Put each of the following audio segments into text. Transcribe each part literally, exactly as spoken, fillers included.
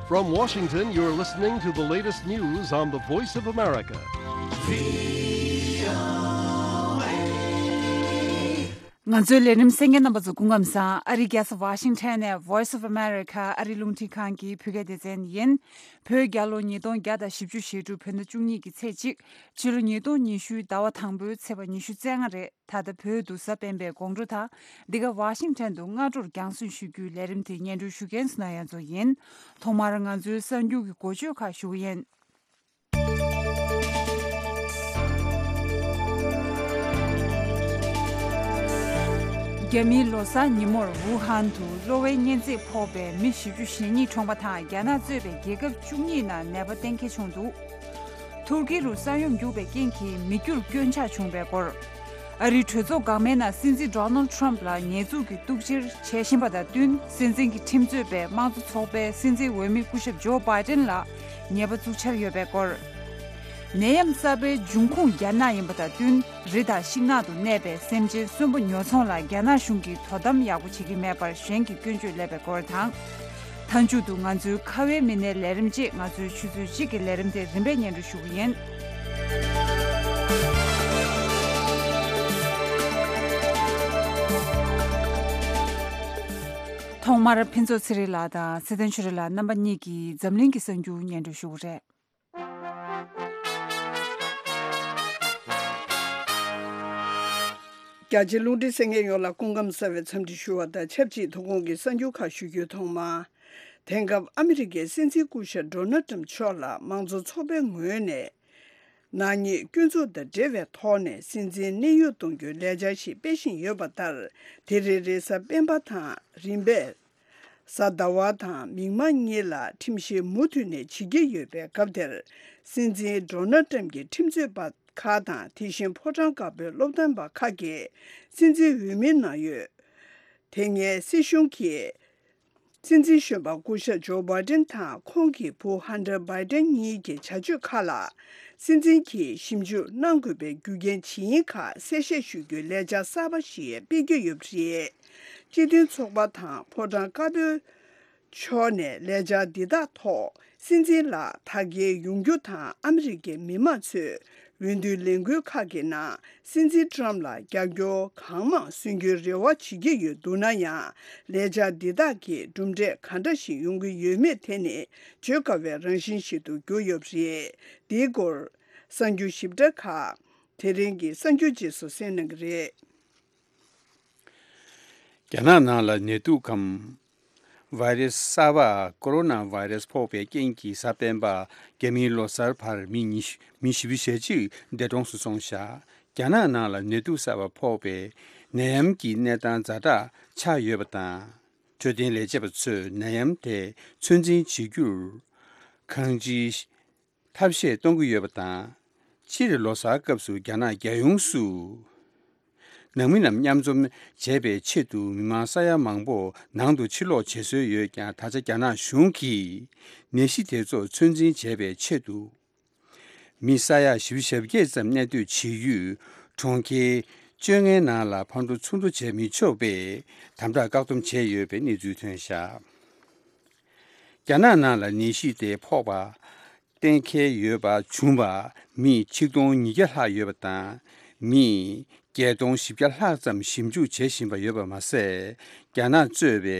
From Washington, you're listening to the latest news on the Voice of America. ང་ཚོའི་ལས་རིམ་གསན་མཁན་རྣམ་པ་ཚོ་སྐུ་ཁམས་བཟང་། ཨ་རིའི་རྒྱལ་ས་ཝ་ཤིང་ཊོན་ནས་Voice of America ཨ་རིའི་རླུང་འཕྲིན་ཁང་གི་བོད་སྐད་སྡེ་ཚན་ཡིན། བོད་རྒྱལ་ལོ་ཉིས་སྟོང་བརྒྱ་དང་བཞི་བཅུ་ཞེ་དྲུག་བོད་ཟླ་བཅུ་གཉིས་ཀྱི་ཚེས་གཅིག་ཕྱི་ལོ་ཉིས་སྟོང་ཉི་ཤུའི་ཟླ་བ་དང་པོའི་ཚེས་པ་ཉི་ཤུ་རྩ་ལྔ་རེད། ད་ལྟ་བོད་དུ་གཟའ་སྤེན་པའི་དགོང་དྲོ་དང་། འདི་ག་ཝ་ཤིང་ཊོན་དུ་སྔ་དྲོར་རྒྱང་སྲིང་ཞུ་རྒྱུའི་ལས་རིམ་དེ་སྙན་སྒྲོན་ཞུ་མཁན་སུ་ན་ཡ་མཚོ་ཡིན། ཐོག་མར་ང་ཚོའི་གསར་འགྱུར་གྱི་འགོ་བརྗོད་ཁག་ཞུ་གི་ཡིན། རྒྱ་མིའི་ལོ་གསར་ཉིན་མོར་ཝུ་ཧན་དུ་གློ་བའི་གཉན་ཚད་ཕོག་པའི་མི་བཞི་བཅུ་ཞེ་གཉིས་གྲོངས་པ་དང་། རྒྱ་ནག་གཙོས་པའི་རྒྱལ་ཁབ་བཅུ་གཉིས་ནང་ནད་པ་གཏན་འཁེལ་བྱུང་འདུག་ཐུར་ཀི་རུ་ས་ཡོམ་རྒྱུག་པའི་རྐྱེན་གྱིས་མི་རྒྱུར་སྐྱོན་ཆག་བྱུང་བའི་སྐོར། ཨ་རིའི་གྲོས་ཚོགས་འགག་མའི་ནང་སྲིད་འཛིན་ཌོ་ནལ་ཊམ་ལ་ཉེས་འཛུགས་ཀྱི་གཏུག་བཤེར་བྱེད་བཞིན་པ་དང་བསྟུན། སྲིད་འཛིན་གྱི་ཁྲིམས་རྩོད་པས་དམངས་གཙོ་ཚོགས་པའི་སྲིད་འཛིན་འོས་མི་སྐུ་ཞབས་ཇོ་བྷའི་ཏན་ལ་ཉེས་པ་བཙུགས་འཆར་ཡོད་པའི་སྐོར། ནད་ཡམས་གསར་པའི་འབྱུང་ཁུངས་རྒྱ་ནག་ཡིན་པ་དང་བསྟུན། རི་དང་ཤིང་ནགས་དུ་གནས་པའི་སེམས་ཅན་གསོན་པོ་ཉོ་ཚོང་ལ་རྒྱ་ནག་གཞུང་གིས་དོ་དམ་ཡག་པོ་བྱེད་ཀྱི་མེད་པར་གཞན་གྱིས་སྐྱོན་བརྗོད་སླེབས་པའི་སྐོར་དང་། མཐའ་མཇུག་ཏུ་ང་ཚོའི་ཁ་བའི་མི་སྣའི་ལས་རིམ་བཅས་ང་ཚོའི་ཆུ་ཚོད་གཅིག་གི་ལས་རིམ་དེ་རིམ་པས་སྙན་སྒྲོན་ཞུ་གི་ཡིན། ཐོག་མར་ཕུན་ཚོགས་ཚེ་རིང་ལགས་དང་ཚེ་བརྟན་ཆོས་སྒྲོན་ལགས་རྣམ་པ་གཉིས་ཀྱིས་འཛམ་གླིང་གི་གསར་འགྱུར་སྙན་སྒྲོན་ཞུ་གི་རེད། རྒྱ་ཆེ་རླུང་འཕྲིན་གསན་མཁན་ཡོངས་ལ་སྐུ་ཁམས་གསར་བའི་འཚམས་འདྲི་ཞུ་བ་དང་ཆབས་ཅིག་ཐོག་ཁོངས་ཀྱི་གསར་འགྱུར་ཁག་ཞུ་རྒྱུའི་ཐོག་མ། དེང་སྐབས་ཨ་མི་རི་ཀའི་སྲིད་འཛིན་སྐུ་ཞབས་ཌོ་ནལ་ཊམ་མཆོག་ལ་དམངས་གཙོ་ཚོགས་པའི་ངོས་ནས་ནག་ཉེས་སྐྱོན་འཛུགས་དང་འབྲེལ་བའི་ཐོག་ནས་སྲིད་འཛིན་གནས་དབྱུང་གཏོང་རྒྱུའི་ལས་འཆར་ཞིག་སྤེལ་བཞིན་ཡོད་པ་ལྟར། དེ་རེ་རེ་གཟའ་སྤེན་པ་དང་རིམ་པས། གཟའ་ཟླ་བ་དང་མིག་དམར་གཉིས་ལ་ཁྲིམས་བཤེར་མུ་མཐུད་ནས་བྱེད་ཀྱི་ཡོད་པའི་སྐབས་དེར། སྲིད་འཛིན་ཌོ་ནལ་ཊམ་གྱི་ཁྲིམས་རྩོད་པ་ཁག་དང་། དེ་བཞིན་ཕོ་བྲང་དཀར་པོའི་སློབ་སྟོན་པ་ཁག་གིས་སྲིད་འཛིན་འོས་མིའི་ནང་ཡོད། དེ་སྔའི་སྲིད་གཞུང་གིས་སྲིད་འཛིན་གཞོན་པ་སྐུ་ཞབས་ཇོ་བྷའི་ཏན་དང་ཁོང་གི་བུ་ཧན་ཏར་བྷའི་ཏན་གཉིས་ཀྱི་བྱ་སྤྱོད་ཁག་ལ། སྲིད་འཛིན་གྱིས་ཞིབ་འཇུག་གནང་དགོས་པའི་རྒྱུ་རྐྱེན་ཇི་ཡིན་ཁག་གསལ་བཤད་ཞུ་རྒྱུའི་ལས་འཆར་གསར་པ་ཞིག་སྤེལ་རྒྱུ་ཡོད་པ་རེད། སྤྱི་མཐུན་ཚོགས་པ་དང་ཕོ་བྲང་དཀར་པོའི་ཕྱོགས་ནས་ལས་འཆར་འདི་དག་ཐོག་སྲིད་འཛིན་ལགས་དར་རྒྱས་ཡོང་རྒྱུ་དང་། ཨ་མི་རི་ཀའི་མི་མང་ཚོས་འོས་བསྡུའི་ལས་འགུལ་ཁག་གི་ནང་སྲིད་འཛིན་ཊམ་ལ་རྒྱབ་སྐྱོར་གང་མང་སོན་རྒྱུའི་རེ་བ་བྱེད་ཀྱི་ཡོད་འདུག་ན་ཡང་། ལས་འཆར་འདི་དག་གིས་གྲུབ་འབྲས་ག་འདྲ་ཞིག་ཡོང་གི་ཡོད་མེད་དེ་ནི་བརྗོད་དཀའ་བའི་རང་བཞིན་ཞིག་ཏུ་གྱུར་ཡོད་པ་རེད། འདིའི་སྐོར་གསར་འགྱུར་ཞིབ་ཕྲ་ཁག་དེ་རིང་གི་གསར་འགྱུར་རྗེས་སུ་གསན་གནང་གི་རེད། རྒྱ་ནག་ནང་ལ་ནད་དུག་གམ་ཝའི་རེ་སི་གསར་པ་ཀོ་རོ་ན་ཝའི་རེ་སི་ཕོག་པའི་རྐྱེན་གྱིས་གཟའ་སྤེན་པ་རྒྱ་མིའི་ལོ་གསར་བར་མི་ཉི་ཤུ་མི་བཞི་བཅུ་ཞེ་གཅིག་འདས་གྲོངས་སུ་སོང་བཞག་རྒྱ་ནག་ནང་ལ་ནད་དུག་གསར་པ་ཕོག་པའི་ནད་ཡམས་ཀྱི་གནས་སྟངས་ཛ་དྲག་ཆགས་ཡོད་པ་དང་། འཕྲོད་བསྟེན་ལས་བྱེད་པ་ཚོས་ནད་ཡམས་དེ་ཚོད་འཛིན་བྱེད་རྒྱུར་གང་ཅིའི་ཐབས་ཤེས་གཏོང་གི་ཡོད་པ་དང་། སྤྱིར་ལོ་གསར་སྐབས་སུ་རྒྱ་ནག་རྒྱལ་ཡོངས་སུ་ནང་མི་རྣམས་མཉམ་འཛོམས་བྱེད་པའི་ཆེད་དུ་མི་མང་ས་ཡ་མང་པོ་ནང་དུ་ཕྱིར་ལོག་བྱེད་སྲོལ་ཡོད་ཀྱང་། ད་ཆ་རྒྱ་ནག་གཞུང་གིས་ནད་གཞི་དེ་ཚོ་ཚོད་འཛིན་བྱེད་པའི་ཆེད་དུ། མི་ས་ཡ་བཞི་བཅུ་ཞེ་བརྒྱད་ཙམ་གནས་སྡོད་བྱེད་ཡུལ་གྲོང་ཁྱེར་བཅོ་ལྔའི་ནང་ལ་ཕར་འགྲོ་ཚུར་འགྲོ་བྱེད་མི་ཆོག་པའི་དམ་དྲག་བཀག་སྡོམ་བྱས་ཡོད་པའི་གནས་ཚུལ་ཐོན་བཞག་རྒྱ་ནག་ནང་ལ་ནད་གཞི་དེ་ཕོག་པ་གཏན་འཁེལ་ཡོད་པ་བྱུང་བ་མི་ཆིག་སྟོང་ཉིས་བརྒྱ་ལྷག་ཡོད་པ་དང་། མི་བརྒྱད་སྟོང་བཞི་བརྒྱ་ལྷག་ཙམ་ཞིབ་འཇུག་བྱེད་བཞིན་པ་ཡོད་པ་མ་ཟད། རྒྱ་ནག་གཙོས་པའི་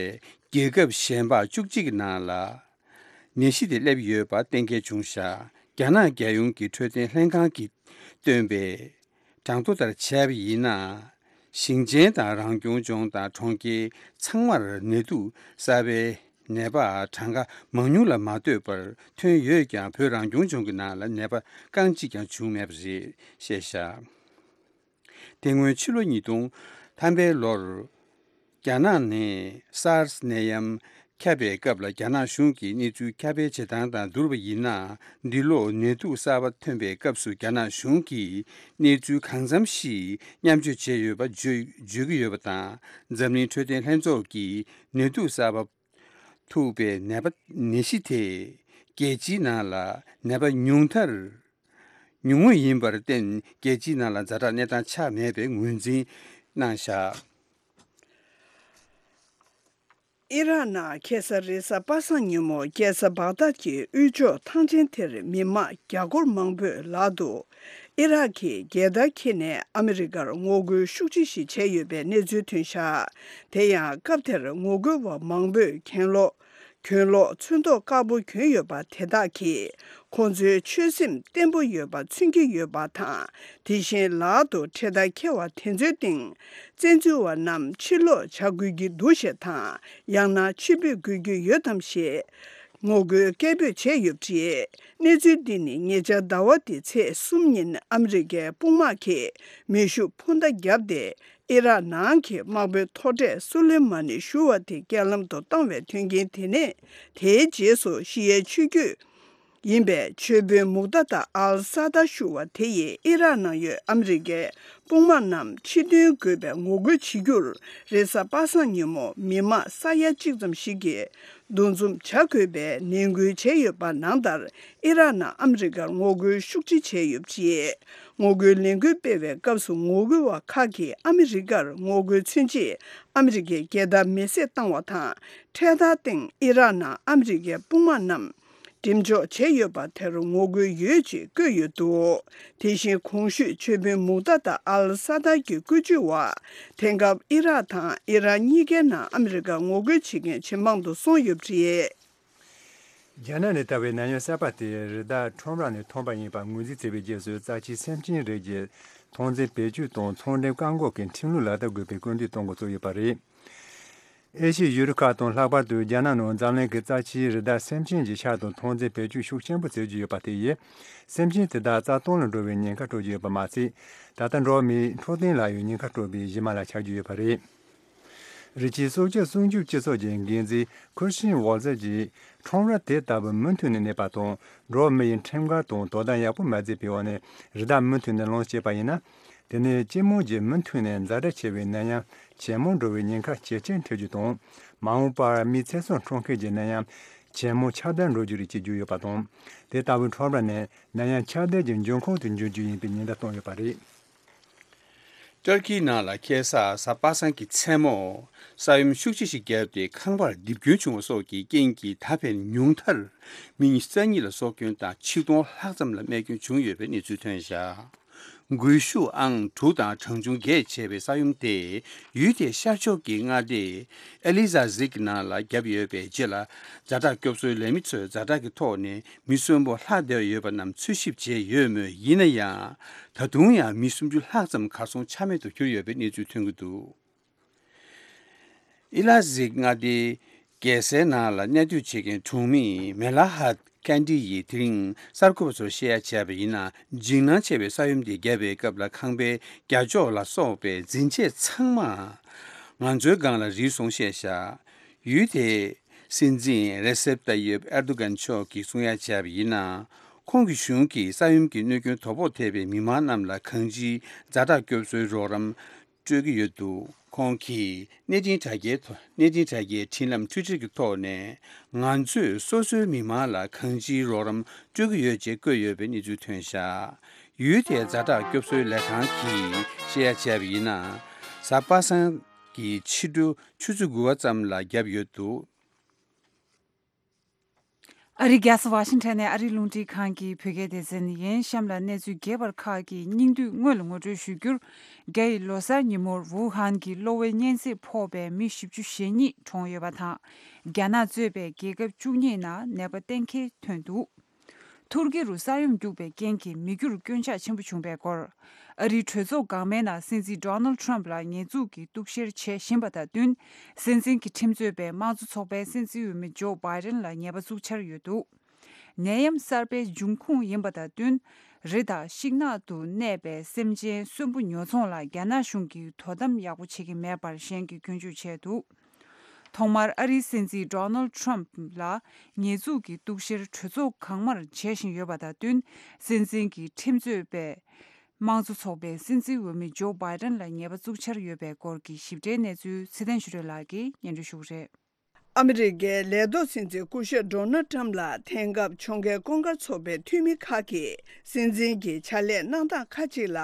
རྒྱལ་ཁབ་གཞན་པ་བཅུ་གཅིག་གི་ནང་ལ། ནད་གཞི་དེ་སླེབས་ཡོད་པ་གཏན་འཁེལ་བྱུང་བཞག་རྒྱ་ནག་རྒྱལ་ཡོངས་ཀྱི་འཕྲོད་བསྟེན་ལྷན་ཁང་གིས་བཏོན་པའི་གྲངས་ཐོ་ལྟར་བྱས་པ་ཡིན་ན། ཞིང་ཆེན་དང་རང་སྐྱོང་ལྗོངས་དང་གྲོང་ཁྱེར་ཚང་མར་ནད་དུག་གསར་པའི་ནད་པ་གྲངས་ཀ་མང་ཉུང་ལ་མ་ལྟོས་པར་ཐོན་ཡོད་ཀྱང་། བོད་རང་སྐྱོང་ལྗོངས་ཀྱི་ནང་ལ་ནད་པ་རྐང་གཅིག་ཀྱང་བྱུང་མེད་པ་རེད་བཤད་བཞག་དེ་སྔོན་ཕྱི་ལོ་ཉིས་སྟོང་ཐམ་པའི་ལོར། རྒྱ་ནག་ནས་སཱར་སི་ནད་ཡམས་ཁྱབ་པའི་སྐབས་ལ། རྒྱ་ནག་གཞུང་གིས་གནས་ཚུལ་ཁྱབ་སྤེལ་བྱེད་སྟངས་དང་བསྡུར་བ་ཡིན་ན། འདི་ལོ་ནད་དུག་གསར་པ་ཐོན་པའི་སྐབས་སུ། རྒྱ་ནག་གཞུང་གིས་གནས་ཚུལ་གང་འཚམ་ཞིག་མཉམ་སྤྱོད་བྱས་ཡོད་པ་བརྗོད་བརྗོད་ཀྱི་ཡོད་པ་དང་། འཛམ་གླིང་འཕྲོད་བསྟེན་ལྷན་ཚོགས་ཀྱིས་ནད་དུག་གསར་པ་ཐུག་པའི་ནད་པ་ནད་གཞི་དེ། རྒྱལ་སྤྱིའི་ནང་ལ་ནད་པ་ཉུང་མཐར། ཉུང་ངུ་ཡིན་པར་བརྟེན། རྒྱལ་སྤྱིའི་ནང་ལ་ཛ་དྲག་གནས་སྟངས་ཆགས་མེད་པའི་ངོས་འཛིན་གནང་བཞག་ཨི་རག་ནང་ཁ་སང་རེས་གཟའ་པ་སངས་ཉིན་མོ་རྒྱལ་ས་བག་དྷད་ཀྱི་དབུས་ཕྱོགས་ཐང་ཆེན་དེར་མི་མང་བརྒྱ་སྐོར་མང་པོས་ལག་ཏུ་ཨི་རག་གི་རྒྱལ་དར་འཁྱེར་ནས་ཨ་མི་རི་ཀར་ངོ་རྒོལ་ཤུགས་ཆེ་ཞིག་བྱས་ཡོད་པའི་གནས་ཚུལ་ཐོན་ཤག་དེ་ཡང་སྐབས་དེར་ངོ་རྒོལ་བ་མང་པོས་གྱེན་ལོག་གྱེན་ལོག་ཚོན་མདོག་དཀར་པོ་གྱོན་ཡོད་པ་དེ་དག་གིས་ཁོང་ཚོའི་ཆོད་སེམས་བརྟན་པོ་ཡོད་པ་མཚོན་གྱི་ཡོད་པ་དང་། དེ་བཞིན་ལག་ཏུ་འཕྲེད་དར་འཁྱེར་བ་དེ་ཚོའི་སྟེང་བཙན་འཛུལ་བ་རྣམས་ཕྱིར་ལོག་བྱ་དགོས་ཀྱི་འདུག་ཞེས་དང་། ཡང་ན་ཕྱིར་འབུད་དགོས་ཀྱི་ཡོད་དམ་ཞེས་ངོ་རྒོལ་སྐད་འབོད་བྱས་ཡོད་པ་རེད། གནས་ཚུལ་འདི་ནི་ཉེ་ཆར་ཟླ་བ་འདིའི་ཚེས་གསུམ་ཉིན་ཨ་མི་རི་ཀའི་དཔུང་དམག་གིས་མེ་ཤུགས་འཕུར་མདའ་བརྒྱབ་སྟེ། ཨི་རག་ནང་གི་དམག་དཔོན་མཐོ་གྲས་སུ་ལེ་མ་ནི་ཞུ་བ་དེ་རྐྱེན་ལམ་དུ་བཏང་བའི་དོན་རྐྱེན་དེ་ནས། དེའི་རྗེས་སུ་ཤི་ཡའི་ཆོས་བརྒྱུད་ཡིན་པའི་ཆོས་དཔོན་མུག་ཏ་ཏ་ཨལ་ས་ཏཱ་ཞུ་བ་དེ་ཡིས་ཨི་རག་ནང་ཡོད་ཨ་མི་རི་ཀའི་དཔུང་དམག་རྣམས་ཕྱིར་འདོན་དགོས་པའི་ངོ་རྒོལ་བྱེད་རྒྱུར། རེས་གཟའ་པ་སངས་ཉིན་མོ་མི་མང་ས་ཡ་གཅིག་ཙམ་ཞིག་གིས་འདུ་འཛོམས་བྱ་དགོས་པའི་ནན་སྐུལ་བྱས་ཡོད་པ་ནང་ལྟར། ཨི་རག་ནང་ཨ་མི་རི་ཀར་ངོ་རྒོལ་ཤུགས་ཆེ་བྱས་ཡོད་པ་རེད། ངོ་རྒོལ་ལས་འགུལ་སྤེལ་བའི་སྐབས་སུ་ངོ་རྒོལ་བ་ཁག་གིས་ཨ་མི་རི་ཀར་ངོ་རྒོལ་མཚོན་ཆེད་ཨ་མི་རི་ཀའི་རྒྱལ་དར་མེ་བསྲེགས་བཏང་བ་དང་། འཕྲེད་དར་སྟེང་ཨི་རག་ནང་ཨ་མི་རི་ཀའི་དཔུང་དམག་རྣམས་འགྲེམས་འཇོག་བྱས་ཡོད་པ་དེར་ངོ་རྒོལ་ཡོད་ཅེས་བཀོད་ཡོད་འདུག་དེ་བཞིན་གོང་ཞུས་ཆོས་དཔོན་མུག་ཏ་ཏ་ཨལ་ས་ཏཱ་གྱི་བཀོད་ཇུས་འོག་དེང་སྐབས་ཨི་རག་དང་ཨི་རན་གཉིས་ཀའི་ནང་ཨ་མི་རི་ཀ་ངོ་རྒོལ་བྱེད་མཁན་ཇེ་མང་དུ་སོང་ཡོད་པ་རེད། རྒྱ་ནག་ནས་ལྟ་བའི་ནད་ཡམས་གསར་པ་དེ་རི་དྭགས་ཁྲོམ་ར་ནས་ཐོན་པ་ཡིན་པ་ངོས་འཛིན་བྱས་པའི་རྗེས་སུ། རྩ་ཆེའི་སེམས་ཅན་རིགས་ཀྱི་ཐོན་རྫས་བེད་སྤྱོད་དང་ཚོང་འབྲེལ་བཀག་འགོག་གི་ཁྲིམས་ལུགས་ལག་བསྟར་དགོས་པའི་སྐུལ་འདེད་གཏོང་འགོ་བཙུགས་ཡོད་པ་རེད། ཨེ་ཤི་ཡའི་ཡུལ་གྲུ་ཁག་དང་ལྷག་པར་དུ་རྒྱ་ནག་ནང་འཛམ་གླིང་གི་རྩ་ཆེའི་རི་དྭགས་སེམས་ཅན་གྱི་ཤ་དང་ཐོན་རྫས་བེད་སྤྱོད་ཤུགས་ཆེན་པོ་བྱེད་ཀྱི་ཡོད་པ་དེ་ཡིས། སེམས་ཅན་དེ་དག་རྩ་སྟོངས་ལ་འགྲོ་བའི་ཉེན་ཁ་སྤྲོད་ཀྱི་ཡོད་པ་མ་ཟད། ད་ལྟ་འགྲོ་བ་མིའི་འཕྲོད་བསྟེན་ལ་ཡང་ཉེན་ཁ་སྤྲོད་པའི་གཞི་མ་ལ་ཆགས་ཀྱི་ཡོད་པ་རེད། རི་སྐྱེས་སྲོག་ཆགས་སྲུང་སྐྱོབ་སྤྱི་ཚོགས་ཀྱི་འགན་འཛིན་ཁུར་ཤིན་ཝོལ་ཛེར་གྱིས། ཁྲོམ་ར་དེ་ལྟ་བུ་མུ་མཐུད་ནས་གནས་པ་དང་། འགྲོ་བ་མི་ཡི་ཁྲིམས་འགལ་དང་དོ་དམ་ཡག་པོ་མ་བྱས་པའི་འོག་ནས་རི་དྭགས་མུ་མཐུད་ནས་ལངས་བྱས་པ་ཡིན་ན། དེ་ནས་སྤྱི་དམངས་ཀྱིས་མུ་མཐུད་ནས་ཛ་དྲག་ཆེ་བའི་ནད་ཡམས་ཇེ་མང་འགྲོ་བའི་ཉེན་ཁ་ཇེ་ཆེར་འཕྲད་རྒྱུ་དང་། མ་འོངས་པར་མིའི་ཚེ་སྲོག་འཕྲོག་མཁན་གྱི་ནད་ཡམས་ཇེ་མང་ཁྱབ་གདལ་འགྲོ་རྒྱུ་རེད་ཅེས་བརྗོད་ཡོད་པ་དང་། དེ་ལྟ་བུའི་ཁྲོམ་ར་ནི་ནད་ཡམས་ཁྱབ་གདལ་གྱི་འབྱུང་ཁུངས་དུ་འགྱུར་རྒྱུ་ཡིན་པའི་ཉེན་བརྡ་བཏང་ཡོད་པ་རེད། ཏུར་ཀིའི་ནང་ལ་ཁ་སང་གཟའ་པ་སངས་ཀྱི་མཚན་མོ། ས་ཡོམ་ཤུགས་ཆེ་ཞིག་བརྒྱབ་སྟེ། ཁང་པར་རྡིབ་སྐྱོན་བྱུང་བ་སོགས་ཀྱི་རྐྱེན་གྱིས། ད་ཕན་ཉུང་མཐར་མི་ཉི་ཤུ་རྩ་གཉིས་ལ་སྲོག་སྐྱོན་དང་། ཆིག་སྟོང་ལྷག་ཙམ་ལ་རྨས་སྐྱོན་བྱུང་ཡོད་པའི་གནས་ཚུལ་ཐོན་བཞག་འགུལ་ཤུགས་ཨང་དྲུག་དང་གྲངས་ཆུང་བརྒྱད་བྱས་པའི་ས་ཡོམ་དེ། ཡུལ་དེའི་ཤར་ཕྱོགས་ཀྱི་མངའ་སྡེ་ཨེ་ལི་ཛ་ཟིག་ནང་ལ་བརྒྱབ་ཡོད་པའི་རྗེས་ལ། ཛ་དྲག་སྐྱོབ་གསོའི་ལས་མི་ཚོས་ཛ་དྲག་གི་ཐོག་ནས་མི་གསོན་པོ་ལྷག་བསྡད་ཡོད་པ་རྣམས་འཚོལ་ཞིབ་བྱས་ཡོད་མོད། ཡིན་ན་ཡང་། ད་དུང་ཡང་མི་སུམ་ཅུ་ལྷག་ཙམ་གར་སོང་ཆ་མེད་དུ་གྱུར་ཡོད་པའི་གནས་ཚུལ་ཐོན་གྱི་འདུག་ཨི་ལ་ཟིག་མངའ་སྡེའི་རྒྱལ་སའི་ནང་ལ་གནས་སྡོད་བྱེད་མཁན་གྲོང་མི་མེ་ལ་ཧད་ཀན་ཏི་ཡིས་དེ་རིང་གསར་འགོད་པ་ཚོར་བཤད་ཡ་བྱས་པ་ཡིན་ན། འཇིགས་སྣང་ཆེ་བའི་ས་ཡོམ་དེ་བརྒྱབ་པའི་སྐབས་ལ་ཁང་པའི་རྒྱ་ཅོག་ལ་སོགས་པའི་འཛིན་ཆས་ཚང་མ་ང་ཚོའི་སྒང་ལ་རིལ་སོང་བཤད་བཞག་ཡུལ་དེའི་སྲིད་འཛིན་རེ་སེབ་ཏཱ་ཡེབ་ཨེར་དོ་གན་མཆོག་གིས་གསུང་ཡ་བྱས་པ་ཡིན་ན། ཁོང་གི་གཞུང་གིས་ས་ཡོམ་གྱི་གནོད་སྐྱོན་དོ་ཕོག་ཐེབས་པའི་མི་མང་རྣམས་ལ་གང་ཅིའི་ཛ་དྲག་སྐྱོབ་གསོའི་རོགས་རམ་སྤྲོད་ཀྱི་ཡོད་འདུག་ཁོང་གིས་གནས་འཕྲིན་དྲ་རྒྱའི་ཐོག་གནས་འཕྲིན་དྲ་རྒྱའི་འཕྲིན་ལམ་ཊུའི་ཊར་གྱི་ཐོག་ནས། ང་ཚོས་སོ་སོའི་མི་མང་ལ་གང་ཅིའི་རོགས་རམ་སྤྲོད་ཀྱི་ཡོད་ཅེས་བཀོད་ཡོད་པའི་གནས་ཚུལ་ཐོན་བཞག་ཡུལ་དེའི་ཛ་དྲག་སྐྱོབ་གསོའི་ལས་ཁང་གིས་བཤད་ཡ་བྱས་པ་ཡིན་ན། གཟའ་པ་སངས་ཀྱི་ཕྱི་དྲོ་ཆུ་ཚོད་དགུ་པ་ཙམ་ལ་བརྒྱབ་ཡོད་འདུག་ཨ་རིའི་རྒྱལ་ས་ཝ་ཤིང་ཊོན་ནས་ཨ་རིའི་རླུང་འཕྲིན་ཁང་གི་བོད་སྐད་སྡེ་ཚན་ཡིན། གཤམ་ལ་གནས་ཚུལ་རྒྱས་པར་ཁག་གི་སྙིང་བསྡུས་སྔོན་ལ་ངོ་སྤྲོད་ཞུ་རྒྱུར། རྒྱ་ཡི་ལོ་གསར་ཉིན་མོར་ཝུ་ཧན་གྱི་གློ་བའི་གཉན་ཚད་ཕོག་པའི་མི་བཞི་བཅུ་ཞེ་གཉིས་གྲོངས་ཡོད་པ་དང་། རྒྱ་ནག་གཙོས་པའི་རྒྱལ་ཁབ་བཅུ་གཉིས་ནང་ནད་པ་གཏན་འཁེལ་ཐོན་འདུག་ཐུར་ཀི་རུ་ས་ཡོམ་རྒྱུག་པའི་རྐྱེན་གྱིས་མི་རྒྱུར་སྐྱོན་ཆག་ཆེན་པོ་བྱུང་བའི་སྐོར། ཨ་རིའི་གྲོས་ཚོགས་འགག་མའི་ནང་སྲིད་འཛིན་ཌོ་ནལ་ཊམ་ལ་ཉེས་འཛུགས་ཀྱི་གཏུག་བཤེར་བྱེད་བཞིན་པ་དང་བསྟུན། སྲིད་འཛིན་གྱི་ཁྲིམས་རྩོད་པས་དམངས་གཙོ་ཚོགས་པའི་སྲིད་འཛིན་འོས་མི་ཇོ་བྷའི་ཌེན་ལ་ཉེས་པ་བཙུགས་འཆར་ཡོད་འདུག་ནད་ཡམས་གསར་པའི་འབྱུང་ཁུངས་ཡིན་པ་དང་བསྟུན། རི་དང་ཤིང་ནགས་དུ་གནས་པའི་སེམས་ཅན་གསོན་པོ་ཉོ་ཚོང་ལ་རྒྱ་ནག་གཞུང་གིས་དོ་དམ་ཡག་པོ་བྱེད་ཀྱི་མེད་པར་གཞན་གྱིས་སྐྱོན་བརྗོད་བྱས་འདུག་ཐོག་མར་ཨ་རིའི་སྲིད་འཛིན་ཌོ་ནལ་ཊམ་ལ་ཉེས་འཛུགས་ཀྱི་གཏུག་བཤེར་གྲོས་ཚོགས་གང་མར་བྱེད་བཞིན་ཡོད་པ་དང་བསྟུན། སྲིད་འཛིན་གྱི་ཁྲིམས་རྩོད་པས་དམངས་གཙོ་ཚོགས་པའི་སྲིད་འཛིན་འོས་མི་ཇོ་བྷའི་ཌེན་ལ་ཉེས་པ་བཙུགས་འཆར་ཡོད་པའི་སྐོར་གྱི་ཞིབ་ཕྲའི་གནས་ཚུལ་ཚེ་བརྟན་ཆོས་སྒྲོན་ལགས་ཀྱིས་སྙན་སྒྲོན་ཞུ་གི་རེད། ཨ་མི་རི་ཀའི་ལས་ཐོག་སྲིད་འཛིན་སྐུ་ཞབས་ཌོ་ནལ་ཊམ་ལ་དེང་སྐབས་ཕྱོགས་འགལ་ཀུན་དགར་ཚོགས་པའི་འཐུས་མི་ཁག་གིས་སྲིད་འཛིན་གྱི་ཕྱག་ལས་གནང་སྟངས་ཁག་ཅིག་ལ་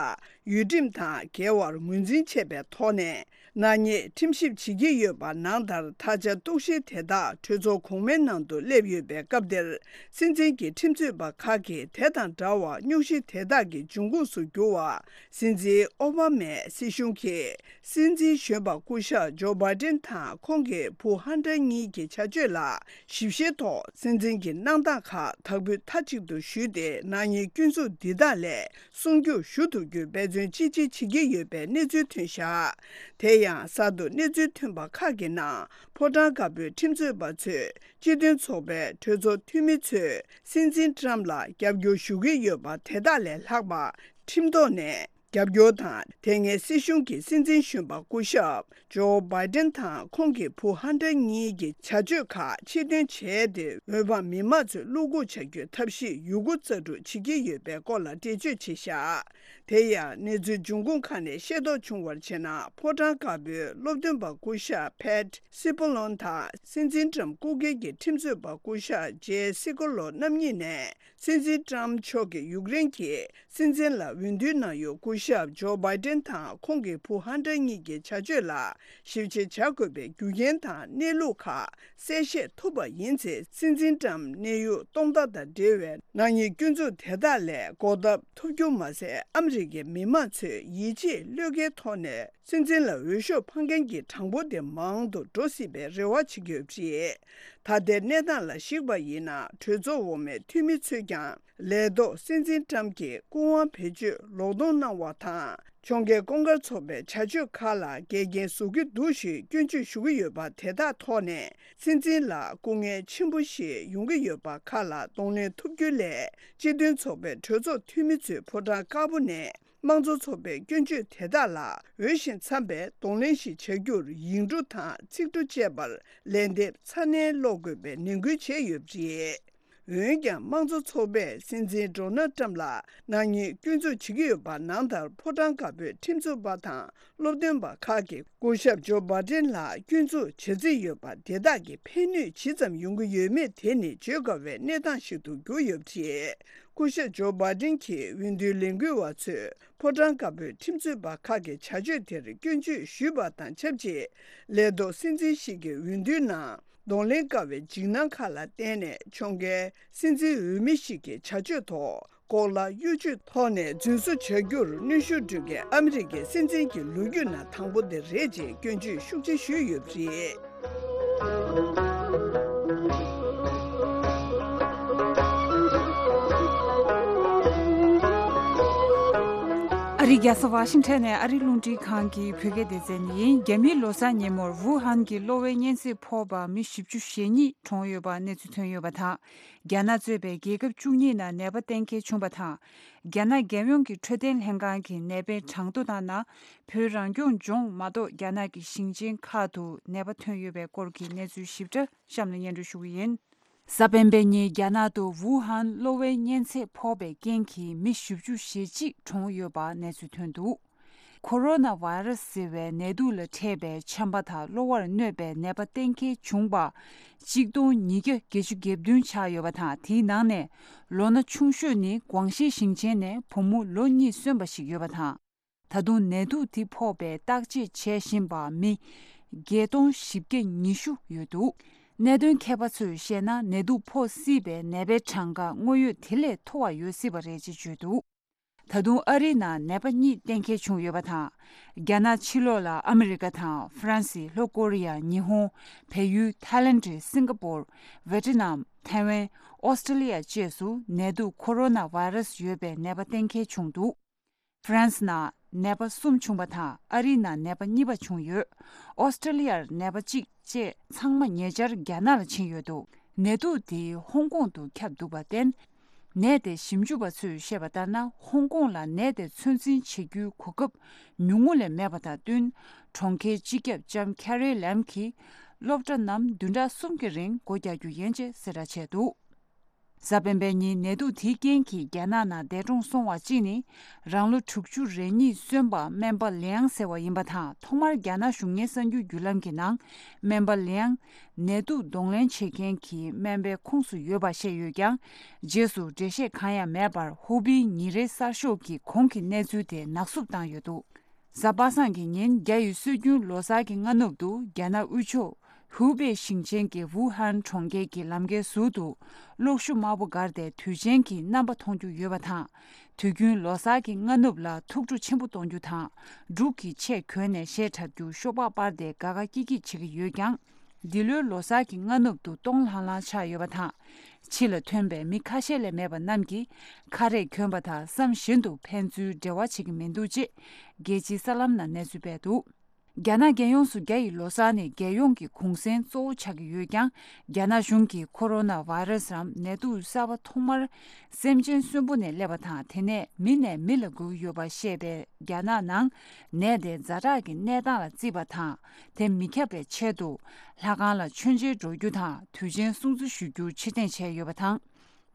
ཡུལ་ཁྲིམས་དང་འགལ་བར་ངོས་འཛིན་བྱས་པའི་ཐོག་ནས། ནག་ཉེས་ཁྲིམས་ཞིབ་བྱེད་ཀྱི་ཡོད་པ་ནང་ལྟར། ད་ཆ་གཏུག་བཤེར་དེ་དག་གྲོས་ཚོགས་གོང་མའི་ནང་དུ་སླེབས་ཡོད་པའི་སྐབས་འདིར། སྲིད་འཛིན་གྱི་ཁྲིམས་རྩོད་པ་ཁག་གིས་དེ་དང་འདྲ་བར་སྙུང་གཞི་དེ་དག་གི་འབྱུང་ཁུངས་སུ་གྱུར་བ། སྲིད་འཛིན་ཨོ་བྷ་མའི་སྲིད་གཞུང་གིས་སྲིད་འཛིན་གཞོན་པ་སྐུ་ཞབས་ཇོ་བྷའི་ཏིན་དང་ཁོང་གི་བུ་ཧན་ཏར་གཉིས་ཀྱི་བྱ་སྤྱོད་ལ་ཞིབ་བཤེར་ཐོག་སྲིད་འཛིན་གྱི་གནང་སྟངས་ཁག་དག་པོ་མཐའ་གཅིག་ཏུ་ཞུས་ཏེ། ནག་ཉེས་སྐྱོན་འཛུགས་འདི་དག་ལས་སྲུང་སྐྱོབ་ཞུ་ཐུབ་རྒྱུའི་འབད་བརྩོན་ཅི་ཆེ་བྱེད་ཀྱི་ཡོད་པའི་གནས་ཚུལ་ཐོན་བཞག་དེ་ཡང་གསར་དུ་གནས་ཚུལ་ཐོན་པ་ཁག་གི་ནང་། ཕོ་བྲང་དཀར་པོའི་ཁྲིམས་རྩོད་པ་ཚོས་སྤྱི་མཐུན་ཚོགས་པའི་གྲོས་ཚོགས་འཐུས་མི་ཚོས་སྲིད་འཛིན་ཏྲམ་ལ་རྒྱབ་སྐྱོར་ཞུ་གི་ཡོད་པ་དེ་དག་ལས་ལྷག་པ། ཁྲིམས་ཐོག་ནས་རྒྱབ་སྐྱོར་དང་། དེ་སྔའི་སྲིད་གཞུང་གིས་སྲིད་འཛིན་གཞོན་པ་སྐུ་ཞབས་ཇོ་བྷའི་ཏིན་དང་ཁོང་གི་བུ་ཧན་ཏར་གཉིས་ཀྱི་བྱ་སྤྱོད་ཁག་ཕྱིར་འདོན་བྱས་ཏེ། འོས་འཕངས་མི་མང་ཚོས་བློ་འགུག་བྱ་རྒྱུའི་ཐབས་ཤེས་ཡོད་རྒུ་རྩལ་སྤྲུགས་བྱེད་ཀྱི་ཡོད་པའི་སྐོར་ལ་འགྲེལ་བརྗོད་བྱས་བཞག་དེ་ཡང་གནས་ཚུལ་འབྱུང་ཁུངས་ཁག་ནས་ཤེས་རྟོགས་བྱུང་བར་བྱས་ན། ཕོ་བྲང་དཀར་པོའི་སློབ་སྟོན་པ་སྐུ་ཞབས་ཕེད་སི་པོ་ལོན་དང་སྲིད་འཛིན་ཏྲམ་སྐུ་སྒེར་གྱི་ཁྲིམས་རྩོད་པ་སྐུ་ཞབས་ཇེ་སི་ཀོ་ལོ་རྣམ་གཉིས་ནས། སྲིད་འཛིན་ཏྲམ་མཆོག་གིས་ཡུཀ་རེན་གྱི་སྲིད་འཛིན་ལ་འོས་བསྡུའི་ནང་ཡོད་སྐུ་ཞབས་ཇོ་བྷའི་ཏིན་དང་ཁོང་གི་བུ་ཧན་ཏར་གཉིས་ཀྱི་བྱ་སྤྱོད་ལ་ཞིབ་དཔྱད་བྱ་དགོས་པའི་རྒྱུ་རྐྱེན་དང་གནས་ལུགས་ཁག་གསལ་བཤད་ཐུབ་པ་ཡིན་ཚེ། སྲིད་འཛིན་ཏྲམ་གནས་ཡུལ་སྟོང་མདའ་དང་འབྲེལ་བའི་ནག་ཉེས་སྐྱོན་འཛུགས་དེ་དག་ལས་འགོག་ཐབས་ཐུབ་རྒྱུ་མ་ཟད། ཨ་མི་རི་ཀའི་མི་མང་ཚོས་ཡིད་ཆེས་བློས་འགེལ་ཐོག་ནས། སྲིད་འཛིན་ལ་འོས་ཤོག་འཕང་མཁན་གྱི་གྲངས་འབོར་དེ་མང་དུ་འགྲོ་སྲིད་པའི་རེ་བ་བྱེད་ཀྱི་ཡོད་པ་རེད། ད་ལྟའི་གནས་སྟངས་ལ་གཞིགས་པ་ཡིན་ན། གྲོས་ཚོགས་འོག་མའི་འཐུས་མི་ཚོས་ཀྱང་ལས་ཐོག་སྲིད་འཛིན་ཏྲམ་གྱི་སྐུ་དབང་བེད་སྤྱོད་ལོག་གཏོང་གནང་བ་དང་། ཕྱོགས་འགལ་ཀུན་དགའ་ཚོགས་པའི་བྱ་སྤྱོད་ཁག་ལ་འགལ་རྐྱེན་བཟོ་གི་འདུག་ཞེས་སྐྱོན་བརྗོད་ཞུ་གི་ཡོད་པ་དེ་དག་ཐོག་ནས། སྲིད་འཛིན་ལ་སྐུ་ངལ་ཆེན་པོ་ཞིག་ཡོང་གི་ཡོད་པ་ཁག་ལ་གདོང་ལེན་ཐུབ་རྒྱུ་སླད། སྤྱི་མཐུན་ཚོགས་པའི་གྲོས་ཚོགས་འཐུས་མི་ཚོས་ཕོ་བྲང་དཀར་པོ་ནས། དམངས་གཙོ་ཚོགས་པའི་སྐྱོན་བརྗོད་དེ་དག་ལ་འོས་ཤིང་འཚམ་པའི་གདོང་ལེན་ཞིག་བྱ་རྒྱུར་ཡིག་འབྲུ་དང་ཚིག་འབྲུ་བཅས་པར་ལན་འདེབས་ཚ་ནན་སློག་དགོས་པའི་ནན་སྐུལ་བྱས་ཡོད་པ་རེད། འོན་ཀྱང་། དམངས་གཙོ་ཚོགས་པས་སྲིད་འཛིན་ཌོ་ནལ་ཏྲམ་ལ་ནག་ཉེས་སྐྱོན་འཛུགས་བྱེད་ཀྱི་ཡོད་པ་ནང་ལྟར། ཕོ་བྲང་དཀར་པོའི་ཁྲིམས་རྩོད་པ་དང་སློབ་སྟོན་པ་ཁག་གིས་སྐུ་ཞབས་ཇོ་བྷའི་ཏིན་ལ་སྐྱོན་འཛུགས་བྱ་རྩིས་ཡོད་པ་དེ་དག་གི་ཕན་ནུས་ཇི་ཙམ་ཡོང་གི་ཡོད་མེད་དེ་ནི་བརྗོད་དཀའ་བའི་གནས་སྟངས་ཤིག་ཏུ་གྱུར་ཡོད་པ་རེད། སྐུ་ཞབས་ཇོ་བྷའི་ཏིན་གྱིས་འོས་བསྡུའི་ལས་འགུལ་བ་ཚོས་ཕོ་བྲང་དཀར་པོའི་ཁྲིམས་རྩོད་པ་ཁག་གི་བྱ་སྤྱོད་དེར་སྐྱོན་བརྗོད་ཞུས་པ་དང་ཆབས་ཅིག་ལས་ཐོག་སྲིད་འཛིན་ཞིག་གི་འོས་བསྡུའི་ནང་གདོང་ལེན་དཀའ་བའི་འཇིགས་སྣང་ཁག་ལ་བརྟེན་ནས། ཕྱོགས་འགལ་སྲིད་འཛིན་འོས་མི་ཞིག་གི་བྱ་སྤྱོད་ཐོག་ལྐོག་ལག་གཡོ་ཇུས་ཐོག་ནས་རྫུན་བཟོ་བྱ་རྒྱུར་གནོན་ཤུགས་སྤྲོད་མཁན་ཨ་མི་རི་ཀའི་སྲིད་འཛིན་གྱི་ལོ་རྒྱུས་ནང་དང་པོ་དེ་རེད་ཅེས་སྐྱོན་བརྗོད་ཤུགས་ཆེ་ཞུས་ཡོད་པ་རེད། ཨ་རིའི་རྒྱལ་ས་ཝ་ཤིང་ཊོན་ནས་ཨ་རིའི་རླུང་འཕྲིན་ཁང་གི་བོད་སྐད་སྡེ་ཚན་ཡིན། རྒྱ་མིའི་ལོ་གསར་ཉིན་མོར་ཝུ་ཧན་གྱི་གློ་བའི་གཉན་ཚད་ཕོག་པ་མི་བཞི་བཅུ་ཞེ་གཉིས་གྲོངས་ཡོད་པ་གནས་ཚུལ་ཐོན་ཡོད་པ་དང་། རྒྱ་ནག་གཙོས་པའི་རྒྱལ་ཁབ་བཅུ་གཉིས་ནང་ནད་པ་གཏན་འཁེལ་བྱུང་བ་དང་། རྒྱ་ནག་རྒྱལ་ཡོངས་ཀྱི་འཕྲོད་བསྟེན་ལྷན་ཁང་གིས་ནད་པའི་གྲངས་ཐོ་ལྟར་ན། བོད་རང་སྐྱོང་ལྗོངས་མ་གཏོགས་རྒྱ་ནག་གི་ཞིང་ཆེན་ཁག་ཏུ་ནད་པ་ཐོན་ཡོད་པའི་སྐོར་གྱི་གནས་ཚུལ་ཞིབ་ཕྲ་གཤམ་ལ་སྙན་སྒྲོན་ཞུ་གི་ཡིན། གཟའ་སྤེན་པའི་ཉིན་རྒྱ་ནག་ཏུ་ཝུ་ཧན་གློ་བའི་གཉན་ཚད་ཕོག་པའི་རྐྱེན་གྱིས་མི་བཞི་བཅུ་ཞེ་གཅིག་གྲོངས་ཡོད་པ་གནས་ཚུལ་ཐོན་འདུག་ཁོ་རོ་ན་བྷ་ར་སི་ཟེར་བའི་ནད་དུག་ལ་འཕྲད་པའི་ཆམ་པ་དང་གློ་བར་གནོད་པའི་ནད་པ་གཏན་འཁེལ་བྱུང་བ་གཅིག་སྟོང་ཉིས་བརྒྱ་བརྒྱད་ཅུ་གྱ་བདུན་ཆགས་ཡོད་པ་དང་། དེའི་ནང་ནས་ལོ་ན་ཆུང་ཤོས་ནི་ཀོང་ཤིས་ཞིང་ཆེན་ནས་བུ་མོ་ལོ་གཉིས་སོན་པ་ཞིག་ཡོད་པ་དང་། ད་དུང་ནད་དུག་དེ་ཕོག་པའི་བརྟག་དཔྱད་བྱེད་བཞིན་པ་མི་བརྒྱད་སྟོང་བཞི་བརྒྱ་ཉི་ཤུ་ཡོད་འདུག་གནད་དོན་མཁས་པ་ཚོས་བཤད་ན། ནད་དུག་ཕོག་སྲིད་པའི་ནད་པའི་གྲངས་ཀ་དངོས་ཡོད་དེ་ལས་མཐོ་བ་ཡོད་སྲིད་པ་རེད་ཅེས་བརྗོད་འདུག་ད་དུང་ཨ་རིའི་ནང་ནད་པ་གཉིས་གཏན་འཁེལ་བྱུང་ཡོད་པ་དང་། རྒྱ་ནག་ཕྱི་ལོགས་ལ་ཨ་མི་རི་ཀ་དང་ཧྥ་རན་སི། ལྷོ་ཀོ་རི་ཡ། ཉི་ཧོང་། བལ་ཡུལ། ཐའི་ལེན་ཌི། སིང་ག་པོར། ཝེ་ཏི་ནམ། ཐའེ་ཝན། ཨོ་སི་ཀྲི་ལི་ཡ་བཅས་སུ་ནད་དུག་ཁོ་རོ་ན་བྷ་ར་སི་ཡོད་པའི་ནད་པ་གཏན་འཁེལ་བྱུང་འདུག་ཧྥ་རན་སི་ནང་ནད་པ་གསུམ་བྱུང་བ་དང་། ཨ་རིའི་ནང་ནད་པ་གཉིས་པ་བྱུང་ཡོད། ཨོ་སི་ཀྲི་ལི་ཡར་ནད་པ་གཅིག་བཅས་ཚང་མ་ཉེ་ཆར་རྒྱ་ནག་ལ་ཕྱིན་ཡོད་འདུག་ནད་དུག་དེ་ཧོང་ཀོང་དུ་ཁྱབ་འདུག་པར་བརྟེན། ནད་དེ་ཞིབ་འཇུག་པ་ཚོས་བཤད་པ་ལྟར་ན། ཧོང་ཀོང་ལ་ནད་དེ་ཚོད་འཛིན་བྱེད་རྒྱུའི་གོ་སྐབས་ཉུང་ངུ་ལས་མེད་པ་དང་བསྟུན། གྲོང་ཁྱེར་སྤྱི་ཁྱབ་ལྕམ་ཁེ་རི་ལེམ་གྱིས་སློབ་གྲྭ་རྣམས་བདུན་ཕྲག་གསུམ་གྱི་རིང་སྒོ་རྒྱག་རྒྱུ་ཡིན་ཅེས་གསལ་བསྒྲགས་བྱས་འདུག་གཟའ་སྤེན་པའི་ཉིན་ནད་དུག་དེའི་རྐྱེན་གྱིས་རྒྱ་ནག་ནང་འདས་གྲོངས་སོང་བ་གཅིག་ནི། རང་ལོ་དྲུག་ཅུ་རེ་གཉིས་སོན་པ་སྨན་པ་ལིའང་ཟེར་བ་ཡིན་པ་དང་། ཐོག་མར་རྒྱ་ནག་གཞུང་གཉེར་གསར་འགྱུར་བརྒྱུད་ལམ་གྱི་ནང་། སྨན་པ་ལིའང་ནད་དུག་གདོང་ལེན་བྱེད་མཁན་གྱི་སྨན་པའི་ཁོངས་སུ་ཡོད་པ་བཤད་ཡོད་ཀྱང་། རྗེས་སུ་འགྲེལ་བཤད་གང་ཡང་མེད་པར། ཧུའུ་པིའི་ཉིན་རེའི་གསར་ཤོག་གིས་གོང་གི་གནས་ཚུལ་དེ་ནག་བསུབ་བཏང་ཡོད་འདུག་གཟའ་པ་སངས་ཀྱི་ཉིན་རྒྱ་ཡི་སྲོལ་རྒྱུན་ལོ་གསར་གྱི་སྔ་ནུབ་ཏུ་རྒྱ་ནག་དབུས་ཕྱོགས་ཧུའུ་པེ་ཞིང་ཆེན་གྱི་ཝུ་ཧན་གྲོང་ཁྱེར་གྱི་ལམ་ཁའི་ཟུར་དུ་གློག་ཞུ་དམར་པོ་བསྒར་ཏེ་དུས་ཆེན་གྱི་རྣམ་པ་མཐོང་རྒྱུ་ཡོད་པ་དང་། དུས་རྒྱུན་ལོ་གསར་གྱི་སྔ་ནུབ་ལ་ཐུགས་སྤྲོ་ཆེན་པོ་གཏོང་རྒྱུ་དང་། འབྲུག་གི་ཆས་གྱོན་ནས་གཞས་འཁྲབ་རྒྱུ་ཤོག་སྦག་སྤར་ཏེ་དགའ་དགའ་སྐྱིད་སྐྱིད་བྱེད་ཀྱི་ཡོད་ཀྱང་། འདི་ལོའི་ལོ་གསར་གྱི་སྔ་ནུབ་ཏུ་སྟོང་ལྷང་ལྷང་ཆགས་ཡོད་པ་དང་། ཕྱི་ལ་ཐོན་པའི་མི་ཁ་ཤས་ལས་མེད་པ་རྣམས་ཀྱིས་ཁ་རས་གྱོན་པ་དང་བསམ་བཞིན་དུ་ཕན་ཚུན་འབྲེལ་བ་བྱེད་ཀྱི་མི་འདུག་ཅེས་རྒྱལ་སྤྱིའི་གསར་ལམ་ནང་གནས་ཚུལ་སྤེལ་འདུག་རྒྱ་ནག་རྒྱལ་ཡོངས་སུ་རྒྱ་ཡི་ལོ་གསར་ནི་རྒྱལ་ཡོངས་ཀྱི་གུང་གསེང་གཙོ་བོ་ཆགས་ཀྱི་ཡོད་ཀྱང་། རྒྱ་ནག་གཞུང་གིས་ཁོ་རོ་ན་བྷ་ཡི་ར་སི་རམ་ནད་དུག་གསར་པ་ཐོག་མར་སེམས་ཅན་གསོན་པོ་ནས་སླེབས་པ་དང་། དེ་ནས་མི་ནས་མི་ལ་འགོས་ཡོད་པ་བཤད་པའི་རྒྱ་ནག་ནང་ནད་དེ་ཛ་དྲག་གི་གནས་སྟངས་ལ་བརྩིས་པ་དང་། དེ་མི་ཁྱབ་པའི་ཆེད་དུ་ལྷ་ཁང་ལ་མཆོད་མཇལ་འགྲོ་རྒྱུ་དང་དུས་ཆེན་སྲུང་བརྩི་ཞུ་རྒྱུ་ཕྱིར་འཐེན་བྱས་ཡོད་པ་དང་།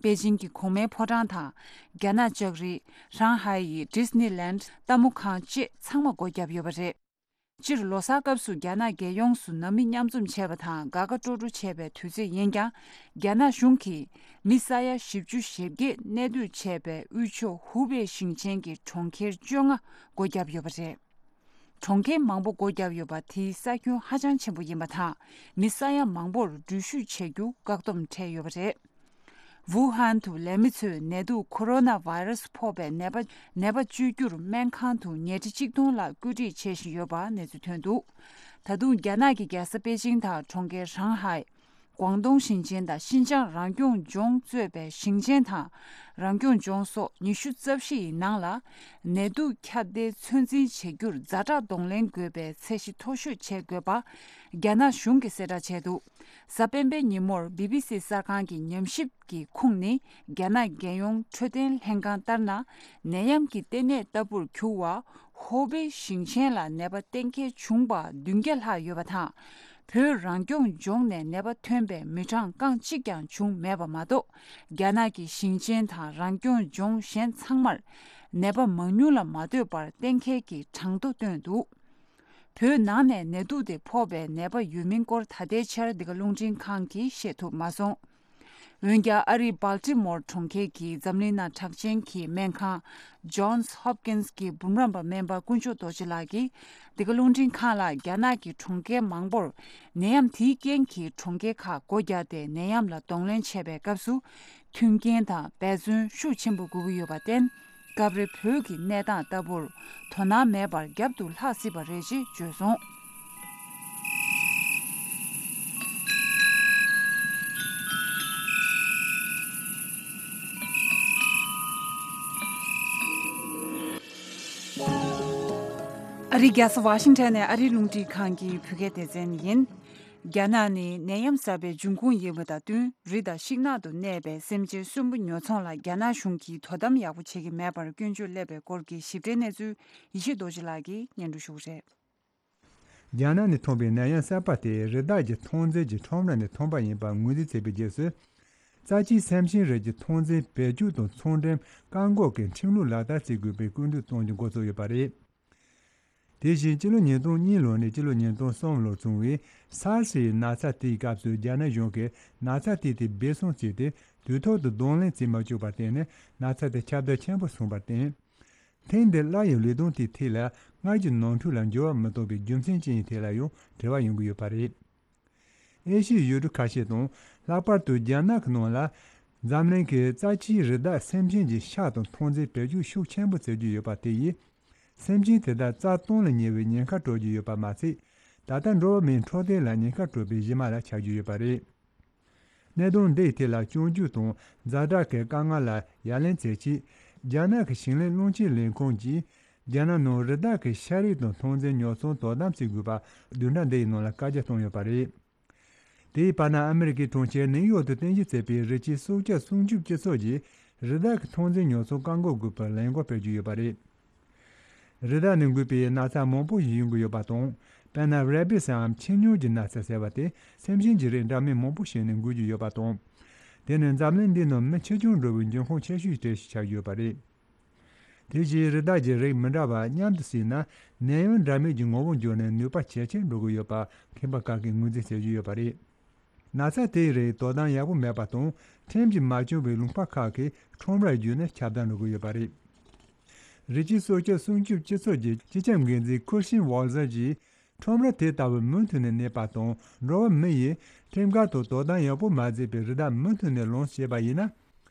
པེ་ཅིང་གི་གོང་མའི་ཕོ་བྲང་དང་། རྒྱ་ནག་ལྕགས་རི། ཧྲང་ཧའེ་ཡི་ཌིས་ནི་ལན། ལྟད་མོ་ཁང་བཅས་ཚང་མ་སྒོ་བརྒྱབ་ཡོད་པ་རེད། སྤྱིར་ལོ་གསར་སྐབས་སུ་རྒྱ་ནག་རྒྱལ་ཡོངས་སུ་ནང་མི་མཉམ་འཛོམས་བྱས་པ་དང་དགའ་དགའ་སྤྲོ་སྤྲོ་བྱས་པའི་དུས་ཚོད་ཡིན་ཀྱང་། རྒྱ་ནག་གཞུང་གིས་མི་ས་ཡ་བཞི་བཅུ་ཞེ་བརྒྱད་གནས་སྡོད་བྱས་པའི་དབུས་ཕྱོགས་ཧུའུ་པེ་ཞིང་ཆེན་གྱི་གྲོང་ཁྱེར་བཅོ་ལྔ་སྒོ་བརྒྱབ་ཡོད་པ་རེད། གྲོང་ཁྱེར་མང་པོ་སྒོ་བརྒྱབ་ཡོད་པ་དེའི་ས་ཁྱོན་ཧ་ཅང་ཆེན་པོ་ཡིན་པ་དང་། མི་ས་ཡ་མང་པོར་འགྲུལ་བཞུད་བྱེད་རྒྱུ་བཀག་སྡོམ་འཕྲད་ཡོད་པ་རེད། ཝུ་ཧན་དུ་ལས་མི་ཚོས་ནད་དུག་ཁོ་རོ་ན་བྷ་ཡི་ར་སི་ཕོག་པའི་ནད་པ་ནད་པ་བཅོས་རྒྱུར་སྨན་ཁང་དུ་ཉལ་ཁྲི་གཅིག་སྟོང་ལྷག་བཀོད་སྒྲིག་བྱེད་བཞིན་ཡོད་པ་གནས་ཚུལ་ཐོན་འདུག་ད་དུང་རྒྱ་ནག་གི་རྒྱལ་ས་པེ་ཅིང་དང་གྲོང་ཁྱེར་ཧྲང་ཧའེ། ཀོང་ཏུང་ཞིང་ཆེན་དང་ཤིན་ཅང་རང་སྐྱོང་ལྗོངས་གཙོས་པའི་ཞིང་ཆེན་དང་རང་སྐྱོང་ལྗོངས་སོགས་ཉི་ཤུ་རྩ་བཞི་ཡི་ནང་ལ་ནད་དུག་ཁྱབ་གདལ་ཚོད་འཛིན་བྱེད་རྒྱུར་ཛ་དྲག་གདོང་ལེན་དགོས་པའི་ཚད་གཞི་མཐོ་ཤོས་བྱེད་དགོས་པ་རྒྱ་ནག་གཞུང་གིས་གསལ་བསྒྲགས་བྱས་འདུག་གཟའ་སྤེན་པའི་ཉིན་མོར་བི་བི་སི་གསར་ཁང་གི་ཉམས་ཞིབ་ཀྱི་ཁུངས་ནི་རྒྱ་ནག་རྒྱལ་ཡོངས་འཕྲོད་བསྟེན་ལྷན་ཁང་ལྟར་ན། ནད་ཡམས་ཀྱི་ལྟེ་གནས་ལྟ་བུར་གྱུར་བ་ཧོ་པེ་ཞིང་ཆེན་ལ་ནད་པ་གཏན་འཁེལ་བྱུང་བ་བདུན་བརྒྱ་ལྷག་ཡོད་པ་དང་། བོད་རང་སྐྱོང་ལྗོངས་ནས་ནད་པ་ཐོན་པའི་མི་གྲངས་རྐང་གཅིག་ཀྱང་བྱུང་མེད་པ་མ་གཏོགས། རྒྱ་ནག་གི་ཞིང་ཆེན་དང་རང་སྐྱོང་ལྗོངས་གཞན་ཚང་མར་ནད་པ་མང་ཉུང་ལ་མ་ལྟོས་པར་གཏན་འཁེལ་གྱི་གྲངས་ཐོ་བཏོན་འདུག་བོད་ནང་ནས་ནད་དུག་དེ་ཕོག་པའི་ནད་པ་ཡོད་མིན་སྐོར་ད་ལྟའི་ཆར་འདི་ག་རླུང་འཕྲིན་ཁང་གིས་ཤེས་ཐུབ་མ་སོང་། འོན་ཀྱང་ཨ་རིའི་སྦལ་ཏི་མོར་གྲོང་ཁྱེར་གྱི་འཛམ་གླིང་ནང་གྲགས་ཅན་གྱི་སྨན་ཁང་Johns Hopkins གྱི་འབུམ་རམས་པ་སྨན་པ་དཀོན་མཆོག་རྡོ་རྗེ་ལགས་ཀྱིས་འདི་ག་རླུང་འཕྲིན་ཁང་ལ་རྒྱ་ནག་གི་གྲོང་ཁྱེར་མང་པོར་ནད་ཡམས་དེའི་རྐྱེན་གྱིས་གྲོང་ཁྱེར་ཁག་སྒོ་བརྒྱབ་སྟེ་ནད་ཡམས་ལ་གདོང་ལེན་བྱེད་པའི་སྐབས་སུ། མཐུན་རྐྱེན་དང་འབད་བརྩོན་ཤུགས་ཆེན་པོ་དགོས་ཀྱི་ཡོད་པར་བརྟེན། སྐབས་རེ་བོད་ཀྱི་གནས་སྟངས་ལྟ་བུར་དོ་སྣང་མེད་པར་རྒྱབ་ཏུ་ལྷག་སྲིད་པ་རེད་ཅེས་བརྗོད་སོང་། ཨ་རིའི་རྒྱལ་ས་ཝ་ཤིང་ཊོན་ནས་ཨ་རིའི་རླུང་འཕྲིན་ཁང་གི་བོད་སྐད་སྡེ་ཚན་ཡིན། རྒྱ་ནག་ནི་ནད་ཡམས་གསར་པའི་འབྱུང་ཁུངས་ཡིན་པ་དང་བསྟུན། རི་དང་ཤིང་ནགས་དུ་གནས་པའི་སེམས་ཅན་གསོན་པོ་ཉོ་ཚོང་ལ་རྒྱ་ནག་གཞུང་གིས་དོ་དམ་ཡག་པོ་བྱེད་ཀྱི་མེད་པར་སྐྱོན་བརྗོད་སླེབས་པའི་སྐོར་གྱི་ཞིབ་ཕྲའི་གནས་ཚུལ་ཡེ་ཤེས་རྡོ་རྗེ་ལགས་ཀྱིས་སྙན་སྒྲོན་ཞུ་གི་རེད། རྒྱ་ནག་ནས་ཐོན་པའི་ནད་ཡམས་གསར་པ་དེས་རི་དྭགས་ཀྱི་ཐོན་རྫས་ཀྱི་ཁྲོམ་ར་ནས་ཐོན་པ་ཡིན་པར་ངོས་འཛིན་བྱས་པའི་རྗེས་སུ། རྩ་ཆེའི་སེམས་ཅན་རིགས་ཀྱི་ཐོན་རྫས་བེད་སྤྱོད་དང་ཚོང་འབྲེལ་བཀག་འགོག་གི་ཁྲིམས་ལུགས་ལག་བསྟར་བྱེད་དགོས་པའི་སྐུལ་འདེད་གཏོང་རྒྱུ་འགོ་ཚུགས་ཡོད་པ་རེད། དེ་བཞིན་སྤྱི་ལོ་ཉིས་སྟོང་གཉིས་ལོ་ནས་སྤྱི་ལོ་ཉིས་སྟོང་གསུམ་ལོར་བྱུང་བའི་སཱར་སི་ཡི་ན་ཚ་དེའི་སྐབས་སུ་རྒྱ་ནག་གཞུང་གིས་ན་ཚ་དེ་དེ་སྦས་གསང་བྱས་ཏེ་དུས་ཐོག་ཏུ་གདོང་ལེན་བྱེད་མ་བཅུག་པར་བརྟེན་ནས་ན་ཚ་དེ་ཁྱབ་གདལ་ཆེན་པོ་སོང་བར་བརྟེན། ཐེངས་འདིར་སླར་ཡང་ལས་དོན་དེའི་ཐད་ལ་སྔར་གྱི་ནོར་འཁྲུལ་ལ་འགྱུར་བ་མི་གཏོང་བའི་རྒྱུ་མཚན་ཅི་ཡིན་ཐད་ལ་ཡང་དྲི་བ་ཡོང་གི་ཡོད་པ་རེད། ཨེ་ཤི་ཡའི་ཡུལ་གྲུ་ཁ་ཤས་དང་ལྷག་པར་དུ་རྒྱ་ནག་གི་ནང་ལ་འཛམ་གླིང་གི་རྩ་ཆེའི་རི་དྭགས་སེམས་ཅན་གྱི་ཤ་དང་ཐོན་རྫས་བེད་སྤྱོད་ཤུགས་ཆེན་པོ་བྱེད་ཀྱི་ཡོད་པ་དེ་ཡིས། སེམས་ཅན་དེ་དག་རྩ་སྟོངས་ལ་ཉེ་བའི་ཉེན་ཁ་སྤྲོད་ཀྱི་ཡོད་པ་མ་ཚད། ད་ལྟ་འགྲོ་བ་མིའི་འཕྲོད་བསྟེན་ལ་ཉེན་ཁ་སྤྲོད་པའི་གཞི་མ་ལ་ཆགས་ཀྱི་ཡོད་པ་རེད། གནད་དོན་འདིའི་ཐད་ལ་སྐྱོན་བརྗོད་དང་ཛ་དྲག་གི་དཀའ་ངལ་ལ་ཡ་ལན་བྱེད་ཆེད། རྒྱ་ནག་གི་ཞིང་ལས་རླུང་ཆེན་ལས་ཁུངས་ཀྱིས་རྒྱ་ནག་ནང་རི་དྭགས་ཀྱི་ཤ་རིགས་དང་ཐོན་རྫས་ཉོ་ཚོང་དོ་དམ་བྱེད་དགོས་པ་བདུན་ཕྲག་འདིའི་ནང་ལ་བཀའ་རྒྱ་བཏང་ཡོད་པ་རེད། དེའི་བར་ན་ཨ་མི་རི་ཀའི་གྲོང་ཁྱེར་ནིའུ་ཡོག་ཏུ་རྟེན་གཞི་བྱས་པའི་རི་སྐྱེས་སྲོག་ཆགས་སྲུང་སྐྱོབ་སྤྱི་ཚོགས་ཀྱིས་རི་དྭགས་ཀྱི་ཐོན་རྫས་ཉོ་ཚོང་བཀག་འགོག་དགོས་པའི་ལས་འགུལ་སྤེལ་རྒྱུ་ཡོད་པ་རེད། རི་དྭགས་ནས་འགོས་པའི་ན་ཚ་མང་པོ་ཞིག་ཡོང་གི་ཡོད་པ་དང་། དཔེར་ན་རེ་བིས་སམ་ཁྱི་སྨྱོ་གི་ན་ཚ་ཟེར་བ་དེ་སེམས་ཅན་གྱི་རིགས་འདྲ་མིན་མང་པོ་ཞིག་ནས་འགོས་ཀྱི་ཡོད་པ་དང་། དེ་ནི་འཛམ་གླིང་འདིའི་ནང་མི་འཆི་སྐྱོན་འགྲོ་བའི་འབྱུང་ཁུངས་ཆེ་ཤོས་གྲས་ཤིག་ཆགས་ཡོད་པ་རེད། དེ་བཞིན་རི་དྭགས་ཀྱི་རིགས་མི་འདྲ་བ་མཉམ་དུ་བསྲེས་ན་ནད་ཡམས་འདྲ་མིན་གྱི་ངོ་བོ་འགྱུར་ནས་ནུས་པ་ཇེ་ཆེར་འགྲོ་གི་ཡོད་པ་མཁས་པ་ཁག་གིས་ངོས་འཛིན་བྱེད་ཀྱི་ཡོད་པ་རེད། ན་ཚ་དེའི་རིགས་དོ་དམ་ཡག་པོ་མེད་པ་དང་ཁྲིམས་ཀྱིས་མ་སྐྱོང་བའི་ལུང་པ་ཁག་གི་ཁྲོམ་རར་བརྒྱུད་ནས་ཁྱབ་གདལ་འགྲོ་གི་ཡོད་པ་རེད། རི་སྐྱེས་སྲོག་ཆགས་སྲུང་སྐྱོབ་སྤྱི་ཚོགས་ཀྱི་སྤྱི་ཁྱབ་འགན་འཛིན་ཁུར་ཤིན་ཝོལ་ཟར་གྱིས། ཁྲོམ་ར་དེ་ལྟ་བུ་མུ་མཐུད་ནས་གནས་པ་དང་། འགྲོ་བ་མི་ཡིས་ཁྲིམས་འགལ་དང་དོ་དམ་ཡག་པོ་མ་བྱས་པའི་རི་དྭགས་མུ་མཐུད་ནས་ལངས་བྱས་པ་ཡིན་ན།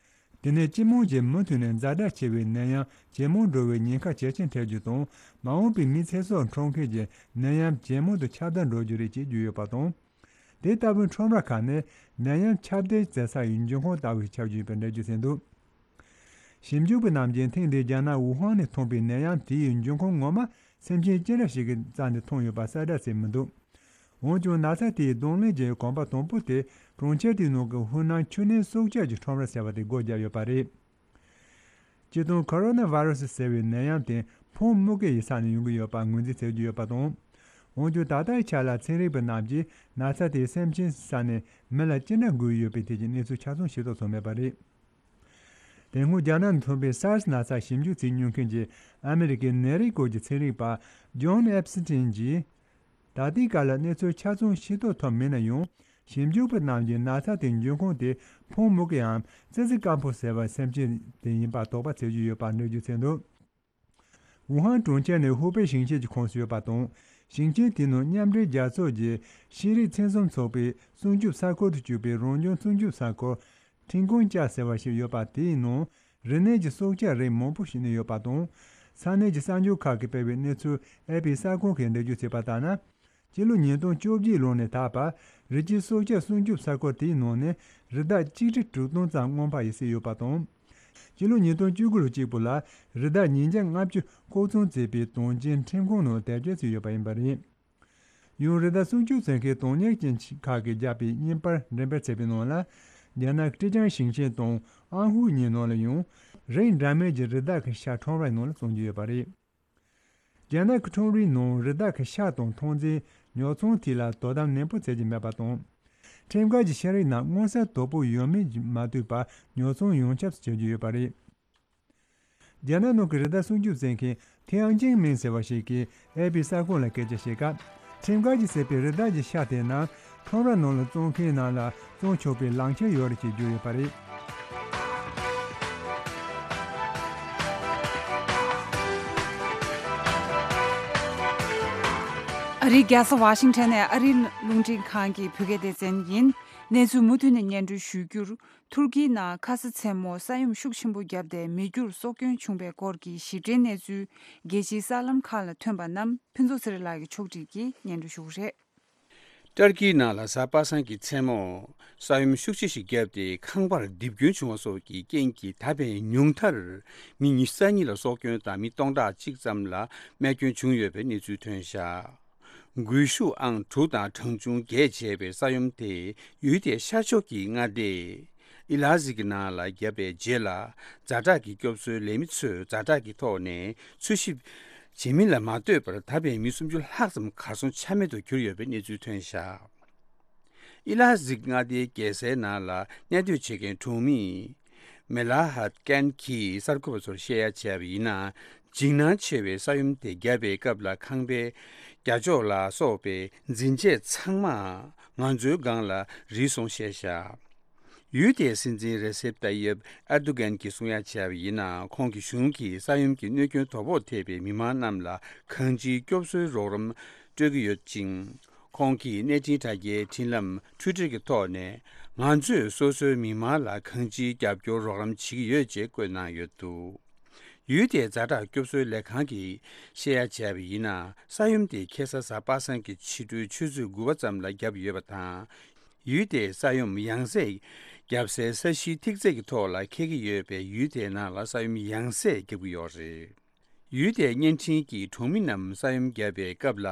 དེ་ནས་སྤྱི་དམངས་ཀྱིས་མུ་མཐུད་ནས་ཛ་དྲག་ཆེ་བའི་ནད་ཡམས་ཇེ་མང་འགྲོ་བའི་ཉེན་ཁ་ཇེ་ཆེར་འཕེལ་རྒྱུ་དང་། མ་འོངས་པའི་མི་ཚེ་སྲོག་འཕྲོག་མཁན་གྱི་ནད་ཡམས་ཇེ་མང་དུ་ཁྱབ་གདལ་འགྲོ་རྒྱུ་རེད་ཅེས་བརྗོད་ཡོད་པ་དང་། དེ་ལྟ་བུའི་ཁྲོམ་ར་ཁག་ནི་ནད་ཡམས་ཁྱབ་གདལ་མཛད་ས་ཡི་འབྱུང་ཁུངས་ལྟ་བུ་ཞིག་ཆགས་ཀྱི་ཡོད་པའི་འགྲེལ་བརྗོད་བྱས་འདུག། ཞིབ་འཇུག་པ་རྣམས་ཀྱིས་ཐེངས་འདིའི་རྒྱ་ནག་ཝུ་ཧན་ནས་ཐོན་པའི་ནད་ཡམས་དེའི་འབྱུང་ཁུངས་ངོ་མ་སེམས་ཅན་ཅི་འདྲ་ཞིག་གི་རྩ་ནས་ཐོན་ཡོད་པ་གསལ་བསྒྲགས་བྱས་མི་འདུག། འོན་ཀྱང་ན་ཚ་དེའི་གདོང་ལེན་གྱི་གོམ་པ་དང་པོ་དེ་གྲོང་ཁྱེར་དེའི་ནང་གི་ཧུའུ་ནན་ཆུ་ནན་སྲོག་ཆགས་ཀྱི་ཁྲོམ་ར་ཟེར་བ་དེ་སྒོ་བརྒྱབ་ཡོད་པ་རེད། སྤྱིར་བཏང་ཁོ་རོ་ན་ཝེ་རུ་སི་ཟེར་བའི་ནད་ཡམས་དེ་ཕོང་སྨུག་གི་ཡི་ས་ནས་ཡོང་གི་ཡོད་པ་ངོས་འཛིན་བྱེད་ཀྱི་ཡོད་པ་དང་། འོན་ཀྱང་ད་ལྟའི་ཆ་ལ་ཚན་རིག་པ་རྣམས་ཀྱིས་ན་ཚ་དེ་སེམས་ཅན་ས་ནས་མི་ལ་ཅི་འདྲ་འགོས་ཡོད་པའི་ཐད་ཀྱི་གནས་ཚུལ་ཆ་ཚང་ཤེས་རྟོགས་ཐུབ་མེད་པ་རེད། དེ་སྔོན་རྒྱ་ནག་ནས་ཐོན་པའི་སཱར་སི་ན་ཚ་ཞིབ་འཇུག་བྱེད་མྱོང་མཁན་གྱི་ཨ་མི་རི་ཀའི་ནད་རིགས་སྐོར་གྱི་ཚན་རིག་པ་ཇོན་ཨེབ་སི་ཏིན་གྱིས། ད་ལྟའི་སྐབས་ལ་གནས་ཚུལ་ཆ་ཚང་ཤེས་རྟོགས་ཐུབ་མེད་ན་ཡང་། ཞིབ་འཇུག་པ་རྣམས་ཀྱིས་ན་ཚ་དེའི་འབྱུང་ཁུངས་དེ་ཕོང་སྨུག་གི་འམ་ཙི་ཙི་དཀར་པོ་ཟེར་བའི་སེམས་ཅན་དེ་ཡིན་པ་དོགས་པ་བྱེད་ཀྱི་ཡོད་པ་འགྲེལ་བརྗོད་བྱས་འདུག། ཝུ་ཧན་གྲོང་ཁྱེར་ནི་ཧུའུ་པེ་ཞིང་ཆེན་གྱི་ཁོངས་སུ་ཡོད་པ་དང་། ཞིང་ཆེན་དེའི་ནང་མཉམ་འབྲེལ་རྒྱལ་ཚོགས་ཀྱི་ཤེས་རིག་ཚན་གསུམ་ཚོགས་པའི་སྲུང་སྐྱོབ་ས་ཁུལ་དུ་གྱུར་པའི་རང་བྱུང་སྲུང་སྐྱོབ་ས་ཁུལ་ཁྲིན་ཀོང་ཅཱ་ཟེར་བ་ཞིག་ཡོད་པ། དེའི་ནང་རི་ནས་ཀྱི་སྲོག་ཆགས་རིགས་མང་པོ་ཞིག་གནས་ཡོད་པ་དང་། ས་གནས་ཀྱི་གསར་འགྱུར་ཁག་གིས་སྤེལ་བའི་གནས་ཚུལ་ཨེ་པི་གསར་ཁང་གིས་འགྲེལ་བརྗོད་བྱས་པ་ལྟར་ན། སྤྱི་ལོ་ཉིས་སྟོང་བཅོ་བརྒྱད་ལོ་ནས་ད་བར་རི་སྐྱེས་སྲོག་ཆགས་སྲུང་སྐྱོབ་ས་ཁུལ་དེའི་ནང་ནས་རི་དྭགས་ཆིག་ཁྲི་དྲུག་སྟོང་ཙམ་རྔོན་པ་ཡིས་བསད་ཡོད་པ་དང་། སྤྱི་ལོ་ཉིས་སྟོང་བཅུ་དགུ་ལོ་གཅིག་པུ་ལ་རི་དྭགས་ཉིས་བརྒྱ་ལྔ་བཅུ་ལྐོག་ཚོང་བྱས་པའི་དོན་རྐྱེན་ཁྲིམས་ཁང་ནང་དེབ་སྐྱེལ་བྱས་ཡོད་པ་ཡིན་པ་རེད། ཡང་རི་དྭགས་སྲུང་སྐྱོབ་བྱེད་མཁན་དོན་གཉེར་ཅན་ཁག་གིས་བརྒྱབ་པའི་བརྙན་པར་འགྲེམས་སྤེལ་བྱས་པའི་ནང་ལ། རྒྱ་ནག་གི་ཀྲེ་ཅང་ཞིང་ཆེན་དང་ཨན་ཧུའུ་གཉིས་ནང་ལ་ཡང་རིགས་འདྲ་མིན་གྱི་རི་དྭགས་ཀྱི་ཤ་ཁྲོམ་རའི་ནང་ལ་བཙོང་གི་ཡོད་པ་རེད། རྒྱ་ནག་གི་ཁྲོམ་རའི་ནང་རི་དྭགས་ཀྱི་ཤ་དང་ཐོན་རྫས་ཉོ་ཚོང་ཐད་ལ་དོ་དམ་ནན་པོ་བྱེད་ཀྱི་མེད་པ་དང་། ཁྲིམས་འགལ་གྱི་ཤ་རིགས་རྣམས་མངོན་གསལ་དོད་པོ་ཡོད་མེད་མ་ལྟོས་པར་ཉོ་ཚོང་ཡོངས་ཁྱབ་བྱེད་ཀྱི་ཡོད་པ་རེད། རྒྱ་ནག་ནང་གི་རི་དྭགས་སྲུང་སྐྱོབ་བྱེད་མཁན་ཐེའང་ཅིང་མིང་ཟེར་བ་ཞིག་གིས་ཨེ་པི་གསར་ཁང་ལ་སྐད་ཆ་བཤད་སྐབས། ཁྲིམས་འགལ་གྱིས་བསད་པའི་རི་དྭགས་ཀྱི་ཤ་དེ་རྣམས་ཁྲོམ་ར་ནང་ལ་བཙོང་མཁན་རྣམས་ལ་བཙོང་ཆོག་པའི་ལག་ཁྱེར་ཡོད་རེད་ཅེས་བརྗོད་ཡོད་པ་རེད། ཨ་རིའི་རྒྱལ་ས་ཝ་ཤིང་ཊོན་ནས་ཨ་རིའི་རླུང་འཕྲིན་ཁང་གི་བོད་སྐད་སྡེ་ཚན་ཡིན། གནས་ཚུལ་མུ་མཐུད་ནས་སྙན་སྒྲོན་ཞུ་རྒྱུར། ཐུར་ཀིའི་ནང་ཁ་ས་མཚན་མོ་ས་ཡོམ་ཤུགས་ཆེན་པོ་བརྒྱབ་སྟེ་མི་རྒྱུར་སྲོག་སྐྱོན་བྱུང་བའི་སྐོར་གྱི་ཞིབ་ཕྲའི་གནས་ཚུལ་རྒྱལ་སྤྱིའི་གསར་ལམ་ཁག་ལ་ཐོན་པ་རྣམས་ཕུན་ཚོགས་ཚེ་རིང་ལགས་ཀྱིས་ཕྱོགས་སྒྲིག་གིས་སྙན་སྒྲོན་ཞུ་གི་རེད། ཏུར་ཀིའི་ནང་ལ་གཟའ་པ་སངས་ཀྱི་མཚན་མོ་ས་ཡོམ་ཤུགས་ཆེ་ཞིག་བརྒྱབ་སྟེ་ཁང་པར་རྡིབ་སྐྱོན་བྱུང་བ་སོགས་ཀྱི་རྐྱེན་གྱིས་ད་ཕན་ཉུང་མཐར་མི་ཉི་ཤུ་རྩ་གཉིས་ལ་སྲོག་སྐྱོན་དང་མི་སྟོང་ཕྲག་གཅིག་ཙམ་ལ་རྨས་སྐྱོན་བྱུང་ཡོད་པའི་གནས་ཚུལ་ཐོན་བཞག། སྒུལ་ཤུགས་ཨང་དྲུག་དང་གྲངས་ཆུང་བརྒྱད་བྱས་པའི་ས་ཡོམ་དེ་ཡུལ་དེའི་ཤར་ཕྱོགས་ཀྱི་མངའ་སྡེ་ཨི་ལ་ཟིག་གི་ནང་ལ་བརྒྱབ་པའི་རྗེས་ལ། ཛ་དྲག་གི་སྐྱོབ་གསོའི་ལས་མི་ཚོས་ཛ་དྲག་གི་ཐོག་ནས་འཚོལ་ཞིབ་བྱེད་མིན་ལ་མ་ལྟོས་པར་ད་ཕན་མི་སུམ་ཅུ་ལྷག་ཙམ་གར་སོང་ཆ་མེད་དུ་གྱུར་ཡོད་པའི་གནས་ཚུལ་ཐོན་བཞག། ཨི་ལ་ཟིག་མངའ་སྡེའི་རྒྱལ་སའི་ནང་ལ་གནས་སྡོད་བྱེད་མཁན་གྲོང་མི་མེ་ལ་ཧད་ཀན་གྱིས་གསར་འགོད་པ་ཚོར་བཤད་ཡ་བྱས་པ་ཡིན་ན། འཇིགས་སྣང་ཆེ་བའི་ས་ཡོམ་དེ་བརྒྱབ་པའི་སྐབས་ལ་ཁང་པའི་རྒྱ་ཅོག་ལ་སོགས་པའི་འཛིན་ཆས་ཚང་མ་ང་ཚོའི་སྒང་ལ་རིལ་སོང་བཤད་བཞག། ཡུལ་དེའི་སྲིད་འཛིན་རེ་སེབ་ཏཱ་ཡེབ་ཨེར་དོ་གན་གྱིས་གསུང་ཡ་བྱས་པ་ཡིན་ན། ཁོང་གི་གཞུང་གིས་ས་ཡོམ་གྱི་གནོད་སྐྱོན་དོ་ཕོག་ཐེབས་པའི་མི་མང་རྣམས་ལ་གང་ཅིའི་སྐྱོབ་གསོའི་རོགས་རམ་སྤྲོད་ཀྱི་ཡོད་ཅིང་། ཁོང་གིས་གནས་འཕྲིན་དྲ་རྒྱའི་འཕྲིན་ལམ་ཊུའི་ཊར་གྱི་ཐོག་ནས། ང་ཚོས་སོ་སོའི་མི་མང་ལ་གང་ཅིའི་རྒྱབ་སྐྱོར་རོགས་རམ་བྱེད་ཀྱི་ཡོད་ཅེས་བཀོད་གནང་ཡོད་འདུག། ཡུལ་དེའི་ཛ་དྲག་སྐྱོབ་གསོའི་ལས་ཁང་གིས་བཤད་ཡ་བྱས་པ་ཡིན་ན། ས་ཡོམ་དེ་ཁ་སང་གཟའ་པ་སངས་ཀྱི་ཕྱི་དྲོའི་ཆུ་ཚོད་དགུ་པ་ཙམ་ལ་བརྒྱབ་ཡོད་པ་དང་། ཡུལ་དེའི་ས་ཡོམ་ཡང་སེ་བརྒྱབ་སའི་ས་གཞིའི་ཐིག་ཚད་ཀྱི་ཐོག་ལ་འཁེལ་གྱི་ཡོད་པས། ཡུལ་དེའི་ནང་ལ་ས་ཡོམ་ཡང་སེ་བརྒྱབ་ཀྱི་ཡོད་རེད། ཡུལ་དེའི་བརྙན་འཕྲིན་གྱི་གྲོང་མི་རྣམས་ས་ཡོམ་བརྒྱབ་པའི་སྐབས་ལ།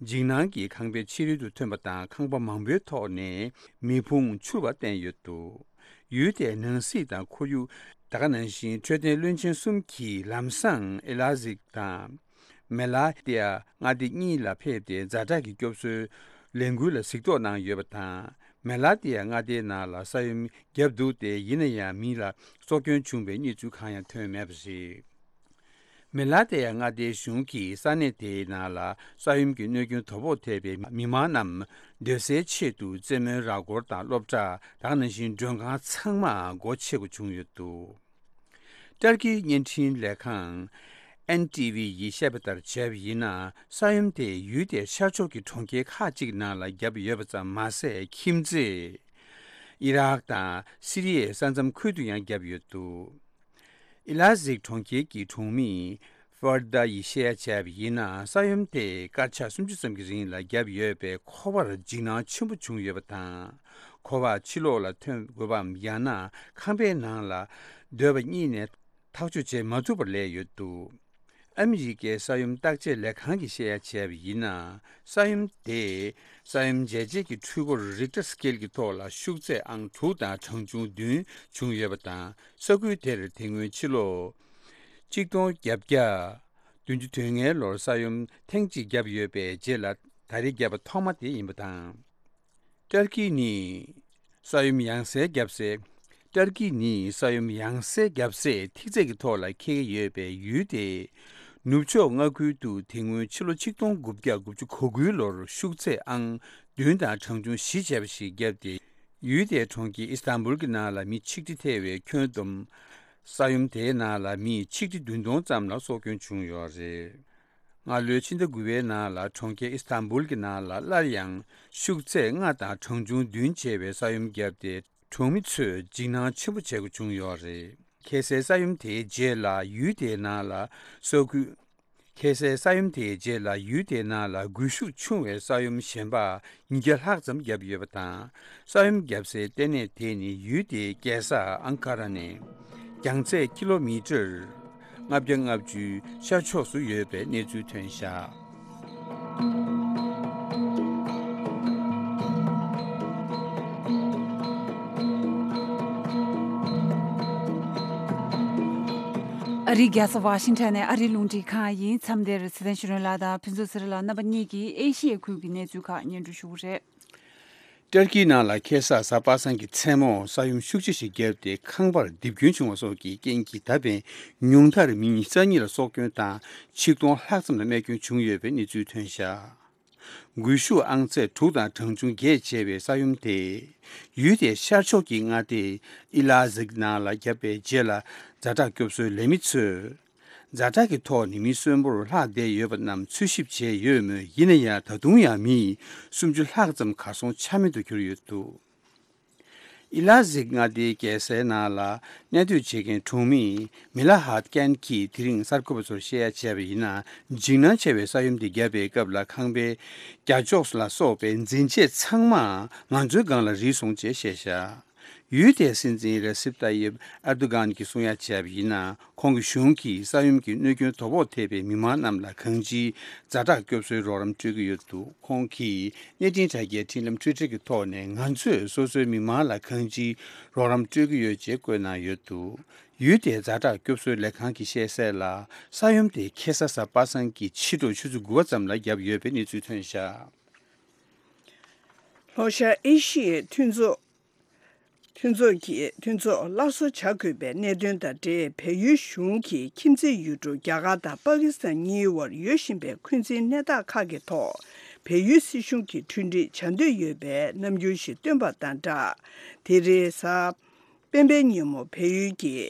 འཇིགས་སྣང་གིས་ཁང་པའི་ཕྱི་རོལ་དུ་ཐོན་པ་དང་། ཁང་པ་མང་པོའི་ཐོག་ནས་མེ་ཕུང་འཕྱུར་བ་བསྟན་ཡོད་འདུག། ཡུལ་དེའི་ནང་སྲིད་དང་ཁོར་ཡུག། ད་ག་ནང་བཞིན་འཕྲོད་བསྟེན་བློན་ཆེན་གསུམ་གྱིས་ལམ་སང་ཨི་ལ་ཟིག་དང་། མེ་ལ་ཏི་ཡ་མངའ་སྡེ་གཉིས་ལ་ཕེབས་ཏེ། ཛ་དྲག་གི་སྐྱོབ་གསོའི་ལས་འགུལ་ལ་གཟིགས་རྟོག་གནང་ཡོད་པ་དང་། མེ་ལ་ཏི་ཡ་མངའ་སྡེའི་ནང་ལ་ས་ཡོམ་བརྒྱབ་འདུག་སྟེ། ཡིན་ན་ཡང་མི་ལ་སྲོག་སྐྱོན་བྱུང་བའི་གནས་ཚུལ་གང་ཡང་ཐོན་མེད་པ་རེད། མེ་ལ་ཏེ་ཡ་མངའ་སྡེའི་གཞུང་གིས་ས་གནས་དེའི་ནང་ལ་ས་ཡོམ་གྱི་གནོད་སྐྱོན་དོ་ཕོག་ཐེབས་པའི་མི་མང་རྣམས་སྡོད་སའི་ཆེད་དུ་རྩེད་མོའི་ར་སྐོར་དང་སློབ་གྲྭ། ད་ག་ནང་བཞིན་མགྲོན་ཁང་ཚང་མ་སྒོ་ཕྱེ་དགོས་བྱུང་ཡོད་འདུག། ཏར་ཀིའི་བརྙན་འཕྲིན་ལས་ཁང་ ཨེན་ཊི་ཝི་ཡིས་བཤད་པ་ལྟར་བྱས་པ་ཡིན་ན། ས་ཡོམ་དེ་ཡུལ་དེའི་ཤར་ཕྱོགས་ཀྱི་གྲོང་ཁྱེར་ཁག་ཅིག་ནང་ལ་བརྒྱབ་ཡོད་པ་ཙམ་མ་ཟད། ཁྱིམ་མཚེས་ཨི་རག་དང་སི་རི་ཡའི་ས་མཚམས་ཁུལ་དུ་ཡང་བརྒྱབ་ཡོད་འདུག་ཨི་ལ་ཟིག་གྲོང་ཁྱེར་གྱི་གྲོང་མི་ཧྥར་དཱ་ཡིས་བཤད་ཡ་བྱས་པ་ཡིན་ན། ས་ཡོམ་དེ་སྐར་ཆ་སུམ་ཅུ་ཙམ་གྱི་རིང་ལ་བརྒྱབ་ཡོད་པས། ཁོ་པར་འཇིགས་སྣང་ཆེན་པོ་བྱུང་ཡོད་པ་དང་། ཁོ་པ་ཕྱི་ལོགས་ལ་ཐོན་དགོས་པའམ། ཡང་ན་ཁང་པའི་ནང་ལ་སྡོད་པ་གཉིས་ནས་ཐག་གཅོད་བྱེད་མ་ཐུབ་པར་སླེབས་ཡོད་འདུག་ཨ་མི་རི་ཀའི་ས་ཡོམ་བརྟག་དཔྱད་ལས་ཁང་གིས་བཤད་ཡ་བྱས་པ་ཡིན་ན། ས་ཡོམ་དེས་ས་ཡོམ་འཇལ་བྱེད་ཀྱི་འཕྲུལ་འཁོར་རིག་ཊར་སི་ཀེལ་གྱི་ཐོག་ལ་ཤུགས་ཚད་ཨང་དྲུག་དང་གྲངས་ཆུང་བདུན་བྱུང་ཡོད་པ་དང་། ས་ཁུལ་དེར་དེ་སྔོན་ཕྱི་ལོ་ཆིག་སྟོང་བརྒྱད་བརྒྱ་བདུན་ཅུ་དོན་ལྔའི་ལོར་ས་ཡོམ་ཐེངས་གཅིག་བརྒྱབ་ཡོད་པའི་རྗེས་ལ་ད་རེས་བརྒྱབ་པ་ཐོག་མ་དེ་ཡིན་པ་དང་། ཏར་ཀི་ནི་ས་ཡོམ་ཡང་སེ་བརྒྱབ་སའི། ཏར་ཀི་ནི་ས་ཡོམ་ཡང་སེ་བརྒྱབ་སའི་ཐིག་ཚད་ཀྱི་ཐོག་ལ་འཁེལ་གྱི་ཡོད་པའི་ཡུལ་དེའི་ནུབ་ཕྱོགས་མངའ་ཁུལ་དུ་དེ་སྔོན་ཕྱི་ལོ་ཆིག་སྟོང་དགུ་བརྒྱ་དགུ་བཅུ་གོ་དགུའི་ལོར་ཤུགས་ཚད་ཨང་བདུན་དང་གྲངས་ཆུང་བཞི་བྱས་པ་ཞིག་བརྒྱབ་སྟེ། ཡུལ་དེའི་གྲོང་ཁྱེར་ཨི་སི་ཐན་བུལ་གྱི་ནང་ལ་མི་ཆིག་ཁྲི་ཐེ་བའི་ཁྱོན་བསྡོམས། ས་ཡོམ་དེའི་ནང་ལ་མི་ཆིག་ཁྲི་བདུན་སྟོང་ཙམ་ལ་སྲོག་སྐྱོན་བྱུང་ཡོད་རེད། སྔ་ལོའི་ཕྱི་ཟླ་དགུ་པའི་ནང་ལ་གྲོང་ཁྱེར་ཨི་སི་ཐན་བུལ་གྱི་ནང་ལ་སླར་ཡང་ཤུགས་ཚད་ལྔ་དང་གྲངས་ཆུང་བདུན་བྱས་པའི་ས་ཡོམ་བརྒྱབ་སྟེ། གྲོང་མི་ཚོས་འཇིགས་སྣང་ཆེན་པོ་བྱེད་དགོས་བྱུང་ཡོད་རེད། ཁ་སའི་ས་ཡོམ་དེའི་རྗེས་ལ་ཡུལ་དེའི་ནང་ལ་ས་ཁུལ། ཁ་སའི་ས་ཡོམ་དེའི་རྗེས་ལ་ཡུལ་དེའི་ནང་ལ་སྒུལ་ཤུགས་ཆུང་བའི་ས་ཡོམ་གཞན་པ་ཉིས་བརྒྱ་ལྷག་ཙམ་བརྒྱབ་ཡོད་པ་དང་། ས་ཡོམ་བརྒྱབ་སའི་ལྟེ་གནས་དེ་ནི་ཡུལ་དེའི་རྒྱལ་ས་ཨང་ཀ་ར་ནས་རྒྱང་ཚད་ཀི་ལོ་མི་ཊར་ལྔ་བརྒྱ་ལྔ་བཅུའི་ཤར་ཕྱོགས་སུ་ཡོད་པའི་གནས་ཚུལ་ཐོན་བཞག་ཨ་རིའི་རྒྱལ་ས་ཝ་ཤིང་ཊོན་ནས་ཨ་རིའི་རླུང་འཕྲིན་ཁང་ཡིན། མཚམས་འདིར་ཚེ་བརྟན་ཆོས་སྒྲོན་ལགས་དང་ཕུན་ཚོགས་ཚེ་རིང་ལགས་རྣམ་པ་གཉིས་ཀྱིས་ཨེ་ཤི་ཡའི་ཁུལ་གྱི་གནས་ཚུལ་ཁག་སྙན་སྒྲོན་ཞུ་གི་རེད། ཏར་ཀིའི་ནང་ལ་ཁ་སང་གཟའ་པ་སངས་ཀྱི་མཚན་མོ་ས་ཡོམ་ཤུགས་ཆེ་ཞིག་བརྒྱབ་སྟེ། ཁང་པར་རྡིབ་སྐྱོན་བྱུང་བ་སོགས་ཀྱི་རྐྱེན་གྱིས། ད་ཕན་ཉུང་མཐར་མི་ཉི་ཤུ་རྩ་གཉིས་ལ་སྲོག་སྐྱོན་དང་། ཆིག་སྟོང་ལྷག་ཙམ་ལ་རྨས་སྐྱོན་བྱུང་ཡོད་པའི་གནས་ཚུལ་ཐོན་བཞག་སྒུལ་ཤུགས་ཨང་ཚད་དྲུག་དང་གྲངས་ཆུང་བརྒྱད་བྱས་པའི་ས་ཡོམ་དེས། ཡུལ་དེའི་ཤར་ཕྱོགས་ཀྱི་མངའ་སྡེ་ཨི་ལ་ཟིག་ནང་ལ་བརྒྱབ་པའི་རྗེས་ལ། ཛ་དྲག་སྐྱོབ་གསོའི་ལས་མི་ཚོས་ཛ་དྲག་གི་ཐོག་ནས་མི་གསོན་པོར་ལྷག་བསྡད་ཡོད་པ་རྣམས་འཚོལ་ཞིབ་བྱས་ཡོད་མོད། ཡིན་ན་ཡང་། ད་དུང་ཡང་མི་སུམ་ཅུ་ལྷག་ཙམ་གར་སོང་ཆ་མེད་དུ་གྱུར་ཡོད་འདུག་ཨི་ལ་ཟིག་མངའ་སྡེའི་རྒྱལ་སའི་ནང་ལ་གནས་སྡོད་བྱེད་མཁན་གྲོང་མི་མི་ལ་ཧཱད་ཀན་གྱིས་དེ་རིང་གསར་འགོད་པ་ཚོར་བཤད་ཡ་བྱས་པ་ཡིན་ན། འཇིགས་སྣང་ཆེ་བའི་ས་ཡོམ་དེ་བརྒྱབ་པའི་སྐབས་ལ་ཁང་པའི་རྒྱ་ཕྱོགས་ལ་སོགས་པའི་འཛིན་ཆས་ཚང་མ་ང་ཚོའི་སྒང་ལ་རིལ་སོང་ཅེས་བཤད་བཞག་ཡུལ་དེའི་སྲིད་འཛིན་རེ་སིབ་ཏཱ་ཡིབ་ཨེར་དོ་གྷན་གྱིས་གསུང་ཡ་བྱས་པ་ཡིན་ན། ཁོང་གི་གཞུང་གིས་ས་ཡོམ་གྱི་གནོད་སྐྱོན་དོ་ཕོག་ཐེབས་པའི་མི་མང་རྣམས་ལ་གང་ཅིའི་ཛ་དྲག་སྐྱོབ་གསོའི་རོགས་རམ་སྤྲོད་ཀྱི་ཡོད་འདུག་ཁོང་གིས་གནས་འཕྲིན་དྲ་རྒྱའི་འཕྲིན་ལམ་ཊུའི་ཊར་གྱི་ཐོག་ནས། ང་ཚོས་སོ་སོའི་མི་མང་ལ་གང་ཅིའི་རོགས་རམ་སྤྲོད་ཀྱི་ཡོད་ཅེས་བཀོད་གནང་ཡོད་འདུག་ཡུལ་དེའི་ཛ་དྲག་སྐྱོབ་གསོའི་ལས་ཁང་གིས་བཤད་གསལ་ལ། ས་ཡོམ་དེ་ཁ་སང་གཟའ་པ་སངས་ཀྱི་ཕྱི་དྲོ་ཆུ་ཚོད་དགུ་པ་ཙམ་ལ་བརྒྱབ་ཡོད་པའི་གནས་ཚུལ་ཐོན་བཞག་ལྷོ་ཤར་ཨེ་ཤི་ཡའི་མཐུན་ཚོགས། མཐུན་ཚོགས་ཀྱི་མཐུན་ཚོགས་སླར་གསོ་བྱ་དགོས་པའི་གནད་དོན་དང་འབྲེལ། བལ་ཡུལ་གཞུང་གིས་ཁྱིམ་མཚེས་ཡུལ་གྲུ་རྒྱ་གར་དང་པ་ཀི་སི་ཐན་གཉིས་དབར་ཡོད་བཞིན་པའི་འཁོན་འཛིན་གནས་སྟངས་ཁག་གི་ཐོག་བལ་ཡུལ་སྲིད་གཞུང་གིས་གྲོས་འགྲིག་བྱ་འདོད་ཡོད་པའི་རྣམ་འགྱུར་ཞིག་བཏོན་པ་དང་སྦྲགས། དེ་རིང་གཟའ་སྤེན་པའི་ཉིན་མོ་བལ་ཡུལ་གྱི་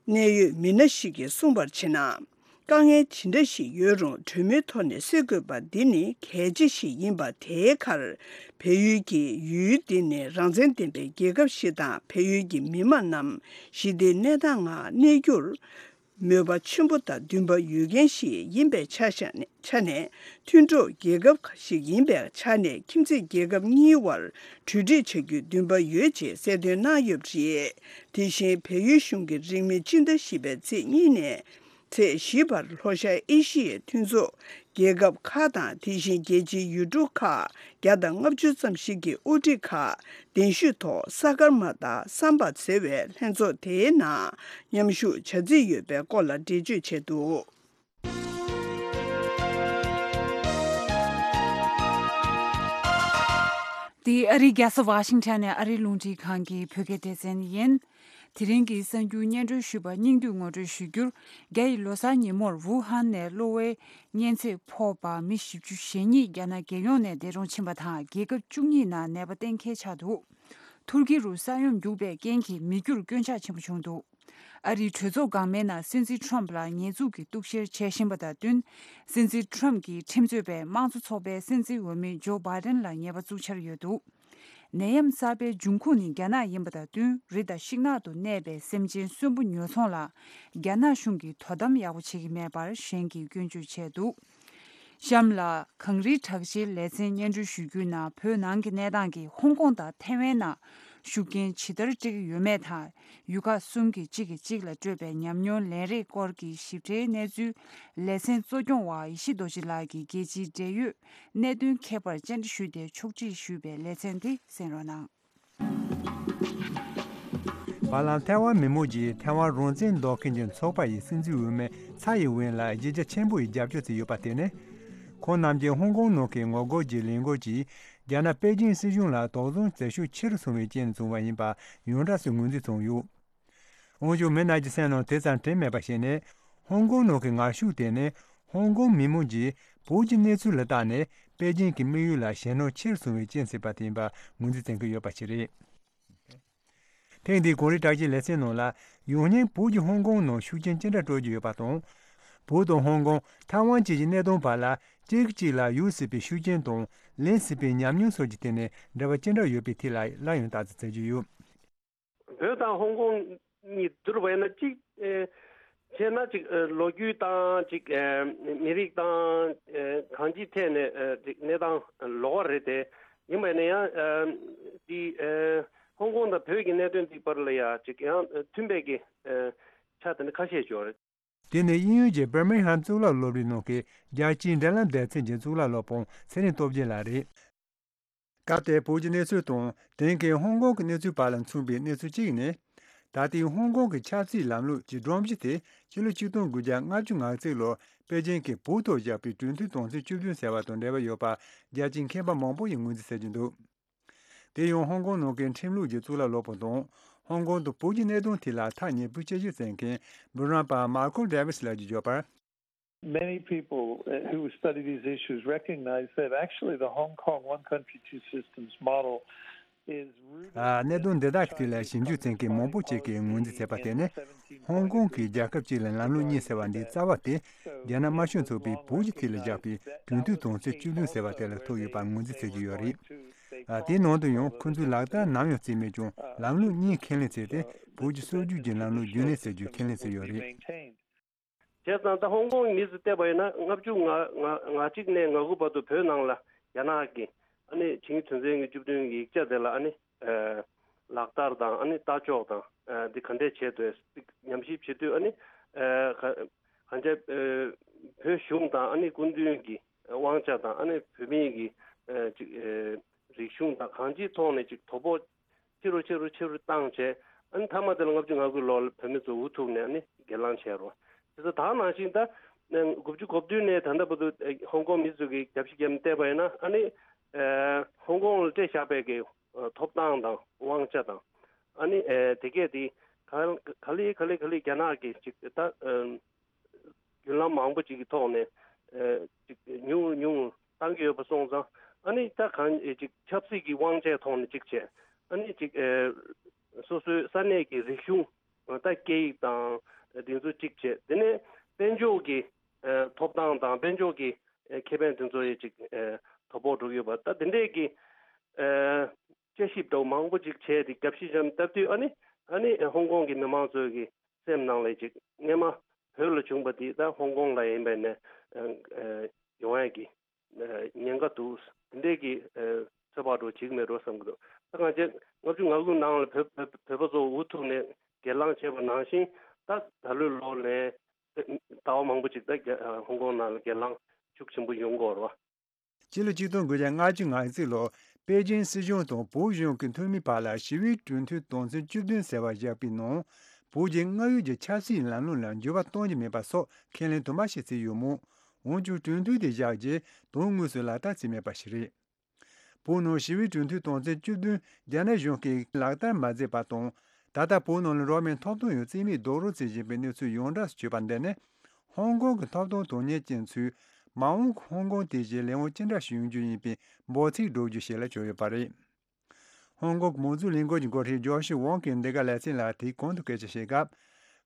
གནད་ཡོད་མི་སྣ་ཞིག་གིས་གསུངས་པར་བྱས་ན། དཀའ་ངལ་ཇི་འདྲ་ཞིག་ཡོད་རུང་། གྲོས་མོལ་ཐོག་ནས་སེལ་དགོས་པ་འདི་ནི་གལ་ཆེ་ཞིག་ཡིན་པ། དེའི་ཁར་བལ་ཡུལ་གྱིས་ཡུལ་འདི་ནི་རང་བཙན་ལྡན་པའི་རྒྱལ་ཁབ་ཞིག་དང་། བལ་ཡུལ་གྱི་མི་དམངས་རྣམས་ཞི་བདེའི་གནས་སྟངས་ངང་གནས་རྒྱུར་མོས་པ་ཆེན་པོ་དང་འདུན་པ་ཡོད་མཁན་ཞིག་ཡིན་པའི་ཆ་བཞག་ནས། ཆ་ནས། མཐུན་གྲོགས་རྒྱལ་ཁབ་ཞིག་ཡིན་པའི་ཆ་ནས། ཁྱིམ་མཚེས་རྒྱལ་ཁབ་གཉིས་དབར་གྲོས་འགྲིག་བྱ་རྒྱུའི་འདུན་པ་ཡོད་ཅེས་གསལ་སྟོན་གནང་ཡོད་པ་རེད། དེ་བཞིན་བལ་ཡུལ་གཞུང་གིས་རིང་མིན་སྤྱི་ཟླ་བཞི་པའི་ཚེས་གཉིས་ནས་ཚེས་བཞི་བར་ལྷོ་ཤར་ཨེ་ཤི་ཡའི་མཐུན་ཚོགས་རྒྱལ་ཁབ་ཁག་དང་། དེ་བཞིན་རྒྱལ་སྤྱིའི་ཡུལ་གྲུ་ཁག་བརྒྱ་དང་ལྔ་བཅུ་ཙམ་ཞིག་གི་དབུ་ཁྲིད་ཁག་གདན་ཞུས་ཐོག་ས་གར་མ་ཏཱ་སམ་བྷད་ཟེར་བའི་ལྷན་ཚོགས་དེའི་ནང་མཉམ་ཞུགས་བྱ་རྩིས་ཡོད་པའི་སྐོར་ལ་འགྲེལ་བརྗོད་བྱས་འདུག་འདི་ཨ་རིའི་རྒྱལ་ས་ཝ་ཤིང་ཊོན་ནས་ཨ་རིའི་རླུང་འཕྲིན་ཁང་གི་བོད་སྐད་སྡེ་ཚན་ཡིན། དེ་རིང་གི་གསར་འགྱུར་སྙན་སྒྲོན་ཞུས་པ་སྙིང་བསྡུས་ངོ་སྤྲོད་ཞུ་རྒྱུར། རྒྱ་ཡི་ལོ་གསར་ཉིན་མོར་ཝུ་ཧན་ནས་གློ་བའི་གཉན་ཚད་ཕོག་པ་མི་བཞི་བཅུ་ཞེ་གཉིས་རྒྱ་ནག་རྒྱལ་ཡོངས་ནས་འདས་གྲོངས་ཕྱིན་པ་དང་། རྒྱལ་ཁབ་བཅུ་གཉིས་ནང་ནད་པ་གཏན་འཁེལ་ཆགས་འདུག་ཐུར་ཁེ་རུ་ས་ཡོམ་རྒྱུག་པའི་རྐྱེན་གྱིས་མི་རྒྱུར་སྐྱོན་ཆག་ཆེན་པོ་བྱུང་འདུག་ཨ་རིའི་གྲོས་ཚོགས་འགག་མེད་ནང་སྲིད་འཛིན་ཁྲོམ་ལ་ཉེས་འཛུགས་ཀྱི་གཏུག་བཤེར་བྱེད་བཞིན་པ་དང་བསྟུན། སྲིད་འཛིན་ཁྲོམ་གྱི་ཁྲིམས་རྩོད་པས་དམངས་གཙོ་ཚོགས་པའི་སྲིད་འཛིན་འོས་མི་ཇོ་བྷའི་ཌེན་ལ་ཉེས་པ་བཙུགས་འཆར་ཡོད་འདུག་ནད་ཡམས་གསར་པའི་འབྱུང་ཁུངས་ནི་རྒྱ་ནག་ཡིན་པ་དང་བསྟུན། རི་དང་ཤིང་ནགས་དུ་གནས་པའི་སེམས་ཅན་གསོན་པོ་ཉོ་ཚོང་ལ་རྒྱ་ནག་གཞུང་གིས་དོ་དམ་ཡག་པོ་བྱེད་ཀྱི་མེད་པར་གཞན་གྱིས་སྐྱོན་བརྗོད་བྱས་འདུག་གཤམ་ལ། གངས་རིའི་གྲགས་ཅན་ལེ་ཚན་སྙན་སྒྲོན་ཞུ་རྒྱུའི་ནང་བོད་ནང་གི་གནས་སྟངས་ཀྱིས་ཧོང་ཀོང་དང་ཐའེ་ཝན་ནང་ཤུགས་རྐྱེན་ཇི་ལྟར་སྤྲད་ཀྱི་ཡོད་མེད་དང་། ཡུལ་ཁག་གསུམ་གྱི་གཅིག་གིས་གཅིག་ལ་སྤྲོད་པའི་ཉམས་མྱོང་ལེན་རེས་སྐོར་གྱི་ཞིབ་ཕྲའི་གནས་ཚུལ། ལེ་ཚན་གཙོ་སྐྱོང་བ་ཡེ་ཤེས་རྡོ་རྗེ་ལགས་ཀྱིས་རྒྱལ་སྤྱིའི་འབྲེལ་ཡོད་གནད་དོན་མཁས་པར་བཅར་འདྲི་ཞུས་ཏེ་ཕྱོགས་སྒྲིག་ཞུས་པའི་ལེ་ཚན་དེ་གསན་རོགས་གནང་། བར་ལམ་ཐའེ་ཝན་མི་མང་གིས་ཐའེ་ཝན་རང་བཙན་འདོད་མཁན་གྱི་ཚོགས་པ་ཡི་སྲིད་འཛིན་འོས་མི་ཚའེ་ཡིན་ཝེན་ལ་གཞི་རྒྱ་ཆེན་པོ་ཡི་རྒྱབ་སྐྱོར་བྱས་ཡོད་པ་དེ་ནི། ཁོང་རྣམས་ཀྱིས་ཧོང་ཀོང་ནང་གི་ངོ་རྒོལ་གྱི་ལས་འགུལ་གྱིས་རྒྱ་ནག་པེ་ཅིང་སྲིད་གཞུང་ལ་དོགས་ཟོན་བྱེད་ཤུགས་ཆེ་རུ་སོང་བའི་རྐྱེན་བྱུང་བ་ཡིན་པ་ཡོངས་གྲགས་སུ་ངོས་འཛིན་བྱུང་ཡོད། འོན་ཀྱང་མི་རྣམས་ཀྱི་སེམས་ནང་དེ་ཙམ་དྲན་མེད་པ་ཞིག་ནི། ཧོང་ཀོང་ནང་གི་ངར་ཤུགས་དེ་ནི་ཧོང་ཀོང་མི་མང་གིས་བོད་ཀྱི་གནས་ཚུལ་ལ་བལྟས་ནས་པེ་ཅིང་གི་དམིགས་ཡུལ་ལ་ཞེད་སྣང་ཆེ་རུ་སོང་བའི་རྐྱེན་སྲིད་པ་དེ་ཡིན་པ་ངོས་འཛིན་བྱེད་ཀྱི་ཡོད་པ་ཞིག་རེད། ཐེངས་འདིའི་གངས་རིའི་གྲགས་ཅན་ལེ་ཚན་ནང་ལ་ཡང་སྙིང་བོད་ཀྱིས་ཧོང་ཀོང་ནང་ཤུགས་རྐྱེན་ཅི་འདྲ་སྤྲོད་ཀྱི་ཡོད་པ་དང་། བོད་དང་ཧོང་ཀོང་ཐའེ་ཝན་བཅས་ཀྱི་གནད་དོན་བར་ལ་གཅིག་གིས་གཅིག་ལ་ཡོང་སྲིད་པའི་ཤུགས་རྐྱེན་དང་ལེན་སྲིད་པའི་ཉམས་མྱོང་སོགས་ཀྱི་ཐད་ནས་འབྲེལ་བ་ཅི་འདྲ་ཡོད་པའི་ཐད་ལ་སླར་ཡང་བརྟག་དཔྱད་བྱེད་ཀྱི་ཡོད། བོད་དང་ཧོང་ཀོང་གཉིས་བསྡུར་བ་ཡིན་ན་གཅིག་ཨེ་བྱས་ན་གཅིག་ཨེ་ལོ་རྒྱུས་དང་གཅིག་ཨེ་མི་རིགས་དང་ཨེ་གང་ཅིའི་ཐད་ནས་ཨེ་གཅིག་གནས་སྟངས་ལོགས་ཀ་རེད་དེ། ཡིན་པ་ཡིན་ན་ཡང་ཨེ་འདི་ཨེ་ཧོང་ཀོང་དང་བོད་ཀྱི་གནད་དོན་འདི་བར་ལ་ཡང་གཅིག་ཡང་མཐུན་པའི་གི་ཨེ་ཆ་དེ་འདྲ་ཁ་ཤས་ཡོད་རེད། དེ་ནི་དབྱིན་ཡུལ་གྱི་Birmingham་གཙུག་ལག་སློབ་གྲྭའི་ནང་གི་རྒྱལ་སྤྱིའི་འབྲེལ་ལམ་སྡེ་ཚན་གྱི་གཙུག་ལག་སློབ་དཔོན་ཚེ་རིང་སྟོབས་རྒྱལ་ལགས་རེད། སྐབས་དེར་བོད་ཀྱི་གནས་ཚུལ་དང་དེང་གི་ཧོང་ཀོང་གི་གནས་ཚུལ་བར་ལ་མཚུངས་པའི་གནས་ཚུལ་གཅིག་ནི། ད་ལྟའི་ཧོང་ཀོང་གི་ཆབ་སྲིད་ལམ་ལུགས་ཀྱི་སྒྲོམ་གཞི་དེ་ཕྱི་ལོ་ཆིག་སྟོང་དགུ་བརྒྱ་ལྔ་བཅུ་ང་གཅིག་ལོར་པེ་ཅིང་གིས་བོད་ཐོག་བཞག་པའི་གྲོས་མཐུན་དོན་ཚན་བཅུ་བདུན་ཟེར་བ་དང་འབྲེལ་བ་ཡོད་པ་རྒྱལ་སྤྱིའི་མཁས་པ་མང་པོ་ཡིས་ངོས་འཛིན་བྱེད་ཀྱི་འདུག་དེ་ཡང་ཧོང་ཀོང་ནང་གི་ཁྲིམས་ལུགས་ཀྱི་གཙུག་ལག་སློབ་དཔོན་དང་ཧོང་ཀོང་དང་བོད་ཀྱི་གནད་དོན་ཐད་ལ་ཐག་ཉེ་པོའི་དཔྱད་ཞིབ་མཛད་མཁན་འབུམ་རམས་པ་Malcolm Davis་ལགས་ཀྱིས་བརྗོད་པར། Many people uh, who study these issues recognize that actually the Hong Kong one country, two systems model is rooted ཨ། གནད་དོན་འདི་དག་གི་ཐད་ལ་ཞིབ་འཇུག་བྱེད་མཁན་མང་པོ་ཅིག་གིས་ངོས་འཛིན་བྱས་པ་དེ་ནི་ཧོང་ཀོང་གིས་རྒྱལ་ཁབ་གཅིག་ལ་ལམ་ལུགས་གཉིས་ཟེར་བ་འདིའི་རྩ་བ་དེ་རྒྱ་ནག་དམར་ཤོག་ཚོགས་པས་བོད་ཀྱི་ཐད་ལ་བཞག་པའི་གྲོས་མཐུན་དོན་ཚན་བཅུ་བདུན་ཟེར་བ་དེ་ལ་ཐུག་ཡོད་པར་ངོས་འཛིན་བྱེད་ཀྱི་ཡོད་རེད། ཨ། དེའི་ནང་དུ་ཡང་ཁོ་ཚོས་ལག་བསྟར་ནམ་ཡང་བྱས་མེད་ཀྱང་ལམ་ལུགས་གཉིས་ཁས་ལེན་བྱས་ཏེ་བོད་ཀྱི་སྲོལ་རྒྱུན་གྱི་ལམ་ལུགས་རྒྱུན་གནས་བྱ་རྒྱུ་ཁས་ལེན་བྱས་ཡོད་རེད། བྱས་ཙང་ད་ཧོང་ཀོང་མི་ཚོས་བལྟས་པ་ཡིན་ན་ལྔ་བཅུ་ང་ང་ང་གཅིག་ནས་ང་དགུ་བར་དུ་བོད་ནང་ལ་རྒྱ་ནག་གིས་ཨ་ནི་ཆིངས་ཡིག་དོན་ཚན་གྱི་བཅུ་བདུན་གྱི་ཡིག་ཆ་དེ་ལ་ཨ་ནི་ཨ་ལག་བསྟར་དང་ཨ་ནི་ལྟ་ཕྱོགས་དང་ཨ་འདི་ག་འདྲས་བྱས་འདུག་ཅིག་ཉམས་ཞིབ་བྱེད་དུས་ཨ་ནི་ཨ་ག་གང་ཅི་ཨ་བོད་གཞུང་དང་ཨ་ནི་སྐུ་མདུན་གྱི་དབང་ཆ་དང་ཨ་ནི་བོད་མིའི་གི་ཨ་ཅིག་ཨ་རིག་གཞུང་དང་གང་ཅིའི་ཐོག་ནས་ཅིག་དོ་ཕོག་ཆེ་རུ་ཆེ་རུ་ཆེ་རུ་བཏང་བྱས། ཨ་ནི་མཐའ་མ་དེ་ལ་ལྔ་བཅུ་ང་དགུའི་ལོ་ལ་བོད་མི་ཚོ་འུ་ཐུག་ནས་ཨ་ནི་སྒེར་ལངས་བྱས་རོ། དེ་ཚོ་ད་ནང་བཞིན་ད་དགུ་བཅུ་གོ་བདུན་ནས་ད་ལྟ་བར་དུ་ཧོང་ཀོང་མི་ཚོ་གིས་རྒྱབ་ཤིག་རྒྱབ་ནས་བལྟས་པ་ཡིན་ན་ཨ་ནི་ཧོང་ཀོང་ལ་སྤྲད་བཞག་པའི་གི་ཐོབ་ཐང་དང་དབང་ཆ་དང་ཨ་ནི་དེ་གས་དེ་ག་ག་ལེ་ག་ལེ་ག་ལེ་རྒྱ་ནག་གིས་ཅིག་ད། བརྒྱུད་ལམ་མང་པོ་ཅིག་གི་ཐོག་ནས་ཨ་ཅིག་ཉུང་ཉུང་བཏང་གི་ཡོད་པ་སོང་ཙང་ཨ་ནི་ད་གང་ཅིག་ཆབ་སྲིད་ཀྱི་དབང་ཆའི་ཐོག་ནས་ཅིག་བྱས། ཨ་ནི་ཅིག་ཨ་སོ་སོའི་ས་གནས་ཀྱི་རིག་གཞུང་ད་སྐད་ཡིག་དང་དེ་ཚོ་ཅིག་བྱས། དེ་ནས་དཔལ་འབྱོར་གྱི་ཨ་ཐོབ་ཐང་དང་དཔལ་འབྱོར་གྱི་ཨ་ཁེ་ཕན་དེ་ཚོ་ཡི་ཅིག་ཨ་དོ་ཕོག་འགྲོ་གི་ཡོད་པ་ད་དེ་འདྲས་ཀྱི་ཨ་དཔྱད་ཞིབ་འདྲ་བོ་མང་པོ་ཅིག་བྱས་ཏེ་རྒྱབ་ཤིག་བཞག་སྟབས་དུས་ཨ་ནི་ཨ་ནི་ཧོང་ཀོང་གི་མི་མང་ཚོ་གི་སེམས་ནང་ལ་ཅིག་སྔས་མ་བོད་ལ་བྱུང་པ་དེ་ད་ཧོང་ཀོང་ལ་ཡིན་པས་ནས་ཨ་ཨ་ཡོང་ཡས་ཀྱི་ཨ་ཉེན་ཁ་འདུག་དེ་འདྲས་ཀྱི་ཨ་ཚོད་དཔག་འགྲོ་བྱེད་ཀྱི་མེད་འགྲོ་བསམ་གྱི་འདུག་ད་གང་ཅི་ལྔ་བཅུ་ང་དགུ་ནང་ལ་བོད་བོད་བོད་པ་ཚོ་འུ་ཐུག་ནས་སྒེར་ལངས་བྱས་པ་ནང་བཞིན་ད་ད་ལོའི་ལོ་ནས་ཟླ་བ་མང་པོ་ཅིག་ད་རྒྱ་ཧོང་ཀོང་ནང་ལ་སྒེར་ལངས་ཤུགས་ཆེན་པོ་ཡོང་གི་ཡོད་རེད་བ། སྤྱི་ལོ་ཆིག་སྟོང་དགུ་བརྒྱ་ལྔ་བཅུ་ང་གཅིག་ལོར་པེ་ཅིན་སྲིད་གཞུང་དང་བོད་གཞུང་གི་འཐུས་མིའི་བར་ལ་ཞི་བའི་གྲོས་མཐུན་དོན་ཚན་བཅུ་བདུན་ཟེར་བ་བཞག་པའི་ནང་། བོད་ཀྱི་སྔར་ཡོད་ཀྱི་ཆབ་སྲིད་ལམ་ལུགས་ལ་འགྱུར་བ་གཏོང་རྒྱུ་མེད་པ་སོགས་ཁས་ལེན་དུ་མ་ཞིག་བྱས་ཡོད་མོད། འོན་ཀྱང་གྲོས་མཐུན་དེ་བཞག་རྗེས་དོན་དངོས་སུ་ལག་བསྟར་བྱས་མེད་པ་ཞིག་རེད། བོད་ནང་ཞི་བའི་གྲོས་མཐུན་དོན་ཚན་བཅུ་བདུན་རྒྱ་ནག་གཞུང་གིས་ལག་བསྟར་མ་མཛད་པ་དང་། ད་ལྟ་བོད་ནང་ལ་རོགས་མེད་ཐོབ་ཐང་ཡང་རྩིས་མེད་རྡོག་རོལ་བྱེད་བཞིན་པའི་གནས་ཚུལ་ཡོངས་གྲགས་སུ་གྱུར་པ་འདི་ནི། ཧོང་ཀོང་གི་ཐོབ་ཐང་དོན་གཉེར་ཅན་ཚོས་མ་འོངས་ཀྱི་ཧོང་ཀོང་དེ་བཞིན་ལས་དབང་ཅི་འདྲ་ཞིག་ཡོང་རྒྱུ་ཡིན་པའི་འབོད་ཚིག་སྒྲོག་རྒྱུ་ཞིག་ལ་གྱུར་ཡོད་པ་རེད། ཧོང་ཀོང་གི་མང་གཙོའི་ལས་འགུལ་གྱི་འགོ་ཁྲིད་ཇོ་ཤི་ཝང་གིས་འདི་ག་ལེ་ཚན་ལ་དེའི་གོང་དུ་སྐད་ཆ་བཤད་སྐབས།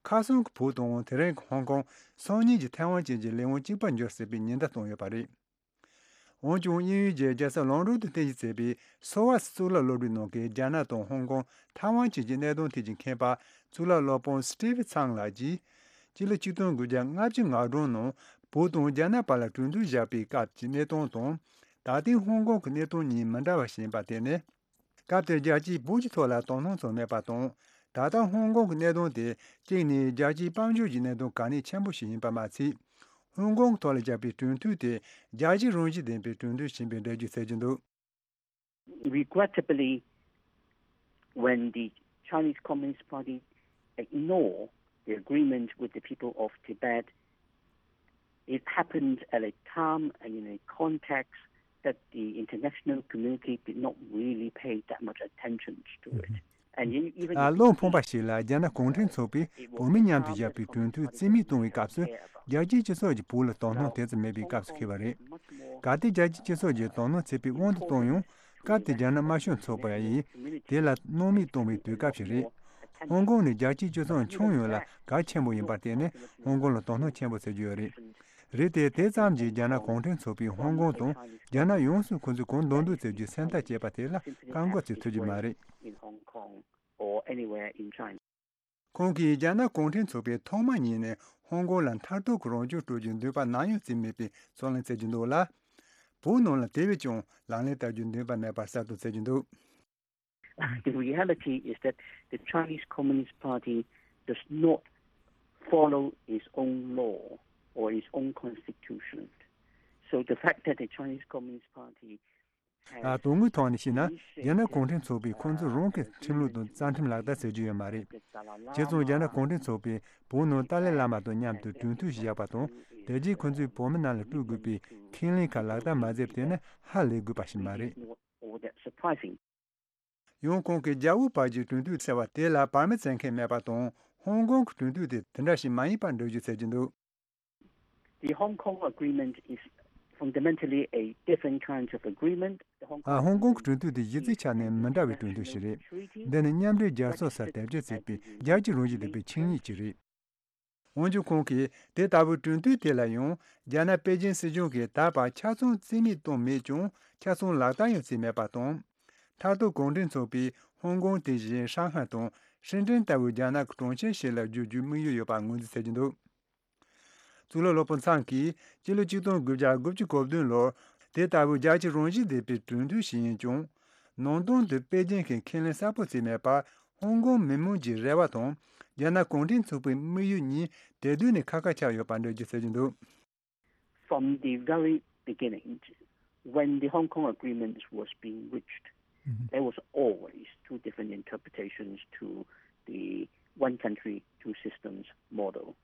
ཁ་སང་གི་བོད་དང་དེ་རིང་གི་ཧོང་ཀོང་སང་ཉིན་གྱི་ཐའེ་ཝན་བཅས་ཀྱི་ལས་དབང་གཅིག་པར་འགྱུར་སྲིད་པའི་ཉེན་བརྡ་བཏང་ཡོད་པ་རེད། འོན་ཀྱང་དབྱིན་ཡུལ་གྱི་རྒྱལ་ས་ལོན་ཌོན་དུ་རྟེན་གཞི་བྱས་པའི་སོ་ཝཱ་སི་གཙུག་ལག་སློབ་གྲྭའི་ནང་གི་རྒྱ་ནག་དང་ཧོང་ཀོང་ཐའེ་ཝན་བཅས་ཀྱི་གནད་དོན་ཐད་ཀྱི་མཁས་པ་གཙུག་ལག་སློབ་དཔོན་སི་ཏི་ཝི་ཚང་ལགས་ཀྱིས། སྤྱི་ལོ་ཆིག་སྟོང་དགུ་བརྒྱ་ལྔ་བཅུ་ང་གྲངས་ནང་བོད་དང་རྒྱ་ནག་བར་ལ་གྲོས་མཐུན་བཞག་པའི་སྐབས་ཀྱི་གནས་སྟངས་དང་། ད་ལྟའི་ཧོང་ཀོང་གི་གནས་སྟངས་གཉིས་མི་འདྲ་བ་ཞིག་ཡིན་པ་དེ་ནི། སྐབས་དེར་རྒྱལ་སྤྱིས་བོད་ཀྱི་ཐོག་ལ་དོ་སྣང་བྱུང་མེད་པ་དང་། ད་ལྟ་ཧོང་ཀོང་གི་གནད་དོན་དེ་གཅིག་ནས་རྒྱལ་སྤྱིའི་དཔལ་འབྱོར་གྱི་གནད་དོན་གལ་གནད་ཆེན་པོ་ཞིག་ཡིན་པ་མ་ཚད། ཧོང་ཀོང་གི་ཐོག་ལ་བཞག་པའི་གྲོས་མཐུན་དེ་རྒྱལ་སྤྱིའི་རང་བཞིན་ལྡན་པའི་གྲོས་མཐུན་ཞིག་ཡིན་པའི་འགྲེལ་བརྗོད་བྱེད་ཀྱི་འདུག། Regrettably, when the Chinese Communist Party ignored the agreement with the people of Tibet, it happened at a time and in a context that the international community did not really pay that much attention to it. And in, even ཨ། བློ་ཕངས་པ་ཞིག་ལ་རྒྱ་ནག་གུང་ཁྲན་ཚོགས་པས་བོད་མི་མཉམ་དུ་བཞག་པའི་གྲོས་མཐུན་རྩིས་མེད་གཏོང་བའི་སྐབས་སུ། རྒྱལ་སྤྱིའི་སྤྱི་ཚོགས་ཀྱིས་བོད་ལ་དོ་སྣང་དེ་ཙམ་མེད་པའི་སྐབས་སུ་འཁེལ་བ་རེད། གལ་ཏེ་རྒྱལ་སྤྱིའི་སྤྱི་ཚོགས་ཀྱིས་དོ་སྣང་བྱེད་པའི་དབང་དུ་བཏང་ཡང་། སྐབས་དེར་རྒྱ་ནག་དམར་ཤོག་ཚོགས་པ་ཡིས་དེ་ལ་སྣང་མེད་གཏོང་བའི་དུས་སྐབས་ཤིག་རེད། ཧོང་ཀོང་ནི་རྒྱལ་སྤྱིའི་སྤྱི་ཚོགས་ཁྱོན་ཡོངས་ལ་གལ་ཆེན་པོ་ཡིན་པར་བརྟེན་ནས། ཧོང་ཀོང་ལ་དོ་སྣང་ཆེན་པོ་བྱེད་ཀྱི་ཡོད་རེད། རེད་དེ། དེ་ཙམ་གྱིས་རྒྱ་ནག་གུང་ཁྲན་ཚོགས་པས་ཧོང་ཀོང་དང་རྒྱ་ནག་ཡོངས་སུ་ཁོ་ཚོས་གང་འདོད་འདོད་བྱེད་རྒྱུའི་སེམས་ཐག་བཅད་པ་དེ་ལ་བཀག་འགོག་བྱེད་ཐུབ་ཀྱི་མ་རེད། In Hong Kong or anywhere in China. ཁོང་གིས་རྒྱ་ནག་གུང་ཁྲན་ཚོགས་པས་ཐོག་མ་ཉིད་ནས་ཧོང་ཀོང་ལ་མཐར་ཐུག་གི་རང་སྐྱོང་སྤྲོད་རྒྱུའི་འདུན་པ་ནམ་ཡང་བརྩིས་མེད་པའི་གསུང་གླེང་བྱེད་ཀྱི་འདུག་ལ། བོད་ནང་ལ་དེ་བས་ཀྱང་ལག་ལེན་བསྟར་རྒྱུའི་འདུན་པ་མེད་པར་གསལ་སྟོན་བྱེད་ཀྱི་འདུག། The reality is that the Chinese Communist Party does not follow its own law or its own constitution. So the fact that the Chinese Communist Party ཨ། དོན་དངོས་ཐོག་ནས་བཤད་ན། རྒྱ་ནག་གུང་ཁྲན་ཚོགས་པས་ཁོང་ཚོ་རང་གི་ཁྲིམས་ལུགས་དང་རྩ་ཁྲིམས་ལག་བསྟར་བྱེད་རྒྱུ་ཡོད་མ་རེད། བྱས་ཙང་རྒྱ་ནག་གུང་ཁྲན་ཚོགས་པས་བོད་ནང་ཏཱ་ལའི་བླ་མ་དང་མཉམ་དུ་གྲོས་མཐུན་ཞིག་བཞག་པ་དང་། དེ་རྗེས་ཁོ་ཚོས་བོད་མི་རྣམས་ལ་སྤྲོད་དགོས་པའི་ཁས་ལེན་ཁག་ལག་བསྟར་མ་མཛད་པ་དེ་ནི་ཧ་ལས་དགོས་པ་ཞིག་མ་རེད། All that surprising. ཡང་ཁོང་གིས་རྒྱ་བོད་བར་གྱི་གྲོས་མཐུན་ཟེར་བ་དེ་ལ་བར་མི་བརྩི་མཁན་མེད་པ་དང་། ཧོང་ཀོང་གི་གྲོས་མཐུན་དེ་དེ་འདྲ་ཞིག་མ་ཡིན་པར་འགྲེལ་བརྗོད་བྱེད་ཀྱི་འདུག། The Hong Kong Agreement is fundamentally a different kind of agreement. The Hong ཨ། Kong ཧོང་ཀོང་གི་གྲོས་མཐུན་དེ་གཞི་རྩའི་ཆ་ནས་མི་འདྲ་བའི་གྲོས་མཐུན་ཞིག་རེད། འདི་ནི་མཉམ་འབྲེལ་རྒྱལ་ཚོགས་སར་དེབ་སྐྱེལ་བྱས་པའི་རྒྱལ་སྤྱིའི་རང་བཞིན་ལྡན་པའི་ཆིངས་ཡིག་ཅིག་རེད། འོན་ཀྱང་ཁོང་གིས་དེ་ལྟ་བུའི་གྲོས་མཐུན་དེ་ལ་ཡང་རྒྱ་ནག་པེ་ཅིན་སྲིད་གཞུང་གིས་ད་བར་ཆ་ཚང་རྩིས་མེད་བཏང་མེད་ཀྱང་ཆ་ཚང་ལག་བསྟར་ཡང་བྱས་མེད་པ་དང་། མཐར་ཐུག་གུང་ཁྲན་ཚོགས་པས་ཧོང་ཀོང་དེ་བཞིན་ཧྲང་ཧའེ་དང་ཧྲིན་ཀྲིན་ལྟ་བུའི་རྒྱ་ནག་གི་གྲོང་ཁྱེར་ཞིག་ལ་བསྒྱུར་རྒྱུའི་དམིགས་ཡུལ་ཡོད་པར་ངོས་འཛིན་བྱེད་ཀྱི་འདུག། གཙུག་ལག་སློབ་དཔོན་ཚང་གིས་སྤྱི་ལོ་ཆིག་སྟོང་དགུ་བརྒྱ་དགུ་བཅུ་གོ་བདུན་ལོར་དེ་ལྟ་བུའི་རྒྱལ་སྤྱིའི་རང་བཞིན་ལྡན་པའི་གྲོས་མཐུན་ཞིག་ཡིན་ཀྱང་། ནང་དོན་དུ་པེ་ཅིན་གྱིས་ཁས་ལེན་གསལ་པོ་བྱས་མེད་པར། ཧོང་ཀོང་མི་མང་གི་རེ་བ་དང་རྒྱ་ནག་གུང་ཁྲན་ཚོགས་པའི་དམིགས་ཡུལ་གཉིས་དེ་དུས་ནས་ཁ་ཁ་ཆགས་ཡོད་པར་འགྲེལ་བརྗོད་བྱེད་ཀྱི་འདུག། From the very beginning, when the Hong Kong Agreement was being reached, there was always two different interpretations to the one country, two systems model.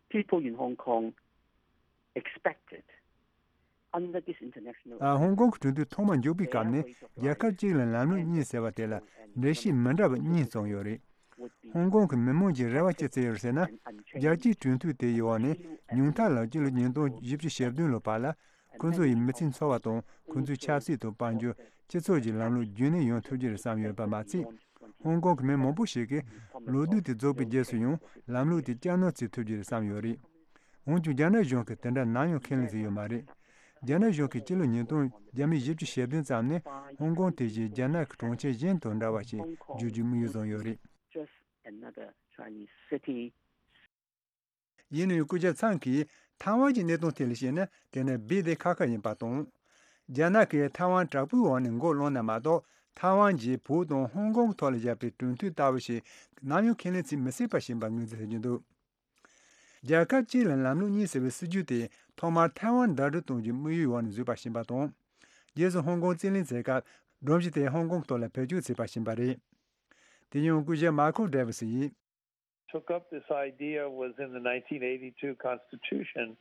People in Hong Kong expected under this international ཨ། ཧོང་ཀོང་གི་གྲོས་མཐུན་ཐོག་མར་འཇོག་པའི་སྐབས་ནས་རྒྱལ་ཁབ་གཅིག་ལ་ལམ་ལུགས་གཉིས་ཟེར་བ་དེ་ལ་འགྲེལ་བཤད་མི་འདྲ་བ་གཉིས་བྱུང་ཡོད་རེད། ཧོང་ཀོང་གི་མི་མང་གི་རེ་བ་ཅི་ཙམ་ཡོད་ཟེར་ན། རྒྱལ་སྤྱིའི་གྲོས་མཐུན་དེའི་འོག་ནས་ཉུང་མཐའ་ལ་སྤྱི་ལོ་ཉིས་སྟོང་བཞི་བཅུ་ཞེ་བདུན་ལོ་བར་ལ་ཁོ་ཚོ་ཡི་མི་ཚེའི་འཚོ་བ་དང་ཁོ་ཚོའི་ཆབ་སྲིད་དང་དཔལ་འབྱོར་སྤྱི་ཚོགས་ཀྱི་ལམ་ལུགས་རྒྱུན་གནས་ཡོང་ཐུབ་རྒྱུ་རེད་བསམ་ཡོད་པ་མ་ཚད། ཧོང་ཀོང་གི་མི་མང་པོ་ཞིག་གིས་ལོ་དུས་དེ་རྫོགས་པའི་རྗེས་སུ་ཡང་ལམ་ལུགས་དེ་བསྐྱར་གནང་བྱེད་ཐུབ་རྒྱུ་རེད་བསམ་ཡོད་རེད། འོན་ཀྱང་རྒྱ་ནག་གཞུང་གིས་དེ་འདྲ་ནམ་ཡང་ཁས་ལེན་བྱས་ཡོད་མ་རེད། རྒྱ་ནག་གཞུང་གིས་སྤྱི་ལོ་ཉིས་སྟོང་བརྒྱ་མེད་བཞི་བཅུ་ཞེ་བདུན་ཙམ་ནས་ཧོང་ཀོང་དེ་བཞིན་རྒྱ་ནག་གི་གྲོང་ཁྱེར་གཞན་དང་འདྲ་བ་ཞིག་བསྒྱུར་རྒྱུའི་དམིགས་ཡུལ་བཟུང་ཡོད་རེད། Just another Chinese city. ཡིན་ནའང་སྐུ་ཞབས་ཚང་གིས་ཐའེ་ཝན་གྱི་གནད་དོན་ཐད་ལ་བཤད་ན། དེ་ནི་རྦད་དེ་ཁག་ཁག་ཡིན་པ་དང་། རྒྱ་ནག་གིས་ཐའེ་ཝན་དྲག་པོའི་འོག་ནས་མགོ་བསླངས་ན་མ་གཏོགས། ཐའེ་ཝན་གྱིས་བོད་དང་ཧོང་ཀོང་གི་ཐོག་ལ་བཞག་པའི་གྲོས་མཐུན་ལྟ་བུ་ཞིག་ནམ་ཡང་ཁས་ལེན་བྱེད་མི་སྲིད་པ་ཞིག་ཡིན་པར་ངོས་འཛིན་བྱེད་ཀྱི་འདུག། རྒྱལ་ཁབ་གཅིག་ལ་ལམ་ལུགས་གཉིས་ཟེར་བའི་སྲིད་ཇུས་དེ་ཐོག་མར་ཐའེ་ཝན་ཟླ་སྒྲིལ་གཏོང་རྒྱུའི་དམིགས་ཡུལ་འོག་ནས་བཟོས་པ་ཞིག་ཡིན་པ་དང་། རྗེས་སུ་ཧོང་ཀོང་རྩིས་ལེན་བྱས་སྐབས་སྒྲོམ་གཞི་དེ་ཧོང་ཀོང་གི་ཐོག་ལ་བེད་སྤྱོད་བྱས་པ་ཞིག་ཡིན་པ་རེད། དེ་ཡང་སྐུ་ཞབས་མཱ་ཁོ་ཌེ་ཝི་སི་ཡིས། Took up this idea was in the nineteen eighty-two Constitution,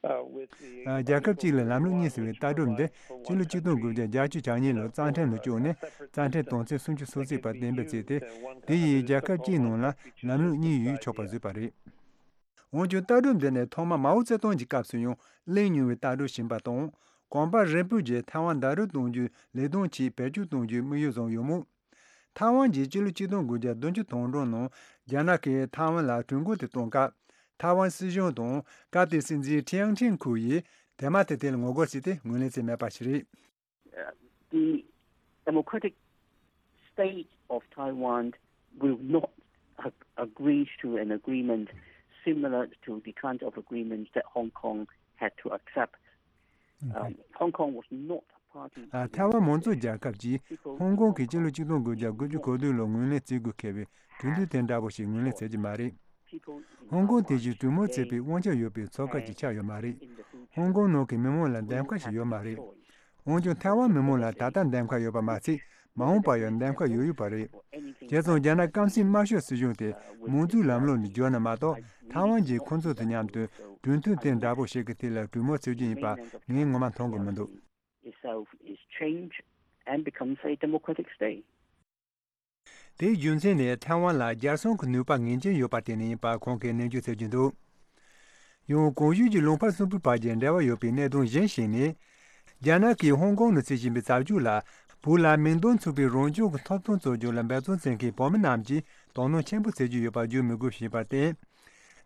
uh, with the ཨ། རྒྱལ་ཁབ་གཅིག་ལ་ལམ་ལུགས་གཉིས་ཟེར་བའི་ལྟ་གྲུབ་འདི་སྤྱི་ལོ་ཆིག་སྟོང་དགུ་བརྒྱ་བརྒྱད་ཅུ་གྱ་གཉིས་ལོར་རྩ་ཁྲིམས་ལ་བཅུག་ནས་རྩ་ཁྲིམས་དོན་ཚན་སུམ་ཅུ་སོ་གཅིག་པ་གཏན་འབེབས་བྱས་ཏེ། དེ་ཡིས་རྒྱལ་ཁབ་གཅིག་ནང་ལ་ལམ་ལུགས་གཉིས་ཡོད་ཆོག་པར་བཟོས་པ་རེད། འོན་ཀྱང་ལྟ་གྲུབ་འདི་ནི་ཐོག་མར་མའོ་ཙེ་ཏུང་གི་སྐབས་སུ་ཡང་གླེང་མྱོང་བའི་ལྟ་གྲུབ་ཞིག་ཡིན་པ་དང་། གོང་དཔོན་རིམ་སྤོས་ཀྱིས་ཐའེ་ཝན་ཟླ་སྒྲིལ་གཏོང་རྒྱུའི་ལས་དོན་ཆེད་བེད་སྤྱོད་གཏོང་རྒྱུའི་དམིགས་ཡུལ་བཟུང་ཡོད་མོད། ཐའེ་ཝན་གྱིས་སྤྱི་ལོ་ཆིག་སྟོང་དགུ་བརྒྱ་བདུན་ཅུ་དོན་གྲངས་ནང་རྒྱ་ནག་གིས་ཐའེ་ཝན་ལ་གྲོས་འགོ་དེ་བཏོན་སྐབས། ཐའེ་ཝན་སྲིད་གཞུང་དང་སྐབས་དེའི་སྲིད་འཛིན་ཁྲེན་ཁྲེང་ཁུའུ་ཡིས་དེ་མ་ཐག་དེ་ལ་ངོ་རྒོལ་བྱས་ཏེ་ངོས་ལེན་བྱས་མེད་པ་ཞིག་རེད། The Democratic State of Taiwan will not ag- agree to an agreement similar to the kind of agreement that Hong Kong had to accept. Um, Hong Kong was not a party. ཨ། ཐའེ་ཝན་མང་གཙོ་རྒྱལ་ཁབ་ཀྱིས་ཧོང་ཀོང་གི་སྤྱི་ལོ་ཆིག་སྟོང་དགུ་བརྒྱ་དགུ་བཅུ་གོ་བདུན་ལོར་ངོས་ལེན་བྱེད་དགོས་འཁེལ་བའི་གྲོས་མཐུན་དེ་འདྲ་པོ་ཞིག་ངོས་ལེན་བྱེད་ཀྱི་མ་རེད། ཧོང་ཀོང་དེ་བཞིན་གྲོས་མོལ་བྱེད་པའི་དབང་ཆ་ཡོད་པའི་ཚོགས་ཁག་ཅིག་ཆགས་ཡོད་མ་རེད། ཧོང་ཀོང་ནང་གི་མི་མང་ལ་འདེམས་ཁ་ཞིག་ཡོད་མ་རེད། འོན་ཀྱང་ཐའེ་ཝན་མི་མང་ལ་ད་ལྟ་འདེམས་ཁ་ཡོད་པ་མ་ཚད། མ་འོངས་པར་ཡང་འདེམས་ཁ་ཡོད་ཡོད་པ་རེད། བྱས་ཙང་རྒྱ་ནག་སྐམ་སའི་དམར་ཤོག་སྲིད་གཞུང་དེ་མང་གཙོའི་ལམ་ལུགས་ནས་བསྒྱུར་ན་མ་གཏོགས། ཐའེ་ཝན་གྱིས་ཁོ་ཚོ་དང་མཉམ་དུ་གྲོས་མཐུན་དེ་འདྲ་པོ་ཞིག་གི་ཐད་ལ་གྲོས་མོལ་བྱེད་རྒྱུ་ཡིན་པ་ངས་ངོ་མ་མཐོང་གི་མི་འདུག itself is changed and becomes a democratic state. དེའི་རྒྱུ་མཚན་ནི་ཐའེ་ཝན་ལ་རྒྱལ་སྲུང་གི་ནུས་པ་ངེས་ཅན་ཡོད་པར་བརྟེན་ནས་ཡིན་པ་ཁོང་གིས་ནན་བརྗོད་བྱེད་ཀྱི་འདུག་ཡང་གོང་ཞུས་ཀྱི་ལུང་པ་གསུམ་པོའི་བར་གྱི་འབྲེལ་བ་ཡོད་པའི་གནད་དོན་གཞན་ཞིག་ནི། རྒྱ་ནག་གིས་ཧོང་ཀོང་ནང་བྱེད་བཞིན་པའི་རྩ་འཛུགས་ལ། བོད་ལ་མིང་དོན་མཚུངས་པའི་རང་སྐྱོང་གི་ཐོབ་ཐང་རྩོད་རྒྱུ་ལ་འབད་བརྩོན་བྱེད་མཁན་བོད་མི་རྣམས་ཀྱིས་དོ་སྣང་ཆེན་པོ་བྱེད་ཀྱི་ཡོད་པ་བརྗོད་མི་དགོས་ཞེས་པར་བརྟེན།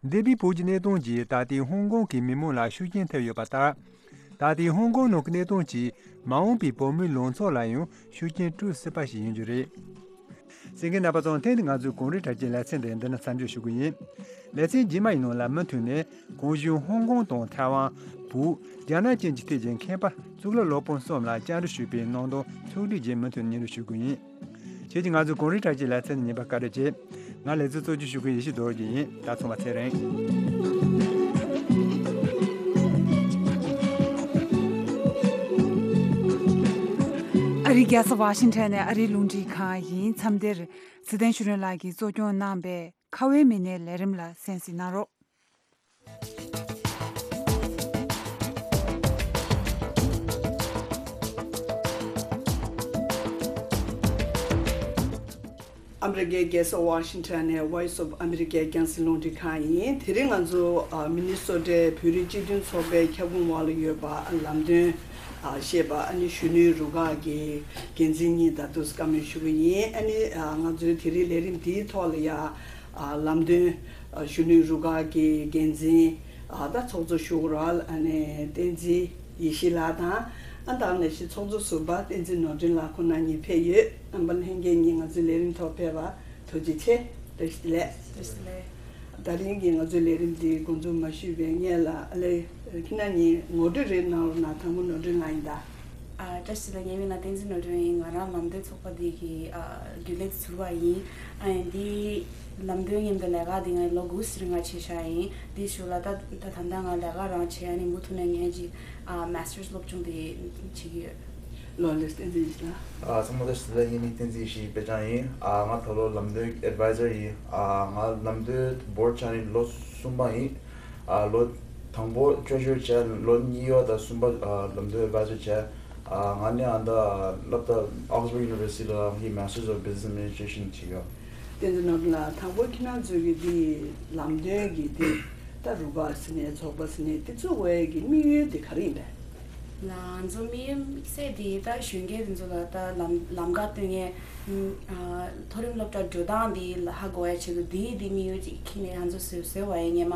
འདས་པའི་བོད་ཀྱི་གནད་དོན་གྱིས་ད་ལྟའི་ཧོང་ཀོང་གི་མི་མང་ལ་ཤུགས་རྐྱེན་ཐེབས་ཡོད་པ་ལྟར། ད་ལྟའི་ཧོང་ཀོང་ནང་གི་གནད་དོན་གྱིས་མ་འོངས་པའི་བོད་མིའི་ལངས་ཕྱོགས་ལ་ཡང་ཤུགས་རྐྱེན་སྤྲོད་སྲིད་པ་ཞིག་ཡིན་རྒྱུ་རེད། གསན་མཁན་རྣམ་པ་ཚོ། ཐེངས་འདིའི་ང་ཚོའི་གངས་རིའི་བྲག་ཅའི་ལེ་ཚན་དེ་འདི་ན་མཚམས་འཇོག་ཞུ་གི་ཡིན། ལེ་ཚན་རྗེས་མ་ཡི་ནང་ལ་མུ་མཐུད་ནས་གོང་ཞུས་ཧོང་ཀོང་དང་ཐའེ་ཝན། བོད། རྒྱ་ནག་བཅས་ཀྱི་ཐད་ཀྱི་མཁས་པ་གཙུག་ལག་སློབ་དཔོན་གསུམ་ལ་བཅར་འདྲི་ཞུས་པའི་གནད་དོན་ཕྱོགས་བསྒྲིགས་ཀྱི་མུ་མཐུད་སྙན་སྒྲོན་ཞུ་གི་ཡིན། ཁྱེད་ཀྱིས་ང་ཚོའི་གངས་རིའི་བྲག་ཅའི་ལེ་ཚན་ཉན་པར་བཀའ་དྲིན་ཆེ། ང་ལེ་ཚན་གཙོ་སྐྱོང་ཞུ་མཁན་ཡེ་ཤེས་རྡོ་རྗེ་ཡིན། ད་ཚང་མ་ཚེ་རིང་། ཨ་རིའི་རྒྱལ་ས་ཝ་ཤིང་ཊོན་ནས་ཨ་རིའི་རླུང་འཕྲིན་ཁང་ཡིན། མཚམས་འདིར་ཚེ་བརྟན་ཆོས་སྒྲོན་ལགས་ཀྱིས་གཙོ་སྐྱོང་གནང་པའི་ཁ་བའི་མི་སྣའི་ལས་རིམ་ལ་གསན་གཟིགས་གནང་རོགས། ཨ་མི་རི་ཀའི་རྒྱལ་ས་ཝ་ཤིང་ཊོན་ནས་Voice of America་རྒྱང་སྲིང་རླུང་འཕྲིན་ཁང་ཡིན། དེ་རིང་ང་ཚོ་ཨ་མི་ནི་སོ་ཊའི་བོད་རིགས་སྤྱི་མཐུན་ཚོགས་པའི་ཁྱབ་ཁོངས་འོག་ལ་ཡོད་པ་ལམ་སྟོན་ཨ་བཤད་པ་ཨ་ནི་གཞོན་ནུའི་རུ་ཁག་གི་འགན་འཛིན་གཉིས་ད་དུང་བཀའ་མོལ་ཞུ་གི་ཡིན། ཨ་ནི་ཨ་ང་ཚོའི་དེ་རིང་ལས་རིམ་འདིའི་ཐོག་ལ་ཡ་ཨ་ལམ་སྟོན་ཨ་གཞོན་ནུའི་རུ་ཁག་གི་འགན་འཛིན་ཨ་ད་ཚོགས་གཙོ་ཞུ་གི་རོགས་ཨ་ནི་བསྟན་འཛིན་ཡེ་ཤེས་ལགས་དང་། ཨ་ད་ནང་བཞིན་ཚོགས་གཙོ་ཟུར་པ་བསྟན་འཛིན་ནོར་སྒྲོན་ལགས་ཁོང་རྣམ་གཉིས་ཕེབས་ཡོད། རྣམ་པ་ལྷན་རྒྱས་གཉིས་ང་ཚོའི་ལས་རིམ་ཐོག་ཕེབས་པར་ཐུགས་རྗེ་ཆེ། བཀྲ་ཤིས་བདེ་ལེགས། བཀྲ་ཤིས་བདེ་ལེགས། ད་རིང་གི་ང་ཚོའི་ལས་རིམ་འདི་འགོ་འཛུགས་མ་ཞུས་པའི་སྔོན་ལ་ཨ་ལེ་ཁྱེད་རྣམ་གཉིས་ངོ་སྤྲོད་རེ་གནང་རོགས་གནང་། དང་པོ་ནོར་སྒྲོན་ལགས་ཡིན་ད། ཨ་བཀྲ་ཤིས་བདེ་ལེགས། ངའི་མིང་ལ་བསྟན་འཛིན་ནོར་སྒྲོན་ཡིན། ང་རང་ལམ་སྟོན་ཚོགས་པ་འདི་གི་ཨ་རྒྱུན་ལས་ཟུར་པ་ཡིན། ཨ་ཡིན་འདི་ལམ་སྟོན་མཉམ་དུ་ལས་ཀ་འདི་ང་ལོ་དགུ་ཙམ་རིང་ང་བྱས་བཞག་ཡིན། འདི་ཞུ་ལ་ད་ད་ད་ལྟ་ང་ལས་ཀ་རང་བྱས། ཨ་ནི་མུ་མཐུད་ནས་ངས་ཅིག་ཨ་མ་སི་ཊར་སློབ་སྦྱོང་འདི་བྱེད་ཀྱི་ཡོད། ལོ་ལེགས་བསྟན་འཛིན་ཡེ་ཤེས་ལགས། ཨ་ཚང་མ་བཀྲ་ཤིས་བདེ་ལེགས། ངའི་མིང་བསྟན་འཛིན་ཡེ་ཤེས་དཔེ་ཆ་ཡིན། ཨ་ང་ད་ལོ་ལམ་སྟོན་ཨེཌ་ཝའི་ཛར་ཡིན། ཨ་ང་ལམ་སྟོན་བོར་ཆགས་ནས་ལོ་གསུམ་པ་ཡིན། ཨ་ལོ་དང་པོ་ཊི་རེ་ཞུ་རར་བྱས། ལོ་གཉིས་པ་དང་གསུམ་པ་ཨ་ལམ་སྟོན་ཨེཌ་ཝའི་ཛར་བྱས། ཨ་ང་ནི་ཨ་ད་སློབ་གྲྭ་Oxford University་ལ་ངའི་Masters of Business Administration་བྱེད་ཡོད། བསྟན་འཛིན་ནོར་སྒྲོན་ལགས། དང་པོ་ཁྱེད་རང་ཚོའི་གི་འདི་ལམ་སྟོན་གྱི་འདི་ད་རུ་ཁག་ཟེར་ནས་ཚོགས་པ་ཟེར་ནས་འདི་བཙུགས་པའི་གི་དམིགས་ཡུལ་འདི་ག་རེ་ཡིན་པས། ང་ཚོ་དམིགས་ཡུལ་དམིགས་བསལ་འདི་ད་གཞོན་སྐྱེས་འདི་ཚོ་ལ་ད་ལམ་ལམ་ཁ་སྟོན་མཁན་ཨ་མཐོ་རིམ་སློབ་གྲྭ་འགྲོ་སྟངས་འདི་ཧ་གོ་ཡ་ཆེད་དུ་འདི་འདི་དམིགས་ཡུལ་ཅིག་འཁྱེར་ནས་ང་ཚོ་བཟོས་བཟོས་པ་ཡིན། སྔོན་མ་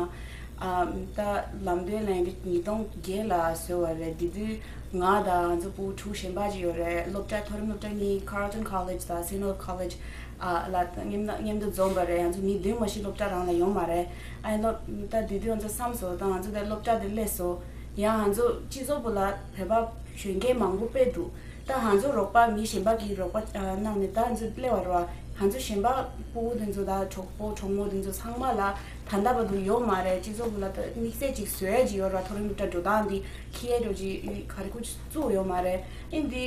ཨ་ད་ལམ་སྟོན་ལ་ཡིན་པའི་ཉིས་སྟོང་བརྒྱད་ལ་བཟོས་པ་རེད། དེ་དུས་ང་དང་ང་ཚོ་བུ་ཕྲུག་གཞན་པ་ཅིག་ཡོད་རེད། སློབ་གྲྭ་མཐོ་རིམ་སློབ་གྲྭ་གཉིས་Carleton College་དང་Saint Rose College་ཨ་ལ་མཉམ་མཉམ་དུ་འཛོམས་པ་རེད། ང་ཚོ་མི་བདུན་མ་གཏོགས་སློབ་གྲྭ་རང་ལ་ཡོད་མ་རེད། ཨ་ནི་སློབ་ད་དེ་དུས་ང་ཚོ་བསམ་སོང་། ད་ང་ཚོ་དེ་སློབ་གྲྭ་དེ་སླེབས་སོང་། ཡང་ང་ཚོ་སྤྱི་ཚོགས་བུ་ལ་བོད་པ་གཞོན་སྐྱེས་མང་པོ་དཔེ་འདུག་ད་ང་ཚོ་རོགས་པ་མི་གཞན་པ་གིས་རོགས་པ་ཨ་གནང་ནས་ད་ང་ཚོ་སླེབས་པ་རེད་བ། ང་ཚོ་གཞན་པ་སྤུ་གུ་དེ་ཚོ་དང་གྲོགས་པོ་གྲོགས་མོ་དེ་ཚོ་ཚང་མ་ལ་ད་ལྟ་བར་དུ་ཡོད་མ་རེད། སྤྱི་ཚོགས་བུ་ལ་ད་དམིགས་བསལ་ཅིག་བཟོས་ཅིག་ཡོད་རེད་བ། མཐོ་རིམ་སློབ་གྲྭ་འགྲོ་སྟངས་འདི་ཁྱེད་འགྲོ་ཅིག་ག་རེ་ཁུ་བཙུགས་ཡོད་མ་རེད། ཨིན་འདི་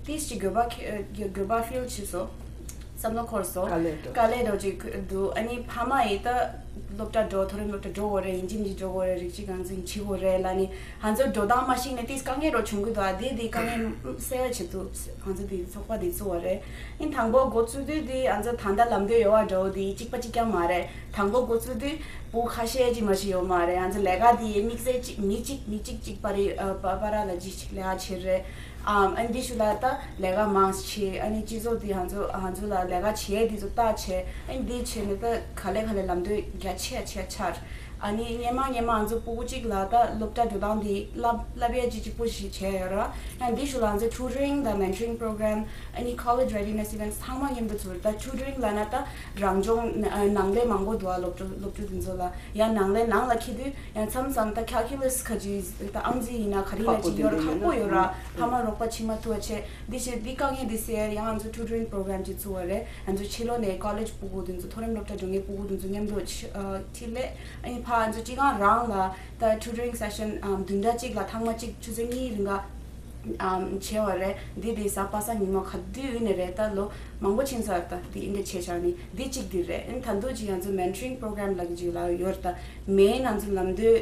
ཏིས་ཅིག་འགྱོད་པ་ཁེ་འགྱོད་པ་ཕིལ་བྱས་སོང་། བསམ་བློ་འཁོར་སོང་། དཀའ་ལས་འགྲོ། དཀའ་ལས་འགྲོ་ཅིག་འདུག་ཨ་ནི་ཕ་མ་ཡིས་ད་སློབ་གྲྭ་འགྲོ། མཐོ་རིམ་སློབ་གྲྭ་འགྲོ་དགོས་རེད། ཡིན་གཅིག་མིན་གཅིག་འགྲོ་དགོས་རེད། རིགས་གཅིག་རྐང་འཛིན་བྱེད་དགོས་རེད་ལབ་ནི་ང་ཚོ་འགྲོ་སྟངས་མ་ཤེས་ནས་ཏིས་དཀའ་ངལ་རོ་བྱུང་གི་འདུག་ཨ་དེ་དེ་དཀའ་ངལ་སེལ་བའི་ཆེད་དུ་ང་ཚོ་དེ་ཚོགས་པ་དེ་བཙུགས་པ་རེད། ཨིན་དང་པོ་འགོ་བཙུགས་དུས་དེ་ང་ཚོ་ད་ལྟ་ལམ་སྟོན་ཡོད་པ་འདྲ་བོ་དེ་གཅིག་པ་གཅིག་རྐྱང་མ་རེད། དང་པོ་འགོ་བཙུགས་དུས་བུ་ཁ་ཤས་ཅིག་མ་ཞིག་ཡོད་མ་རེད། ང་ཚོ་ལས་ཀ་དེ་དམིགས་བསལ་གཅིག་མི་གཅིག་མི་གཅིག་གཅིག་པ་རེད། ཨ་པ་པ་ར་ལ་གཅིག་གཅིག་ལས་ཀ་བྱེད་རེད། ཨམ། ཨ་ནི་འདི་ཞུ་ལ་ད་ལས་ཀ་མང་ཆེ། ཨ་ནི་སྤྱི་ཚོགས་འདི་ང་ཚོ་ང་ཚོ་ལ་ལས་ཀ་བྱེད་འདི་ཚོ་ལྟ་བྱེད། ཨ་ནི་འདི་བྱེད་ནས་ད་ག་ལེ་ག་ལེ་ལམ་སྟོན་རྒྱ་ཆེ་ཆེ་ཆར། ཨ་ནི་སྔན་མ་སྔན་མ་ང་ཚོ་ཕྲུ་གུ་གཅིག་ལ་ད་སློབ་གྲྭ་འགྲོ་སྟངས་འདི་བསླབ་བསླབ་ཡས་ཅིག་གཅིག་པོ་ཞིག་བྱས་ཡོད་ར། ཡང་འདི་ཞུ་ལ་ང་ཚོ་tutoring དང་mentoring program ཨ་ནི་college readiness events ཚང་མ་མཉམ་དུ་ཚུར། ད་tutoring ལབ་ན་ད་རང་སྦྱོང་ནང་ལས་མང་པོ་འདུག་ཨ། སློབ་ཕྲུག་སློབ་ཕྲུག་འདི་ཚོ་ལ་ཡང་ནང་ལས་ནང་ལ་འཁྱེར་དུས་ཡང་མཚམས་མཚམས་ད་calculus ཁ་ཅིག་ད་ཨང་རྩིས་ཡིན་ན་ག་རེ་ཡིན་ན་ཅིག་ཡོད་ར། ཁག་པོ་ཡོད་ར། ཕ་མ་རོགས་པ་བྱེད་མ་ཐུབ་པ་བྱས། འདི་བྱས་འདི་དཀའ་ངལ་འདི་སེལ་ཡང་ང་ཚོ་tutoring program ཅིག་བཙུགས་པ་རེད། ང་ཚོ་ཕྱི་ལོགས་ནས་college ཕྲུ་གུ་འདི་ཚོ་མཐོ་རིམ་སློབ་གྲྭ་འགྲོ་མཁན་ཕྲུ་གུ་འདི་ཚོ་མཉམ་དུ་ཕྱི་ཨ་འཁྲིད་སླེབས། ཨ་ནི་ཕ་ང་ཚོ་སྤྱི་ཁང་རང་ལ་ད་tutoring session ཨམ་བདུན་ཕྲག་གཅིག་ལ་ཐེངས་མ་གཅིག་ཆུ་ཚོད་གཉིས་རིང་ག་ཨམ་བྱས་པ་རེད། འདི་དེ་གཟའ་པ་སངས་ཉི་མ་ག་དུས་ཡིན་ནའི་རེད། ད་ལོ་མང་པོ་ཕྱིན་ཚར། ད་འདི་འདི་བྱས་བཞག་ནི་འདི་གཅིག་འདི་རེད། ཨ་ནི་ད་དུང་གཅིག་ང་ཚོ་mentoring program ལབ་ཀྱི་ཅིག་ལ་ཡོད་རེད། ད་main ང་ཚོ་ལམ་སྟོན་